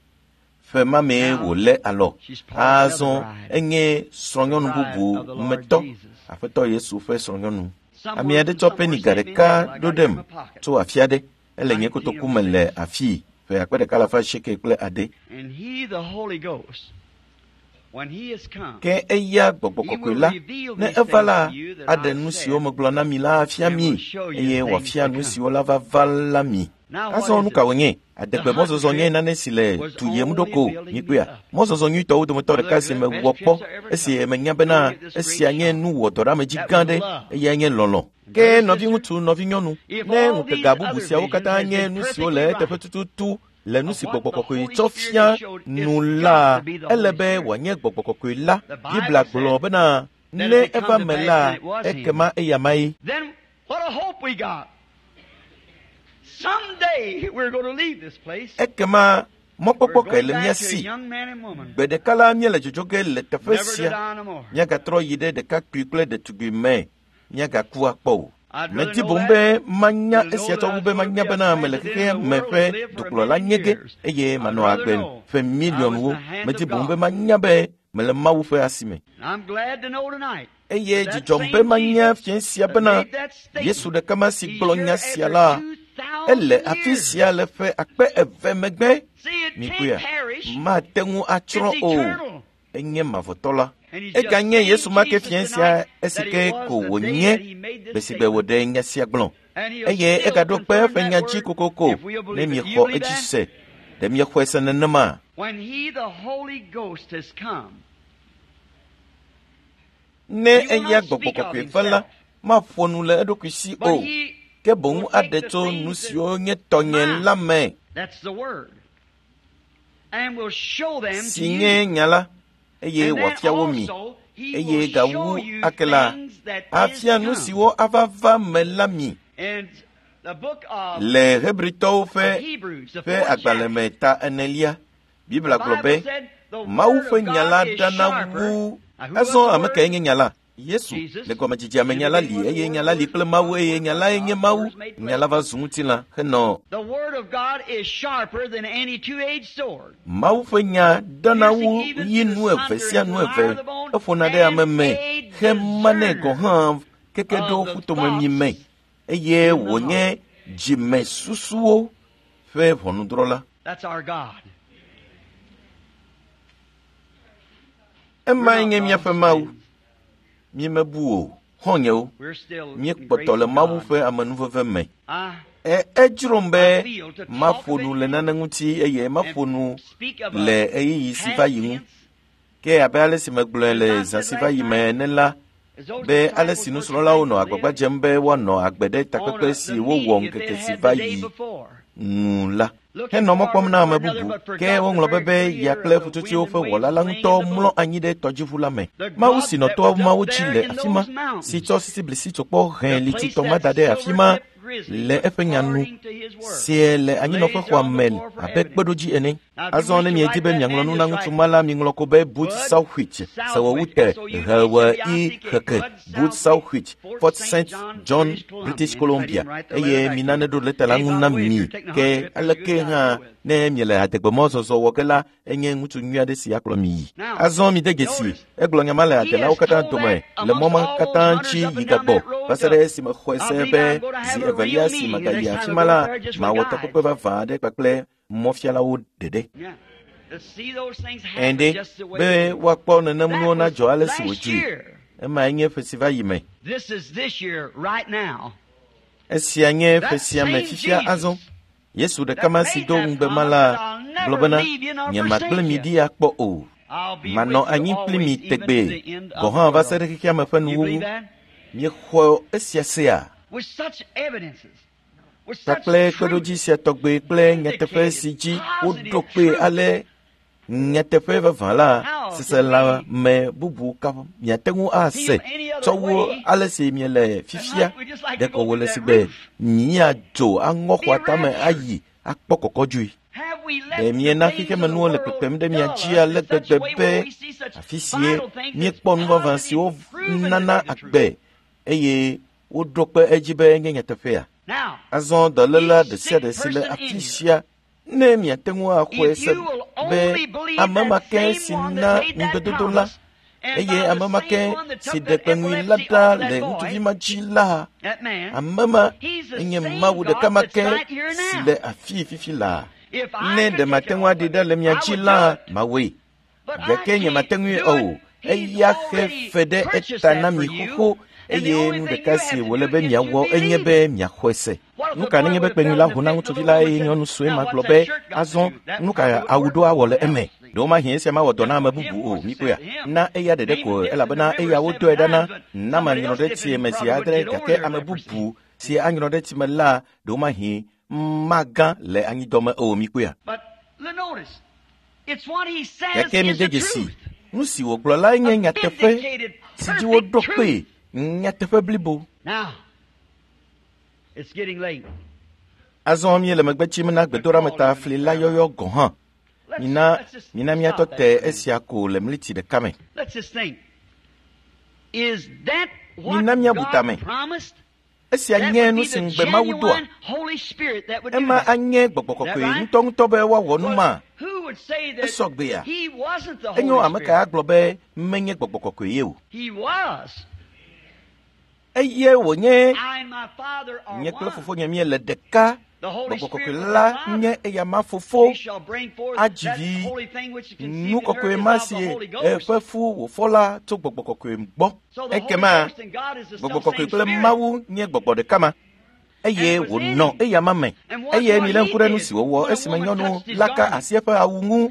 ƒe ma mee wòlé alɔ azɔ enye srɔ̃nyɔnu bubu metɔ Aƒetɔ Yesu ƒe srɔ̃nyɔnu. Ame aɖe tsɔ peniga ɖeka ɖo ɖem tso afi aɖe ele nye kotoku me le afii ƒe akpe ɖeka alafa asieke kple ade. Ke eya gbɔgbɔ kɔkɔe la ne eva la aɖe nu siwo megblɔ na mi la afia mi eye wòafia nu siwo la va va la mi. Azɔ nu ka wònye? Adegbe mɔzɔzɔ nye nane si le tu yem ɖo ko mikpɔea. Mɔzɔzɔ nyuitɔwo dometɔ ɖeka si mewɔ kpɔ esi menya bena esia nye nu wɔdɔɖeamedzi gã ɖe eya nye lɔlɔ̃. Ke nɔviŋutsu nɔvinyɔnu ne ŋutega bubu siawo katã nye nu siwo le eteƒe tututu le nu si gbɔgbɔ kɔkɔe tsɔ fia nu la ele be wòanye gbɔgbɔ kɔkɔe la. Biblia gblɔ bena ne eva me la ekema eya mae. Ekema mɔkpɔkpɔ kae le mía si? Gbe ɖeka la míele dzodzo ge le teƒe sia míagatrɔ yi ɖe ɖekakpui kple ɖetugbui me míagaku akpɔ o. Medi boŋ be manya esia tsɔ wu be manya bena mele xexea me ƒe dukplɔla nye ge eye manɔ agbe ƒe miliɔnwo. Medi boŋ be manya be mele Mawu ƒe asi me. Eye dzidzɔm be manya fiẽ sia bena Yesu ɖeka ma si gblɔ nya sia la ele afi sia le ƒe akpe eve megbe. Mikpɔea mate ŋu atsrɔ̃ o. Enye mavɔtɔ la. Eganye Yesu ma ke fiẽ sia esi ke ko wònye gbe si gbe wòɖe nya sia gblɔ. Eye egaɖo kpe eƒe nya dzi kokoko ne miexɔ edzi se. Ɖe miexɔe se nenema? Ne eya Gbɔgbɔ Kɔkɔe va la, maƒo nu le eɖokui si o, ke boŋ aɖe tso nu siwo nye tɔnye la me, si nye nya la, eye wòafia wo mi. Eye gawu ake la, afia nu siwo ava va me la mi. Le Hebritɔwo ƒe ƒe agbalẽ me ta enelia, Biblia gblɔ be Mawu ƒe nya la ɖana wu. Azɔ ame kae nye nya la? Yesu. Le gɔmedzedzea me nya la li, eye nya la li kple Mawu, eye nya lae nye Mawu. Nya la va zu ŋutilã henɔ. Mawu ƒe nya ɖana wu yi nu eve sia nu eve. Eƒona ɖe ame me hemanɛ gɔ̃ hã keke ɖo ƒutomemi me, eye wònye dzimesusuwo ƒe ʋɔnudrɔ̃la. Emae nye míaƒe Mawu. Míemebu o, xɔ̃nyewo. Míekpɔtɔ le Mawu ƒe amenuveve me. E, edzrom be maƒo nu le nane ŋuti eye maƒo nu le ɣeyiɣi si va yi ŋu. Ke abe ale si megblɔe le zã si va yi me ene la, be ale si nusrɔ̃lawo nɔ agbagba dzem be woanɔ agbe ɖe takpekpe si wowɔ ŋkeke si va yi ŋu la, henɔ mɔ kpɔm na ame bubu. Ke woŋlɔ be be ya kple ƒutsotsoewo ƒe wɔla la ŋutɔ mlɔ anyi ɖe tɔdziʋu la me. Mawu si nɔ toa mawo dzi le afi ma, si tsɔ sisiblisi-tsokpɔ hẽ lititɔ ma da ɖe afi ma le eƒe nya nu, sie le anyinɔƒexɔa me abe kpeɖodzi ene. Azɔ ne miedi be miaŋlɔ nu na ŋutsu ma la, miŋlɔ ko be Bud Southwich, Sewɔwute, Hewe I Heke, Bud Southwich, Fort Saint John, British Columbia, eye mina neɖo lɛta la ŋu na mi. Ke aleke hã ne miele adegbemɔzɔzɔ wɔ ge la, enye ŋutsu nyui aɖe si akplɔ mi yi. Azɔ mide dzesi, egblɔ nya ma le adelawo katã dome le mɔ ma katã dzi yi gagbɔ va se ɖe esime xɔe se be zi evelia si megayi afi ma la, mawɔ takpekpe vavã aɖe kpakple mɔfialawo ɖeɖe. Ɛ̃ɖe be woakpɔ nenem nuwo nadzɔ ale si wòdzui. Emae nye ƒe si va yi me. Esia nye ƒe sia me fifia azɔ. Yesu ɖeka ma si do ŋugbe ma la gblɔ bena, nyemagblẽ mi ɖi akpɔ o. Manɔ anyi kpli mi tegbee, gɔ̃ hã va se ɖe xexea me ƒe nuwuwu. Miexɔ esia sea? Kpakple kpeɖodzi sia tɔgbe kple nyateƒe si dzi woɖo kpee ale nyateƒe vavã la, seselãme bubu ka miate ŋu ase tsɔ wu ale si miele fifia. Ɖeko wòle si be miadzo aŋɔ xɔa tame ayi akpɔ kɔkɔdzoe. Ɖe miena xexemenuwo le kpekpem ɖe mia dzi ale gbegbe be afi sie míekpɔ nu vavã siwo nana agbe eye woɖo kpe edzi be nye nyateƒea? Azɔ dɔléla ɖe sia ɖe si le afi sia, ne miate ŋu axɔe se be ame ma ke si na ŋugbedodo la, eye ame ma ke si ɖe kpeŋui la ɖa le ŋutsuvi ma dzi la, ame ma enye Mawu ɖeka ma ke si le afii fifi laa. Ne ɖe mate ŋu aɖi ɖa le mia dzi la, mawɔe. Gake nyemate ŋui o. Eya xe fe ɖe eta na mi xoxo, eye nu ɖeka si wòle be miawɔ enye be miaxɔe se. Nu ka nenye be kpeŋui la ho na ŋutsuvi la eye nyɔnu sue ma gblɔ be, azɔ nu ka awu ɖo awɔ le eme? Ɖewo mahĩ esia mawɔ dɔ na ame bubu o, mikpɔea? Na eya ɖeɖe ko, elabena eya wodɔe ɖa na na manyrɔ ɖe tsie me zi adre, gake ame bubu si anyrɔ ɖe tsi me la, ɖewo mahĩ magã le anyidɔme o, mikpɔea? Gake mide dzesi, nu si wògblɔ lae nye nyateƒe si dzi woɖo kpee, nyateƒe blibo. Azɔ míele megbe tsim na gbedoɖameta fli la yɔyɔ gɔ̃ hã. Mina mina míatɔ te esia ko le mliti ɖeka me. Mina míabu tame. Esia nye nu si ŋugbe Mawu doa. Ema anye Gbɔgbɔ Kɔkɔe ŋutɔŋutɔ be woawɔ nu ma. Esɔ gbea. Enyo ame ka agblɔ be menye Gbɔgbɔ Kɔkɔe ye o. Eye wònye nye kple fofonye míele ɖeka. Gbɔgbɔ Kɔkɔe la nye eya ma fofo adzi vi. Nu kɔkɔe ma si eƒe fu wòfɔ la tso Gbɔgbɔ Kɔkɔe gbɔ. Ekema Gbɔgbɔ Kɔkɔe kple Mawu nye gbɔgbɔ ɖeka ma. eye wònɔ eyama me. Eye milé ŋku ɖe nu si wòwɔ esime nyɔnu la ka asi eƒe awu ŋu,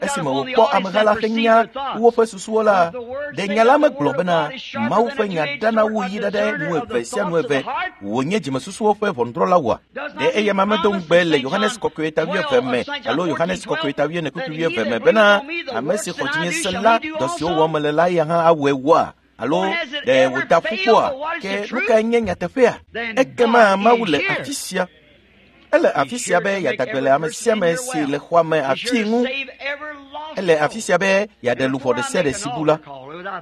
esime wòkpɔ ameha la henya woƒe susuwo la. Ɖe nya la megblɔ bena Mawu ƒe nya dana wu yi ɖe nu eve sia nu eve wònye dzimesusuwo ƒe ʋɔnudrɔ̃la oa? Ɖe eyama medo ŋugbe le Yohanes Kɔkɔe ta wuieve me alo Yohanes Kɔkɔe ta wuiene kpukpui wuieve me bena ame si xɔ dzinye se la, dɔ siwo wɔm mele la ya hã awɔe woa? Alo ɖe wòda ƒu kpɔa? Ke nu kae nye nyateƒea? Ekema Mawu le afi sia. Ele afi sia be yeada gbe le ame sia ame si le xɔa me afii ŋu. Ele afi sia be yeaɖe luʋɔ ɖe sia ɖe si bu la.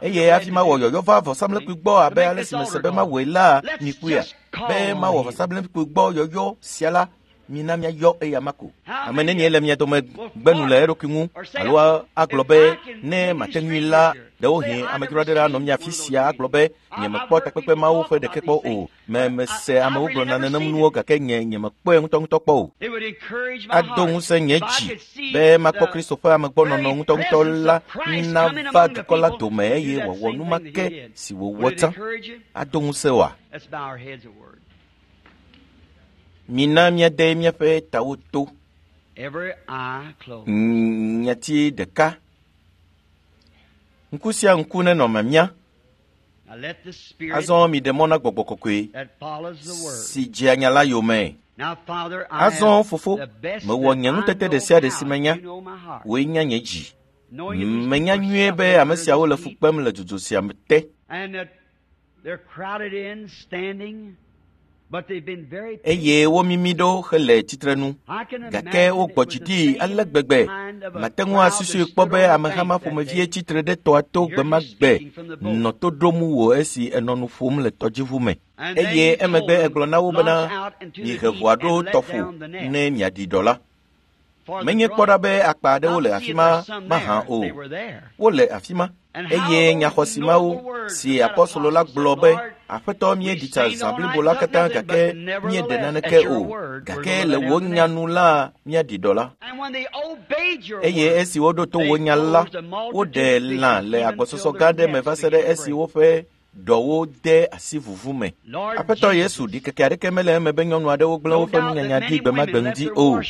Eye hafi mawɔ yɔyɔ va vɔsamlekpui gbɔ abe ale si mese be mawɔe la, mikpɔea? Be mawɔ vɔsamlekpui gbɔ yɔyɔ sia la, mina míayɔ eyama ko. Ame nenie le mia dome gbe nu le eɖokui ŋu alo agblɔ be ne mate ŋui la, ɖewohĩ amedzro aɖe anɔ mia afi sia agblɔ be nyemekpɔ takpekpe mawo ƒe ɖeke kpɔ o. Me mese amewo gblɔna nenem nuwo gake nye nyemekpɔe ŋutɔŋutɔ kpɔ o. Ado ŋusẽ nye dzi be makpɔ Kristo ƒe amegbɔnɔnɔ ŋutɔŋutɔ la nava dukɔ la dome eye wòawɔ nu ma ke si wòwɔ tsã. Ado ŋusẽ oa? Mina míade míaƒe tawo to. Nyati ɖeka. Ŋku sia ŋku nenɔ mamia. Azɔ miɖe mɔ na Gbɔgbɔ Kɔkɔe si dzea nya la yome. Azɔ fofo, mewɔ nye nutete ɖe sia ɖe si menya. Wòe nya nye dzi. Menya nyuie be ame siawo le fu kpem le dzodzo sia te. Eye womimi ɖo hele tsitrenu, gake wogbɔ dzi ɖi ale gbegbe. Mate ŋu asusui kpɔ be ameha ma ƒomevie tsitre ɖe tɔa to gbe ma gbe nɔ to ɖom wò esi enɔ nu ƒom le tɔdziʋu me. Eye emegbe egblɔ na wo bena, mihe ʋua ɖo tɔƒo ne miaɖi ɖɔ la. Menye kpɔ ɖa be akpa aɖewo le afi ma mahã o. Wole afi ma. Eye nyaxɔsi mawo si apɔstolo la gblɔ be Aƒetɔ míeɖi tsa zã blibo la katã gake míeɖe naneke o, gake le wò nya nu la míaɖi ɖɔ la. Eye esi woɖo to wò nya la, woɖe lã le agbɔsɔsɔ gã aɖe me va se ɖe esi woƒe ɖɔwo de asi vuvu me. Aƒetɔ Yesu, ɖikeke aɖeke mele eme be nyɔnu aɖewo gblẽ woƒe nunyanya ɖi gbe ma gbe ŋdi o.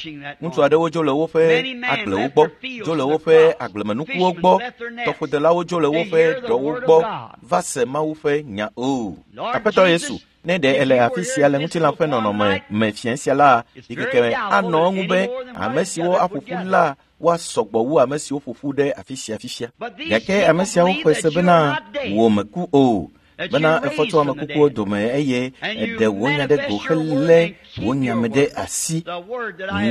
Ŋutsu aɖewo dzo le woƒe agblewo gbɔ, dzo le woƒe agblemenukuwo gbɔ, tɔƒodelawo dzo le woƒe ɖɔwo gbɔ va se Mawu ƒe nya o. Aƒetɔ Yesu, ne ɖe ele afi sia le ŋutilã ƒe nɔnɔme me fiẽ sia la, ɖikeke anɔ eŋu be ame siwo aƒo ƒu la woasɔ gbɔ wu ame siwo ƒo ƒu ɖe afi sia fifia. Gake ame siawo xɔe se bena wò meku o, bena efɔ tso ame kukuwo dome eye eɖe wò nya ɖe go helé wò nya me ɖe asi.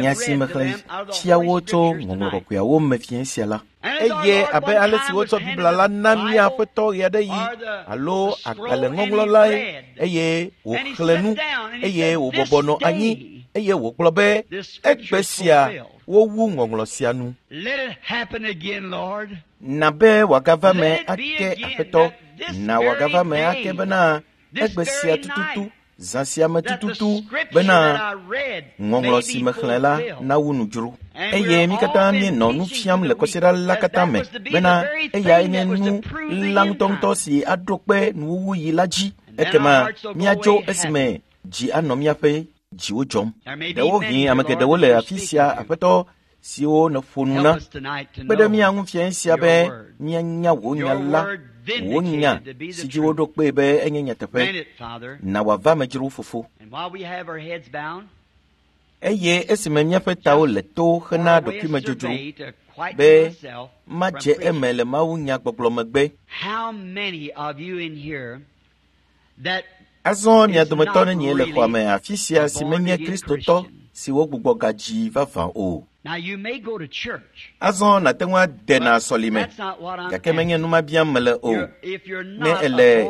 Nya si mexlẽ fia wo tso Ŋɔŋlɔ Kɔkɔeawo me fiẽ sia la. Eye abe ale si wotsɔ Biblia la na mía Aƒetɔ ɣeaɖeɣi alo agbalẽŋɔŋlɔ lae, eye wòxlẽ nu, eye wòbɔbɔ nɔ anyi, eye wògblɔ be egbe sia wowu ŋɔŋlɔ sia nu. Na be wòagava me ake Aƒetɔ, na wòagava me ake bena egbe sia tututu, zã sia me tututu bena ŋɔŋlɔ si mexlẽ la nawu nu dzro. Eye mí katã míenɔ nu fiam le kɔsiɖa la katã me bena eyae nye nu la ŋutɔŋutɔ si aɖo kpe nuwuwuyi la dzi. Ekema míadzo esime dzi anɔ míaƒe dziwo dzɔm. Ɖewohĩ ame geɖewo le afi sia, Aƒetɔ, siwo nèƒo nu na. Kpe ɖe mía ŋu fiẽ sia be míanya wò nya la, wò nya si dzi woɖo kpee be enye nyateƒe. Na wòava me dzro, fofo. Eye esime míaƒe tawo le to hena ɖokuimedzodzro be madze eme le Mawu nya gbɔgblɔ megbe. Azɔ mia dometɔ nenie le xɔa me afi sia si menye Kristotɔ si wogbugbɔ gadzi vavã o. Azɔ nàte ŋu ade na sɔlime, gake menye nu ma biam mele o. Ne ele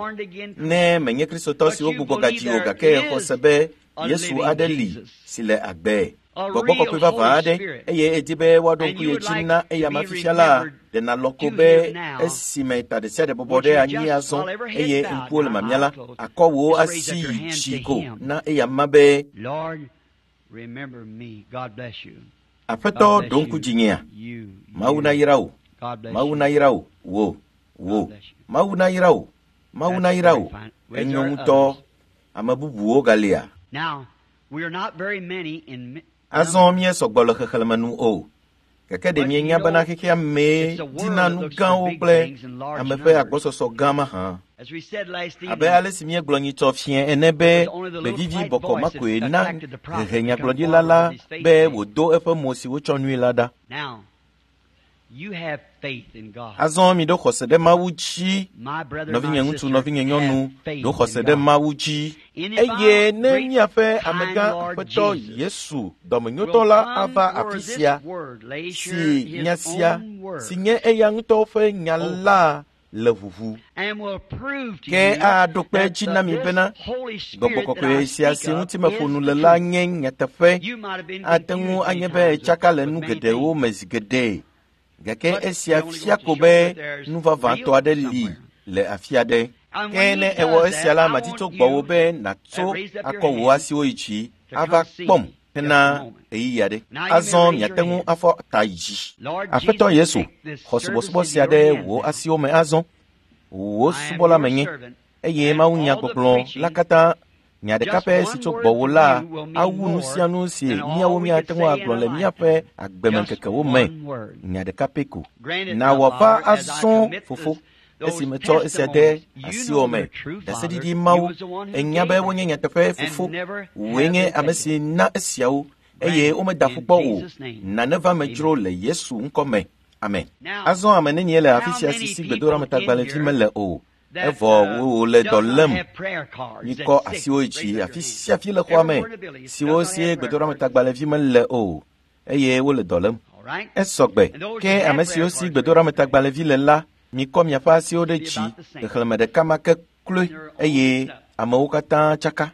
ne menye Kristotɔ si wogbugbɔ gadzi o gake exɔ se be Yesu aɖe li si le agbe, Gbɔgbɔ Kɔkɔe vavã aɖe, eye edi be woaɖo ŋku ye dzi na eyama fifia la, ɖe nàlɔ̃ ko be esime ta ɖe sia ɖe bɔbɔ ɖe anyi azɔ eye ŋkuwo le mamia la, akɔ wò asi yi dzi ko na eyama be, Aƒetɔ, ɖo ŋku dzinyea? Mawu nayra wò. Mawu nayra wò. Wò, wò. Mawu nayra wò. Mawu nayra wò. Enyo ŋutɔ. Ame bubuwo galia? Azɔ míesɔgbɔ le xexlẽme nu o. Gake ɖe mienya bena xexea mee dina nu gãwo kple ame ƒe agbɔsɔsɔ gã mahã. Abe ale si míegblɔ nyitsɔ fiẽ ene be gbevivi bɔkɔ ma koe na hehe nyagblɔɖila la be wòdo eƒe mo si wotsɔ nui la ɖa. Azɔ miɖo xɔse ɖe Mawu dzi. Nɔvinye ŋutsu, nɔvinye nyɔnu, ɖo xɔse ɖe Mawu dzi. Eye ne míaƒe amegã Aƒetɔ Yesu dɔmenyotɔ la ava afi sia, si nya sia, si nye eya ŋutɔ ƒe nya la le ʋuʋu. Ke aɖo kpe edzi na mi bena Gbɔgbɔ Kɔkɔe sia si ŋuti meƒo nu le la nye nyateƒe. Ate ŋu anye be etsaka le nu geɖewo me zi geɖe. Gake esia fia ko be nu vavãtɔ aɖe li le afi aɖe. Ke ne ewɔ esia la, madi tso gbɔwò be nàtso akɔ wò asiwo yi dzi ava kpɔm hena ɣeyiɣi aɖe. Azɔ miate ŋu afɔ ta yi dzi. Aƒetɔ Yesu, xɔ subɔsubɔ sia ɖe wò asiwo me azɔ. Wò subɔla menye, eye Mawu nyagbɔgblɔ la katã nya ɖeka pɛ si tso gbɔwò la awu nu sia nu si míawo míate ŋu agblɔ le míaƒe agbemeŋkekewo me. Nya ɖeka pɛ ko. Na wòava azɔ, Fofo, esi metsɔ esia de asiwò me. Ɖaseɖiɖi Mawu, ènya be wonye nyateƒe, Fofo. Wòe nye ame si na esiawo, eye womeda ƒu kpɔ o. Nane va me dzro le Yesu ŋkɔ me. Amen. Azɔ ame nenie le afi sia si si gbedoɖametagbalẽvi mele o. Evɔ wole dɔ lém. Mikɔ asiwo yi dzi afi sia afi le xɔa me siwo sie gbedoɖametagbalẽvi mele o, eye wole dɔ lém. Esɔgbe. Ke ame siwo si gbedoɖametagbalẽvi le la, mikɔ miaƒe asiwo ɖe dzi xexlẽme ɖeka ma ke kloe, eye amewo katã tsaka.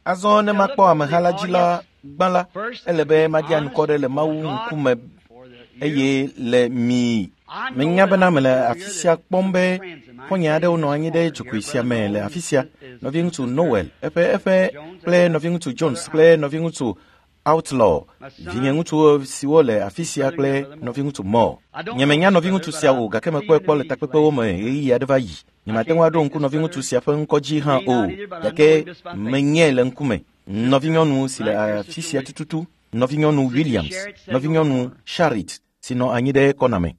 Azɔ ne makpɔ ameha la dzi la gbã la, ele be madi anukɔ ɖe le Mawu ŋkume eye le mi. Menya bena mele afi sia kpɔm be xɔ̃nye aɖewo nɔ anyi ɖe dzogoe sia me le afi sia. Nɔviŋutsu Noel, eƒe eƒe kple nɔviŋutsu Jones kple nɔviŋutsu Outlaw, vinyeŋutsu siwo le afi sia kple nɔviŋutsu Moore. Nyemenya nɔviŋutsu sia o, gake mekpɔe kpɔ le takpekpewo me ɣeyiɣi aɖe va yi. Nyemate ŋu aɖo ŋku nɔviŋutsu sia ƒe ŋkɔ dzi hã o, gake menyae le ŋkume. Nɔvinyɔnu si le afi sia tututu, nɔvinyɔnu Williams, nɔvinyɔnu Sharit, si nɔ anyi ɖe kɔna me.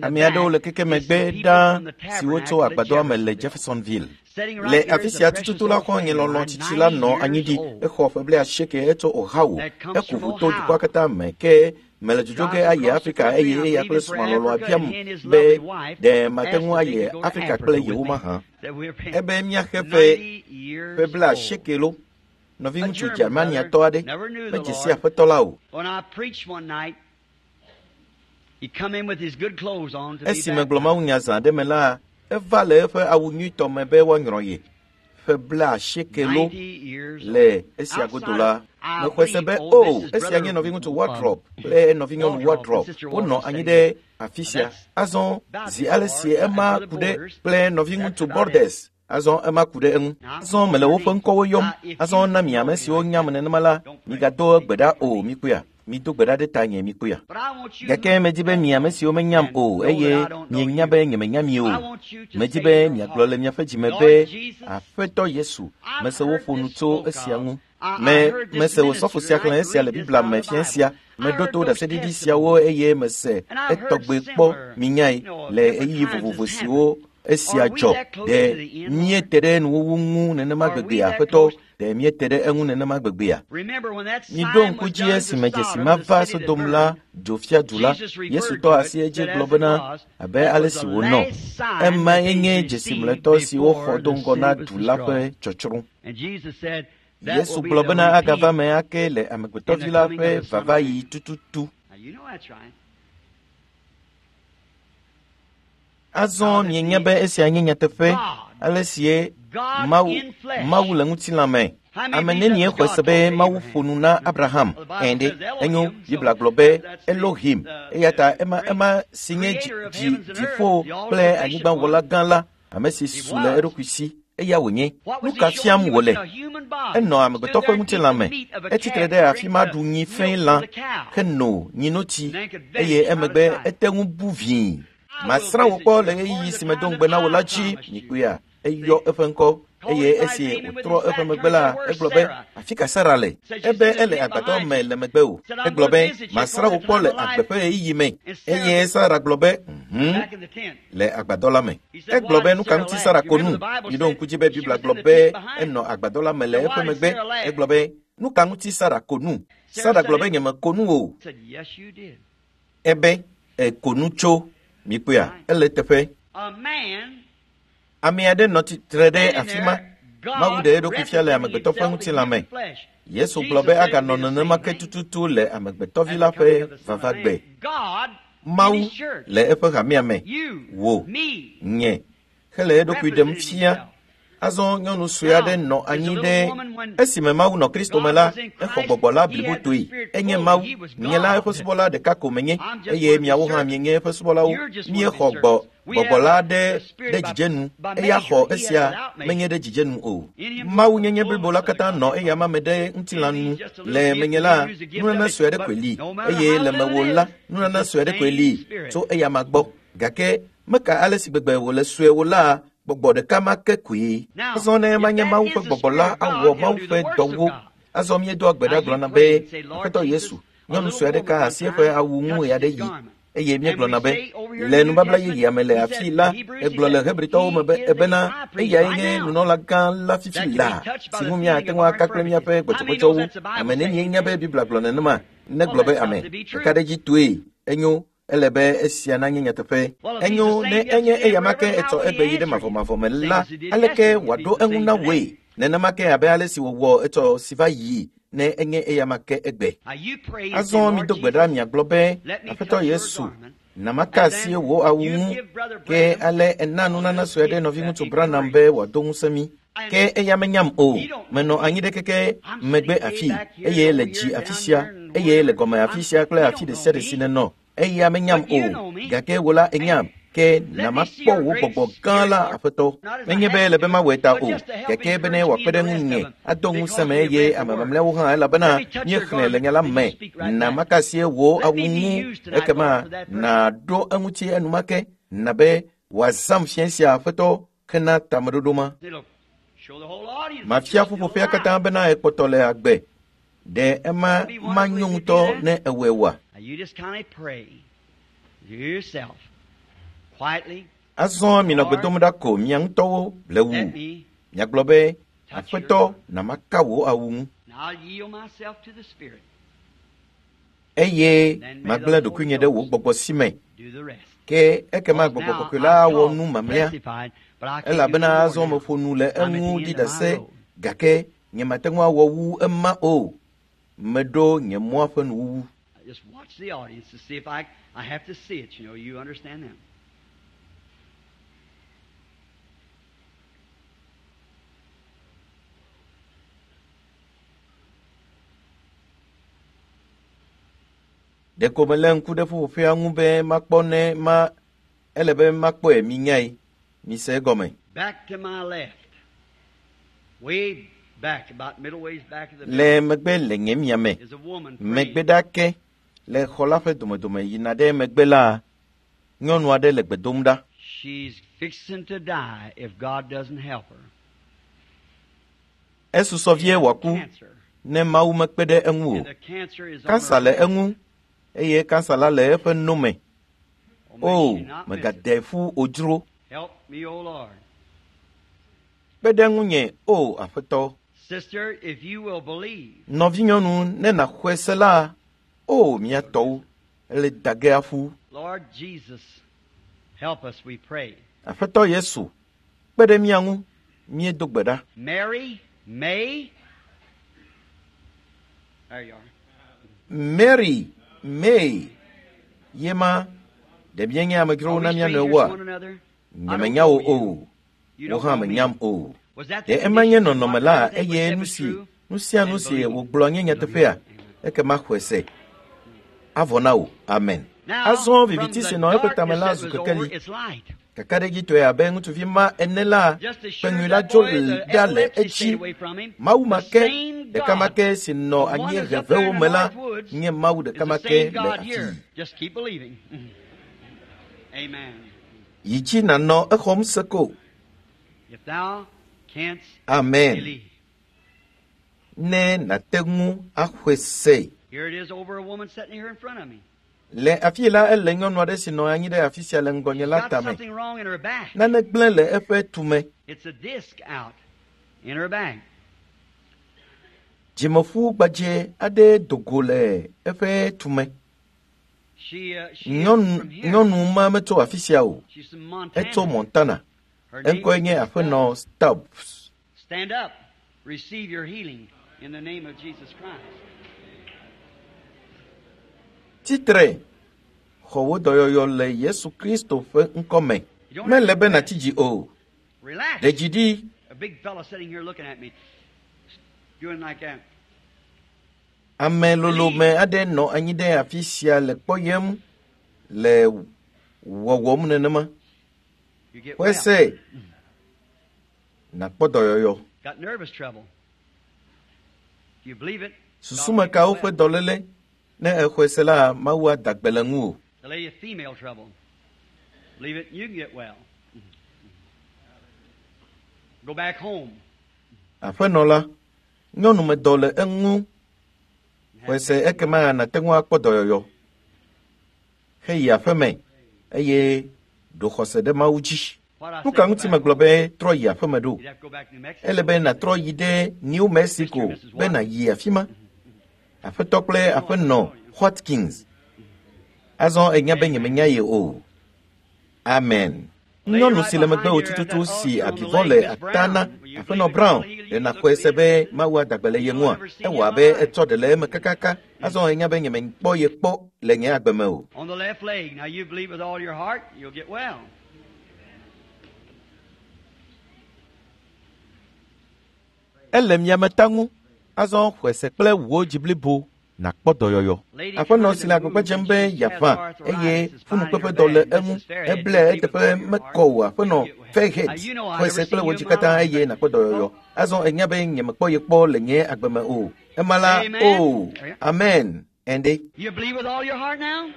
Ame aɖewo le keke megbe ɖaa siwo tso agbadɔa me le Jeffersonville. Le afi sia tututu la, xɔ̃nye lɔlɔ̃ tsitsi la nɔ anyi ɖi. Exɔ ƒe blaasieke etso Ohio. Eku ʋu to dukɔa katã me ke mele dzodzo ge ayi Afrika eye eya kple srɔ̃a lɔlɔ̃a biam be ɖe mate ŋu ayi Afrika kple yewo mahã. Ebe míaxe ƒe ƒe blaasieke lo. Nɔviŋutsu Germaniatɔ aɖe medze si aƒetɔ la o. Esi megblɔ mawunya zã aɖe me la, eva le eƒe awu nyuitɔ me be woanyrɔ ye. Ƒe blaasieke lo le esia godo la, mexɔe se be o, esia nye nɔviŋutsu Wardrop kple nɔvinyɔnu Wardrop. Wonɔ anyi ɖe afi sia. Azɔ zi ale si ema ku ɖe kple nɔviŋutsu Borders. Azɔ ema ku ɖe eŋu. Azɔ mele woƒe ŋkɔwo yɔm. Azɔ na mi ame siwo nyam nenema la, migado gbe ɖa o, mikpɔea. Mido gbe ɖa ɖe tanye, mikpɔea. Gake medi be mi ame siwo menyam o, eye mienya be nyemenya mi o. Medi be miagblɔ le miaƒe dzime be, Aƒetɔ Yesu, mese woƒo nu tso esia ŋu. Me mese wòsɔfo sia xlẽ esia le Biblia me fiẽ sia. Meɖo to ɖaseɖiɖi siawo eye mese etɔgbe kpɔ minyae le ɣeyiɣi vovovo siwo esia dzɔ. Ɖe míete ɖe nuwuwu ŋu nenema gbegbea, Aƒetɔ? Ɖe míete ɖe eŋu nenema gbegbea? Miɖo ŋku dzi esime dzesi ma va Sodom la dzofiadu la, Yesu tɔ asi edzi gblɔ bena abe ale si wònɔ. Emae nye dzesi mlɔetɔ si woxɔ do ŋgɔ na du la ƒe tsɔtsrɔ̃. Yesu gblɔ bena agava me ake le Amegbetɔvi la ƒe vavaɣi tututu. Azɔ mienya be esia nye nyateƒe, ale sie Mawu, Mawu le ŋutilã me. Ame nenie xɔe se be Mawu ƒo nu na Abraham? Ɛ̃ ɖe, enyo, Biblia gblɔ be Elohim, eya ta ema ema si nye dzi, dzi, dziƒo kple anyigbawɔla gã la, ame si su le eɖokui si, eya wònye. Nu ka fiam wòle? Enɔ amegbetɔ ƒe ŋutilã me. Etsitre ɖe afi ma ɖu nyi fɛ̃ lã, heno nyinotsi, eye emegbe ete ŋu bu vĩi. Masrã wò kpɔ le ɣeyiɣi si medo ŋugbe na wò la dzi, mikpɔea, eyɔ eƒe ŋkɔ. Eye esi wòtrɔ eƒe megbe la, egblɔ be, afi ka Sara le? Ebe ele agbadɔ me le megbe o. Egblɔ be, masrã wò kpɔ le agbe ƒe ɣeyiɣi me. Eye Sara gblɔ be, mhm, le agbadɔ la me. Egblɔ be, nu ka ŋuti Sara ko nu? Miɖo ŋku dzi be Biblia gblɔ be enɔ agbadɔ la me le eƒe megbe. Egblɔ be, nu ka ŋuti Sara ko nu? Sara gblɔ be, nyemeko nu o. Ebe, eko nu tso. Mikpɔea, ele teƒe. Ame aɖe nɔ tsitre ɖe afi ma. Mawu ɖe eɖokui fia le amegbetɔ ƒe ŋutilã me. Yesu gblɔ be aganɔ nenema ke tututu le amegbetɔvi la ƒe vavagbe. Mawu le eƒe hamea me, wò, nye, hele eɖokui ɖem fia. Azɔ nyɔnu sue aɖe nɔ anyi ɖe esime Mawu nɔ Kristo me la, exɔ gbɔgbɔ la blibotoe. Enye Mawu, nye la eƒe subɔla ɖeka ko menye, eye miawo hã mienye eƒe subɔlawo. Míexɔ gbɔ gbɔgbɔ la ɖe ɖe dzidzenu, eya xɔ esia menye ɖe dzidzenu o. Mawu nyenye blibo la katã nɔ eya ma me ɖe ŋutilã nu. Le menye la, nunana sue aɖe koe li, eye le mewò la, nunana sue aɖe koe li tso eya ma gbɔ. Gake meka ale si gbegbe wòle sue wò la, gbɔgbɔ ɖeka ma ke koe. Azɔ ne manye Mawu ƒe gbɔgbɔ la awɔ Mawu ƒe dɔwo. Azɔ míedoa gbe ɖa gblɔna be, Aƒetɔ Yesu, nyɔnu sue aɖe ka asi eƒe awu ŋu ɣe aɖe yi. Eye míegblɔna be, le nubabla yeyea me le afi la, egblɔ le Hebritɔwo me be ebena eyae nye nunɔlagã la fifi laa, si ŋu míate ŋu aka kple míaƒe gbɔdzɔgbɔdzɔwo. Ame nenie nya be Biblia gblɔ nenema? Negblɔ be ame. Ɖeka ɖe dzi toe. Enyo. Ele be esia nanye nyateƒe. Enyo ne enye eya ma ke etsɔ egbe yi ɖe mavɔmavɔ me la, aleke wòaɖo eŋu na wòe? Nenema ke abe ale si wòwɔ etsɔ si va yi ne enye eya ma ke egbe. Azɔ mido gbe ɖa miagblɔ be, Aƒetɔ Yesu, na maka asi wò awu ŋu, ke ale ena nunana sue aɖe nɔviŋutsu Branham be wòado ŋusẽ mí. Ke eya menyam o. Menɔ anyi ɖe keke megbe afi, eye le dzi afi sia, eye le gɔme afi sia kple afi ɖe sia ɖe si nenɔ. Eya menyam o, gake wò la enyam. Ke na makpɔ wò gbɔgbɔ gã la, Aƒetɔ. Menye be ele be mawɔe ta o, gake bene wòakpe ɖe ŋunye, ado ŋusẽ me eye ame mamlɛawo hã, elabena míexlẽ le nya la me. Na maka asi wò awu ŋu, ekema nàɖo eŋuti enumake, na be wòazãm fiẽ sia, Aƒetɔ, hena tameɖoɖo ma. Mafia ƒuƒoƒea katã bena ekpɔtɔ le agbe. Ɖe ema manyo ŋutɔ ne ewɔe oa? Azɔ minɔ gbe dom ɖa ko mia ŋutɔwo le wu. Miagblɔ be, Aƒetɔ, na maka wò awu ŋu. Eye magblẽ ɖokuinye ɖe wò gbɔgbɔ si me. Ke ekema gbɔgbɔ kɔkɔe la awɔ nu mamlɛa. Elabena azɔ meƒo nu le eŋu ɖi ɖase, gake nyemate ŋu awɔ wu ema o. Meɖo nye mɔa ƒe nuwuwu. Just watch the audience to see if I, I have to see it, you know, you understand that. Ɖeko melé ŋku ɖe ƒuƒoƒea ŋu be makpɔ ne ma ele be makpɔe minyae. Mise egɔme. Back to my left. Way back, about middle ways back of the Le megbe le nye miame. is a woman Megbe praying. ɖa ke le xɔ la ƒe domedome yina ɖe megbe la, nyɔnu aɖe le gbe dom ɖa. She's fixing to die if God doesn't help her. Esusɔ vie wòaku Cancer. ne Mawu mekpe ɖe eŋu o. And the cancer is on Kansa her le breast. eŋu eye kansa la le eƒe no me. Oh, may O, she not miss it. mègade ƒu odzro. Help me, O Lord. Kpe ɖe ŋunye, o Aƒetɔ. Sister, if you will believe, Nɔvinyɔnu, ne nàxɔe se la, o mía tɔwo, ele dage aƒu. Lord Jesus, help us, we pray. Aƒetɔ Yesu, kpe ɖe mía ŋu, míedo gbe ɖa. Mary, May. There you are. Mary, May, ye ma, ɖe míenye Are amedzrowo we na mía strangers to nɔewoa? one another? I Nye don't menya wò know you. o, You wò don't hã know me. menyam o. Was that the Ɖe ema nye condition that nɔnɔme what la everything was eye said nu was si true? nu sia nu And si believe. wògblɔ nye nyateƒea, ekema xɔe se. Avɔ na wò. Amen. Now, Azɔ from viviti the si nɔ eƒe tame darkness la that zu was over, kekeli. it's light. Kakaɖedzitɔe abe ŋutsuvi ma ene la, Just as sure kpenyui as la that dzo boy, the ɖa le epilepsy stayed edzi. away from him, Mawu ma the ke, same ɖeka ma God, ke si nɔ the one anyi that's up there hevewo in the me la, North Woods, nye Mawu is ɖeka the ma ke same le God afii. here. Just keep believing. Amen. Yi dzi nànɔ exɔm se ko. If thou Amen. Ne nàte ŋu axɔe se. Le afi la ele nyɔnu aɖe si nɔ anyi ɖe afi sia le ŋgɔnye la tame. Nane gblẽ le eƒe tume. Dzimeƒu gbadzɛ aɖe do go le eƒe tume. Nyɔnu nyɔnu ma metso afi sia o. Etso Montana. Eŋkɔe nye Aƒenɔ Stubbs. Stand up. Receive your healing in the name of Jesus Christ. Tsitre, xɔ wò dɔyɔyɔ le Yesu Kristo ƒe ŋkɔ me. Mele be nàtsi dzi o. Relax. Ɖe dzi ɖi. A big fellow sitting here looking at me, doing like that. Ame lolome aɖe nɔ anyi ɖe afi sia le kpɔyem le wɔwɔm nenema. You get Xɔe well. se nàkpɔ dɔyɔyɔ. Got nervous trouble. Do you believe it? Susumekawo ƒe dɔléle ne exɔe se la Mawu ada gbe le ŋuwò. The lady of female trouble. Believe it, you can get well. Go back home. Aƒenɔ la, nyɔnumedɔ le eŋu. Xɔe se ekema nàte ŋu akpɔ dɔyɔyɔ. Heyi aƒeme eye ɖo xɔse ɖe Mawu dzi. What I Nu say, ka go ŋuti back megblɔ home. be trɔ yi aƒeme ɖo? You'd have to go back to New Mexico. Ele be nàtrɔ yi ɖe New Mexico be nàyi afi ma. Aƒetɔ kple aƒenɔ Watkins. Azɔ enya be nyemenya ye o. Amen. Nyɔnu si le megbewò tututu si abivɔ le ata na Aƒenɔ Brown ɖe nàxɔe se be Mawu ada gbe le ye ŋua? Ewɔ abe etsɔ ɖe le eme kakaka. Azɔ enya be nyemekpɔ ye kpɔ le nye agbe me o. On the left leg. Now you believe with all your heart, you'll get well. Ele miameta ŋu. Azɔ xɔe se kple wò dzi blibo nàkpɔ dɔyɔyɔ. Aƒenɔ si le agbagba dzem be yeaʋã eye ƒunukpeƒedɔ le eŋu. Eble eteƒe mekɔ o aƒenɔ Fairhead. Xɔe se kple wò dzi katã eye nàkpɔ dɔyɔyɔ. Azɔ enya be nyemekpɔ ye kpɔ le nye agbe me o. Ema la o. Amen. Ende. You believe with all your heart now?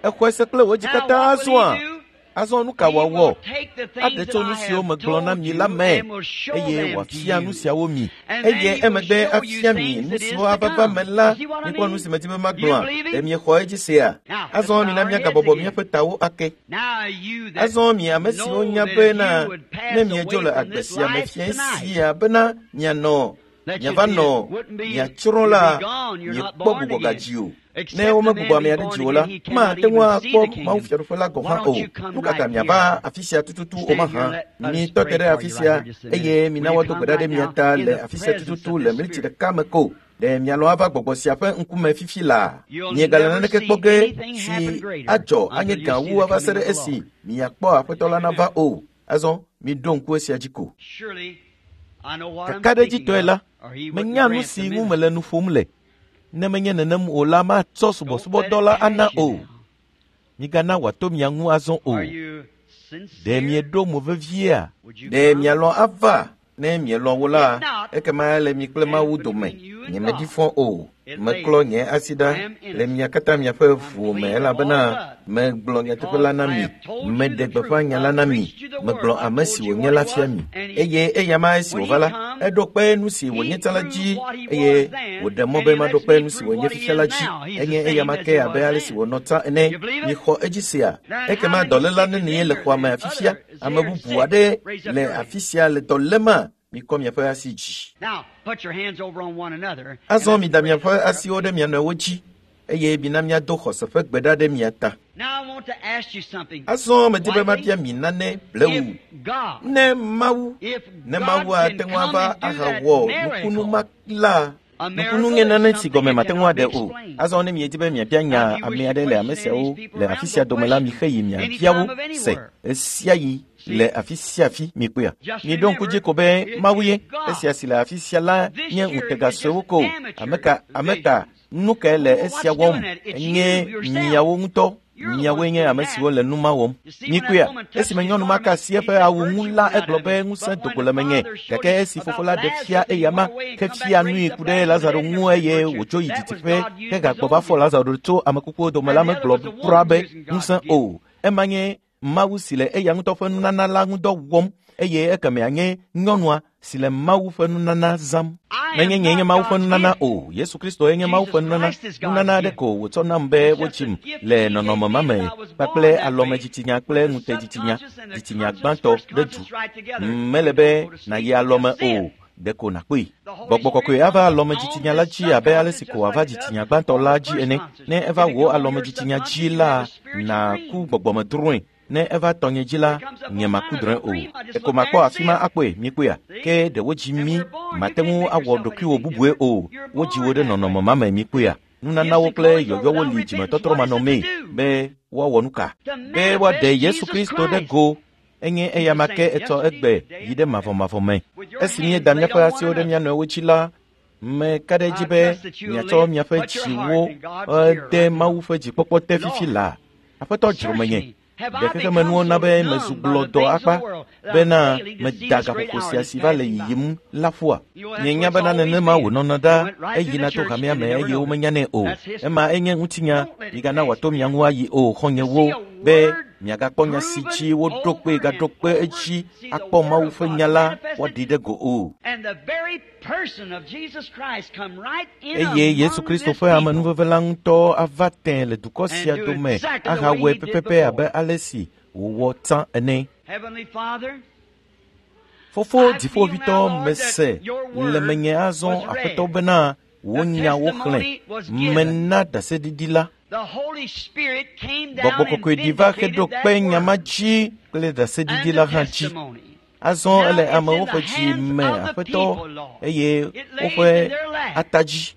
Exɔe se kple wò dzi Now katã what will azɔa? he do? Azɔ nu ka He wòawɔ? will take the things Aɖe that tso nu I siwo have megblɔ na told mi you la me and will show eye them to wòafia nu you. siawo mi And then eye he will emegbe show you afia mi things nu that is siwo to ava va come. me la You see what I mikpɔ nu mean? si medi be You magblɔa believe ɖe him? miexɔ edzi sea Now, let's azɔ bow mina our heads míagabɔbɔ again. míaƒe tawo ake Now you that azɔ mi ame siwo know nya that if bena you would pass ne miedzo away le from agbe this sia me life fiẽ tonight, sia bena mianɔ that you'd miava be, nɔ wouldn't be, miatsrɔ̃ you'd la be gone. You're not miekpɔ born gbugbɔ again. gadzi o ne Except the womegbugbɔ man ame be aɖe born dzi o la again, he cannot mate ŋu even see akpɔ the Mawu kingdom. fiaɖuƒe la gɔ̃ Why hã o don't you come nu ka ta right here? miava afi sia tututu o Stand here mahã and let us mitɔ te pray ɖe for afi you right sia here just a minute. eye Will mina you woado come gbe ɖa ɖe right mia now ta in le the afi sia presence tututu of le this mliti Spirit? ɖeka me ko ɖe mialɔ ava gbɔgbɔ sia ƒe ŋkume fifi laa You'll miegale never naneke see kpɔ ge anything si happen greater adzɔ anye until you gã see wu the ava se coming ɖe of the esi Lord. miakpɔ Aƒetɔ la nava o azɔ miɖo ŋku esia dzi ko Surely I know what I'm speaking kakaɖedzitɔe of, la or he wouldn't menya nu grant si the ŋu ministry. mele nu ƒom le ne menye nenem o la matsɔ Don't let subɔsubɔdɔ it la ana pass you o now. migana wòato mia ŋu azɔ o Are you ɖe sincere? mieɖo mo veviea Would you ɖe come? mialɔ̃ ava ne mielɔ̃ wo la If not, ekema ele mi kple then Mawu it's dome between you and nyemedi God. fɔ o It meklɔ lays. nye asi I ɖa am le innocent. mia katã miaƒe I'm ʋuwo me clean of all elabena blood megblɔ nyateƒe because la na I mi have told you meɖe the gbeƒã truth. nya la I've na mi preached you the megblɔ word. I've ame told si you wònye what la he fia was, mi and he, eye eyama esi when wòva he la come, eɖo kpe nu si he wònye tsã la proved dzi what he eye was then, wòɖe mɔ and be he maɖo lets kpe me nu si prove wònye what he fifia is la dzi now. He's the enye same eyama as ke he abe was ale si then. wònɔ tsã ene You believe it? mixɔ edzi sea Then how ekema many dɔléla sick is nenie in le here xɔa me and afi sia other is ame here bubu sick? aɖe Raise up le your hand. afi sia le dɔ léma mikɔ miaƒe asi dzi Now, put your hands over on one another and azɔ let's mida pray miaƒe for asiwo ɖe mia nɔewo dzi eye mina míado xɔse ƒe gbe ɖa ɖe mia ta Now, I want to ask you something azɔ medi be quietly. mabia mi nane blewu If God, ne Mawu if ne God Mawu can ate ŋu come ava and do that ahawɔ nukunu miracle, ma la a nukunu miracle nye is nane si something gɔme that mate ŋu cannot be aɖe o explained. azɔ ne miedi be miabia Now, nya if you ame wish to aɖe le ame question any of these siawo people le around, afi go sia dome la question mixe yi miabia anytime wo of se anywhere. esia yi See, le afi sia afi mikpɔea just miɖo ŋku dzi remember, ko be it Mawu is ye God. esia si le afi sia la This nye here is ŋutega just suewo ko amateur ame ka ame ka visions. nu kae le Well, esia what's wɔm doing that? It's enye you yourself. miawo ŋutɔ You're the miawoe ones nye doing ame that. siwo le nu ma wɔm You see, when that mikpɔea woman touched esime his nyɔnu ma ka garment, asi he eƒe said, awu ŋu Virtue la went out egblɔ of be me. ŋusẽ But do when go the le menye Father showed gake him esi fofo about la ɖe Lazarus, fia he eyama went away and ke come back fia and nui raised up ku ɖe Lazarus Lazaro dead. ŋu Never said eye virtue. wòtso yi That was didiƒe God ke using his gagbɔ va own fɔ gift. Lazaro tso ame kukuwo dome la And the other megblɔ was the kura woman be using God's ŋusẽ gift. o ema nye Mawu si le eya ŋutɔ ƒe nunana la ŋudɔ wɔm eye ekemea nye nyɔnua si le Mawu ƒe nunana zãm. Menye nye nye Mawu ƒe nunana o. Yesu Kristo ye nye Mawu ƒe nunana. Nunana aɖe ko wòtsɔ nam be wotsim le nɔnɔme ma me kpakple alɔmedzitsinya kple ŋutedzitsinya, dzitsinya gbãtɔ ɖe du. Mele be nàyi alɔme o. Ɖeko nàkpɔe. Gbɔgbɔ kɔkɔe ava alɔmedzitsinya la dzi abe ale si ko wòava dzitsinya gbãtɔ la dzi ene. Ne eva wò alɔmedzitsinya dzi la, nàku gbɔgbɔmedrɔ̃e. Ne eva tɔnye dzi la, nye maku drɔ̃e o. Eko makpɔ afi ma akpɔe, mikpɔea? Ke ɖe wodzi mí, mate ŋu awɔ ɖokuiwò bubue o. Wodzi wò ɖe nɔnɔme ma me, mikpɔea? Nunanawo kple yɔyɔwo li dzimetɔtrɔ manɔmee be woawɔ nu ka? Be woaɖe Yesu Kristo ɖe go. Enye eyama ke etsɔ egbe yi ɖe mavɔmavɔ me. Esi míeda míaƒe asiwo ɖe mía nɔewo dzi la, meka ɖe edzi be miatsɔ miaƒe dziwo de Mawu ƒe dzikpɔkpɔ te fifi laa. Aƒetɔ dzro menye. Ɖe xexemenuwo na be mezu gblɔdɔ akpa bena meda gaƒoƒo sia si va le yiyim la ƒua. Mienya bena nenema wònɔna ɖa eyina to hamea me eye womenyanɛ o. Ema enye ŋutinya migana wòato mia ŋu ayi o, xɔ̃nyewo, be miagakpɔ nya si dzi woɖo kpe gaɖo kpe edzi akpɔ Mawu ƒe nya la woaɖi ɖe go o. Eye Yesu Kristo ƒe amenuveve la ŋutɔ ava tẽ le dukɔ sia dome ahawɔe pɛpɛpɛ abe ale si wòwɔ tsã ene. Fofo dziƒoʋĩtɔ, mese le menye azɔ Aƒetɔ bena wò nyawo xlẽ. Mena ɖaseɖiɖi la. Gbɔgbɔ kɔkɔe ɖi va heɖo kpe nya ma dzi kple ɖaseɖiɖi la hã dzi. Azɔ ele amewo ƒe dzi me, Aƒetɔ, eye woƒe ata dzi.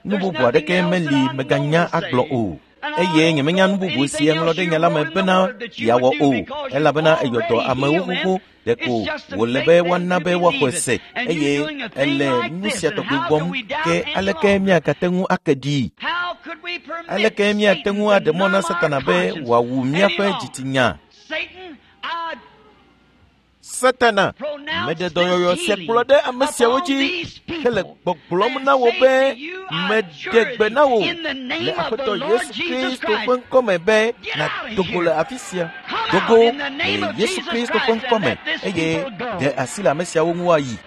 Nu bubu aɖeke meli meganya agblɔ o. Eye nyemenya nu bubu si eŋlɔ ɖe nya la me bena yeawɔ o, elabena eyɔ dɔ amewo xoxo. Ɖeko wòle be woana be woaxɔe se, eye ele nu sia tɔgbi wɔm. Ke aleke míagate ŋu ake ɖii? Aleke míate ŋu aɖe mɔ na Satana be wòawu míaƒe dzitsinya? Satana, meɖe dɔyɔyɔ sia kplɔ ɖe ame siawo dzi hele gbɔgblɔm na wò be meɖe gbe na wò le Aƒetɔ Yesu Kristo ƒe ŋkɔme be nàdo go le afi sia. Do go le Yesu Kristo ƒe ŋkɔme eye ɖe asi le ame siawo ŋu ayi.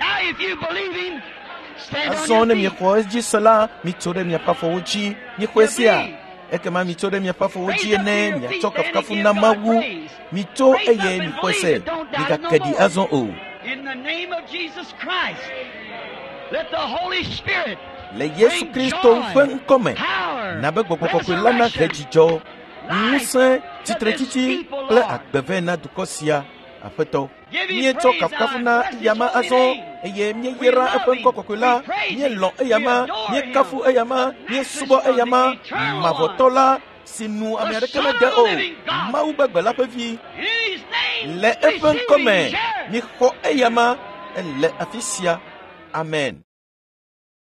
Azɔ ne miexɔ edzi se la, mitso ɖe miaƒe afɔwo dzi. Mixɔe sia? Ekema mitso ɖe miaƒe afɔwo dzi ene miatsɔ kafukafu na Mawu. Mitso eye mixɔe se. Migake ɖi azɔ o. Le Yesu Kristo ƒe ŋkɔme, na be Gbɔgbɔ Kɔkɔe la nahe dzidzɔ, ŋusẽ, tsitretsitsi kple agbe vɛ na dukɔ sia, Aƒetɔ. Míetsɔ kafukafu na eyama azɔ eye míeyra eƒe ŋkɔ kɔkɔe la. Míelɔ̃ eyama, míekafu eyama, míesubɔ eyama, mavɔtɔ la si nu ame aɖeke mede o, Mawu gbegbe la ƒe vi. Le eƒe ŋkɔme, mixɔ eyama, ele afi sia. Amen.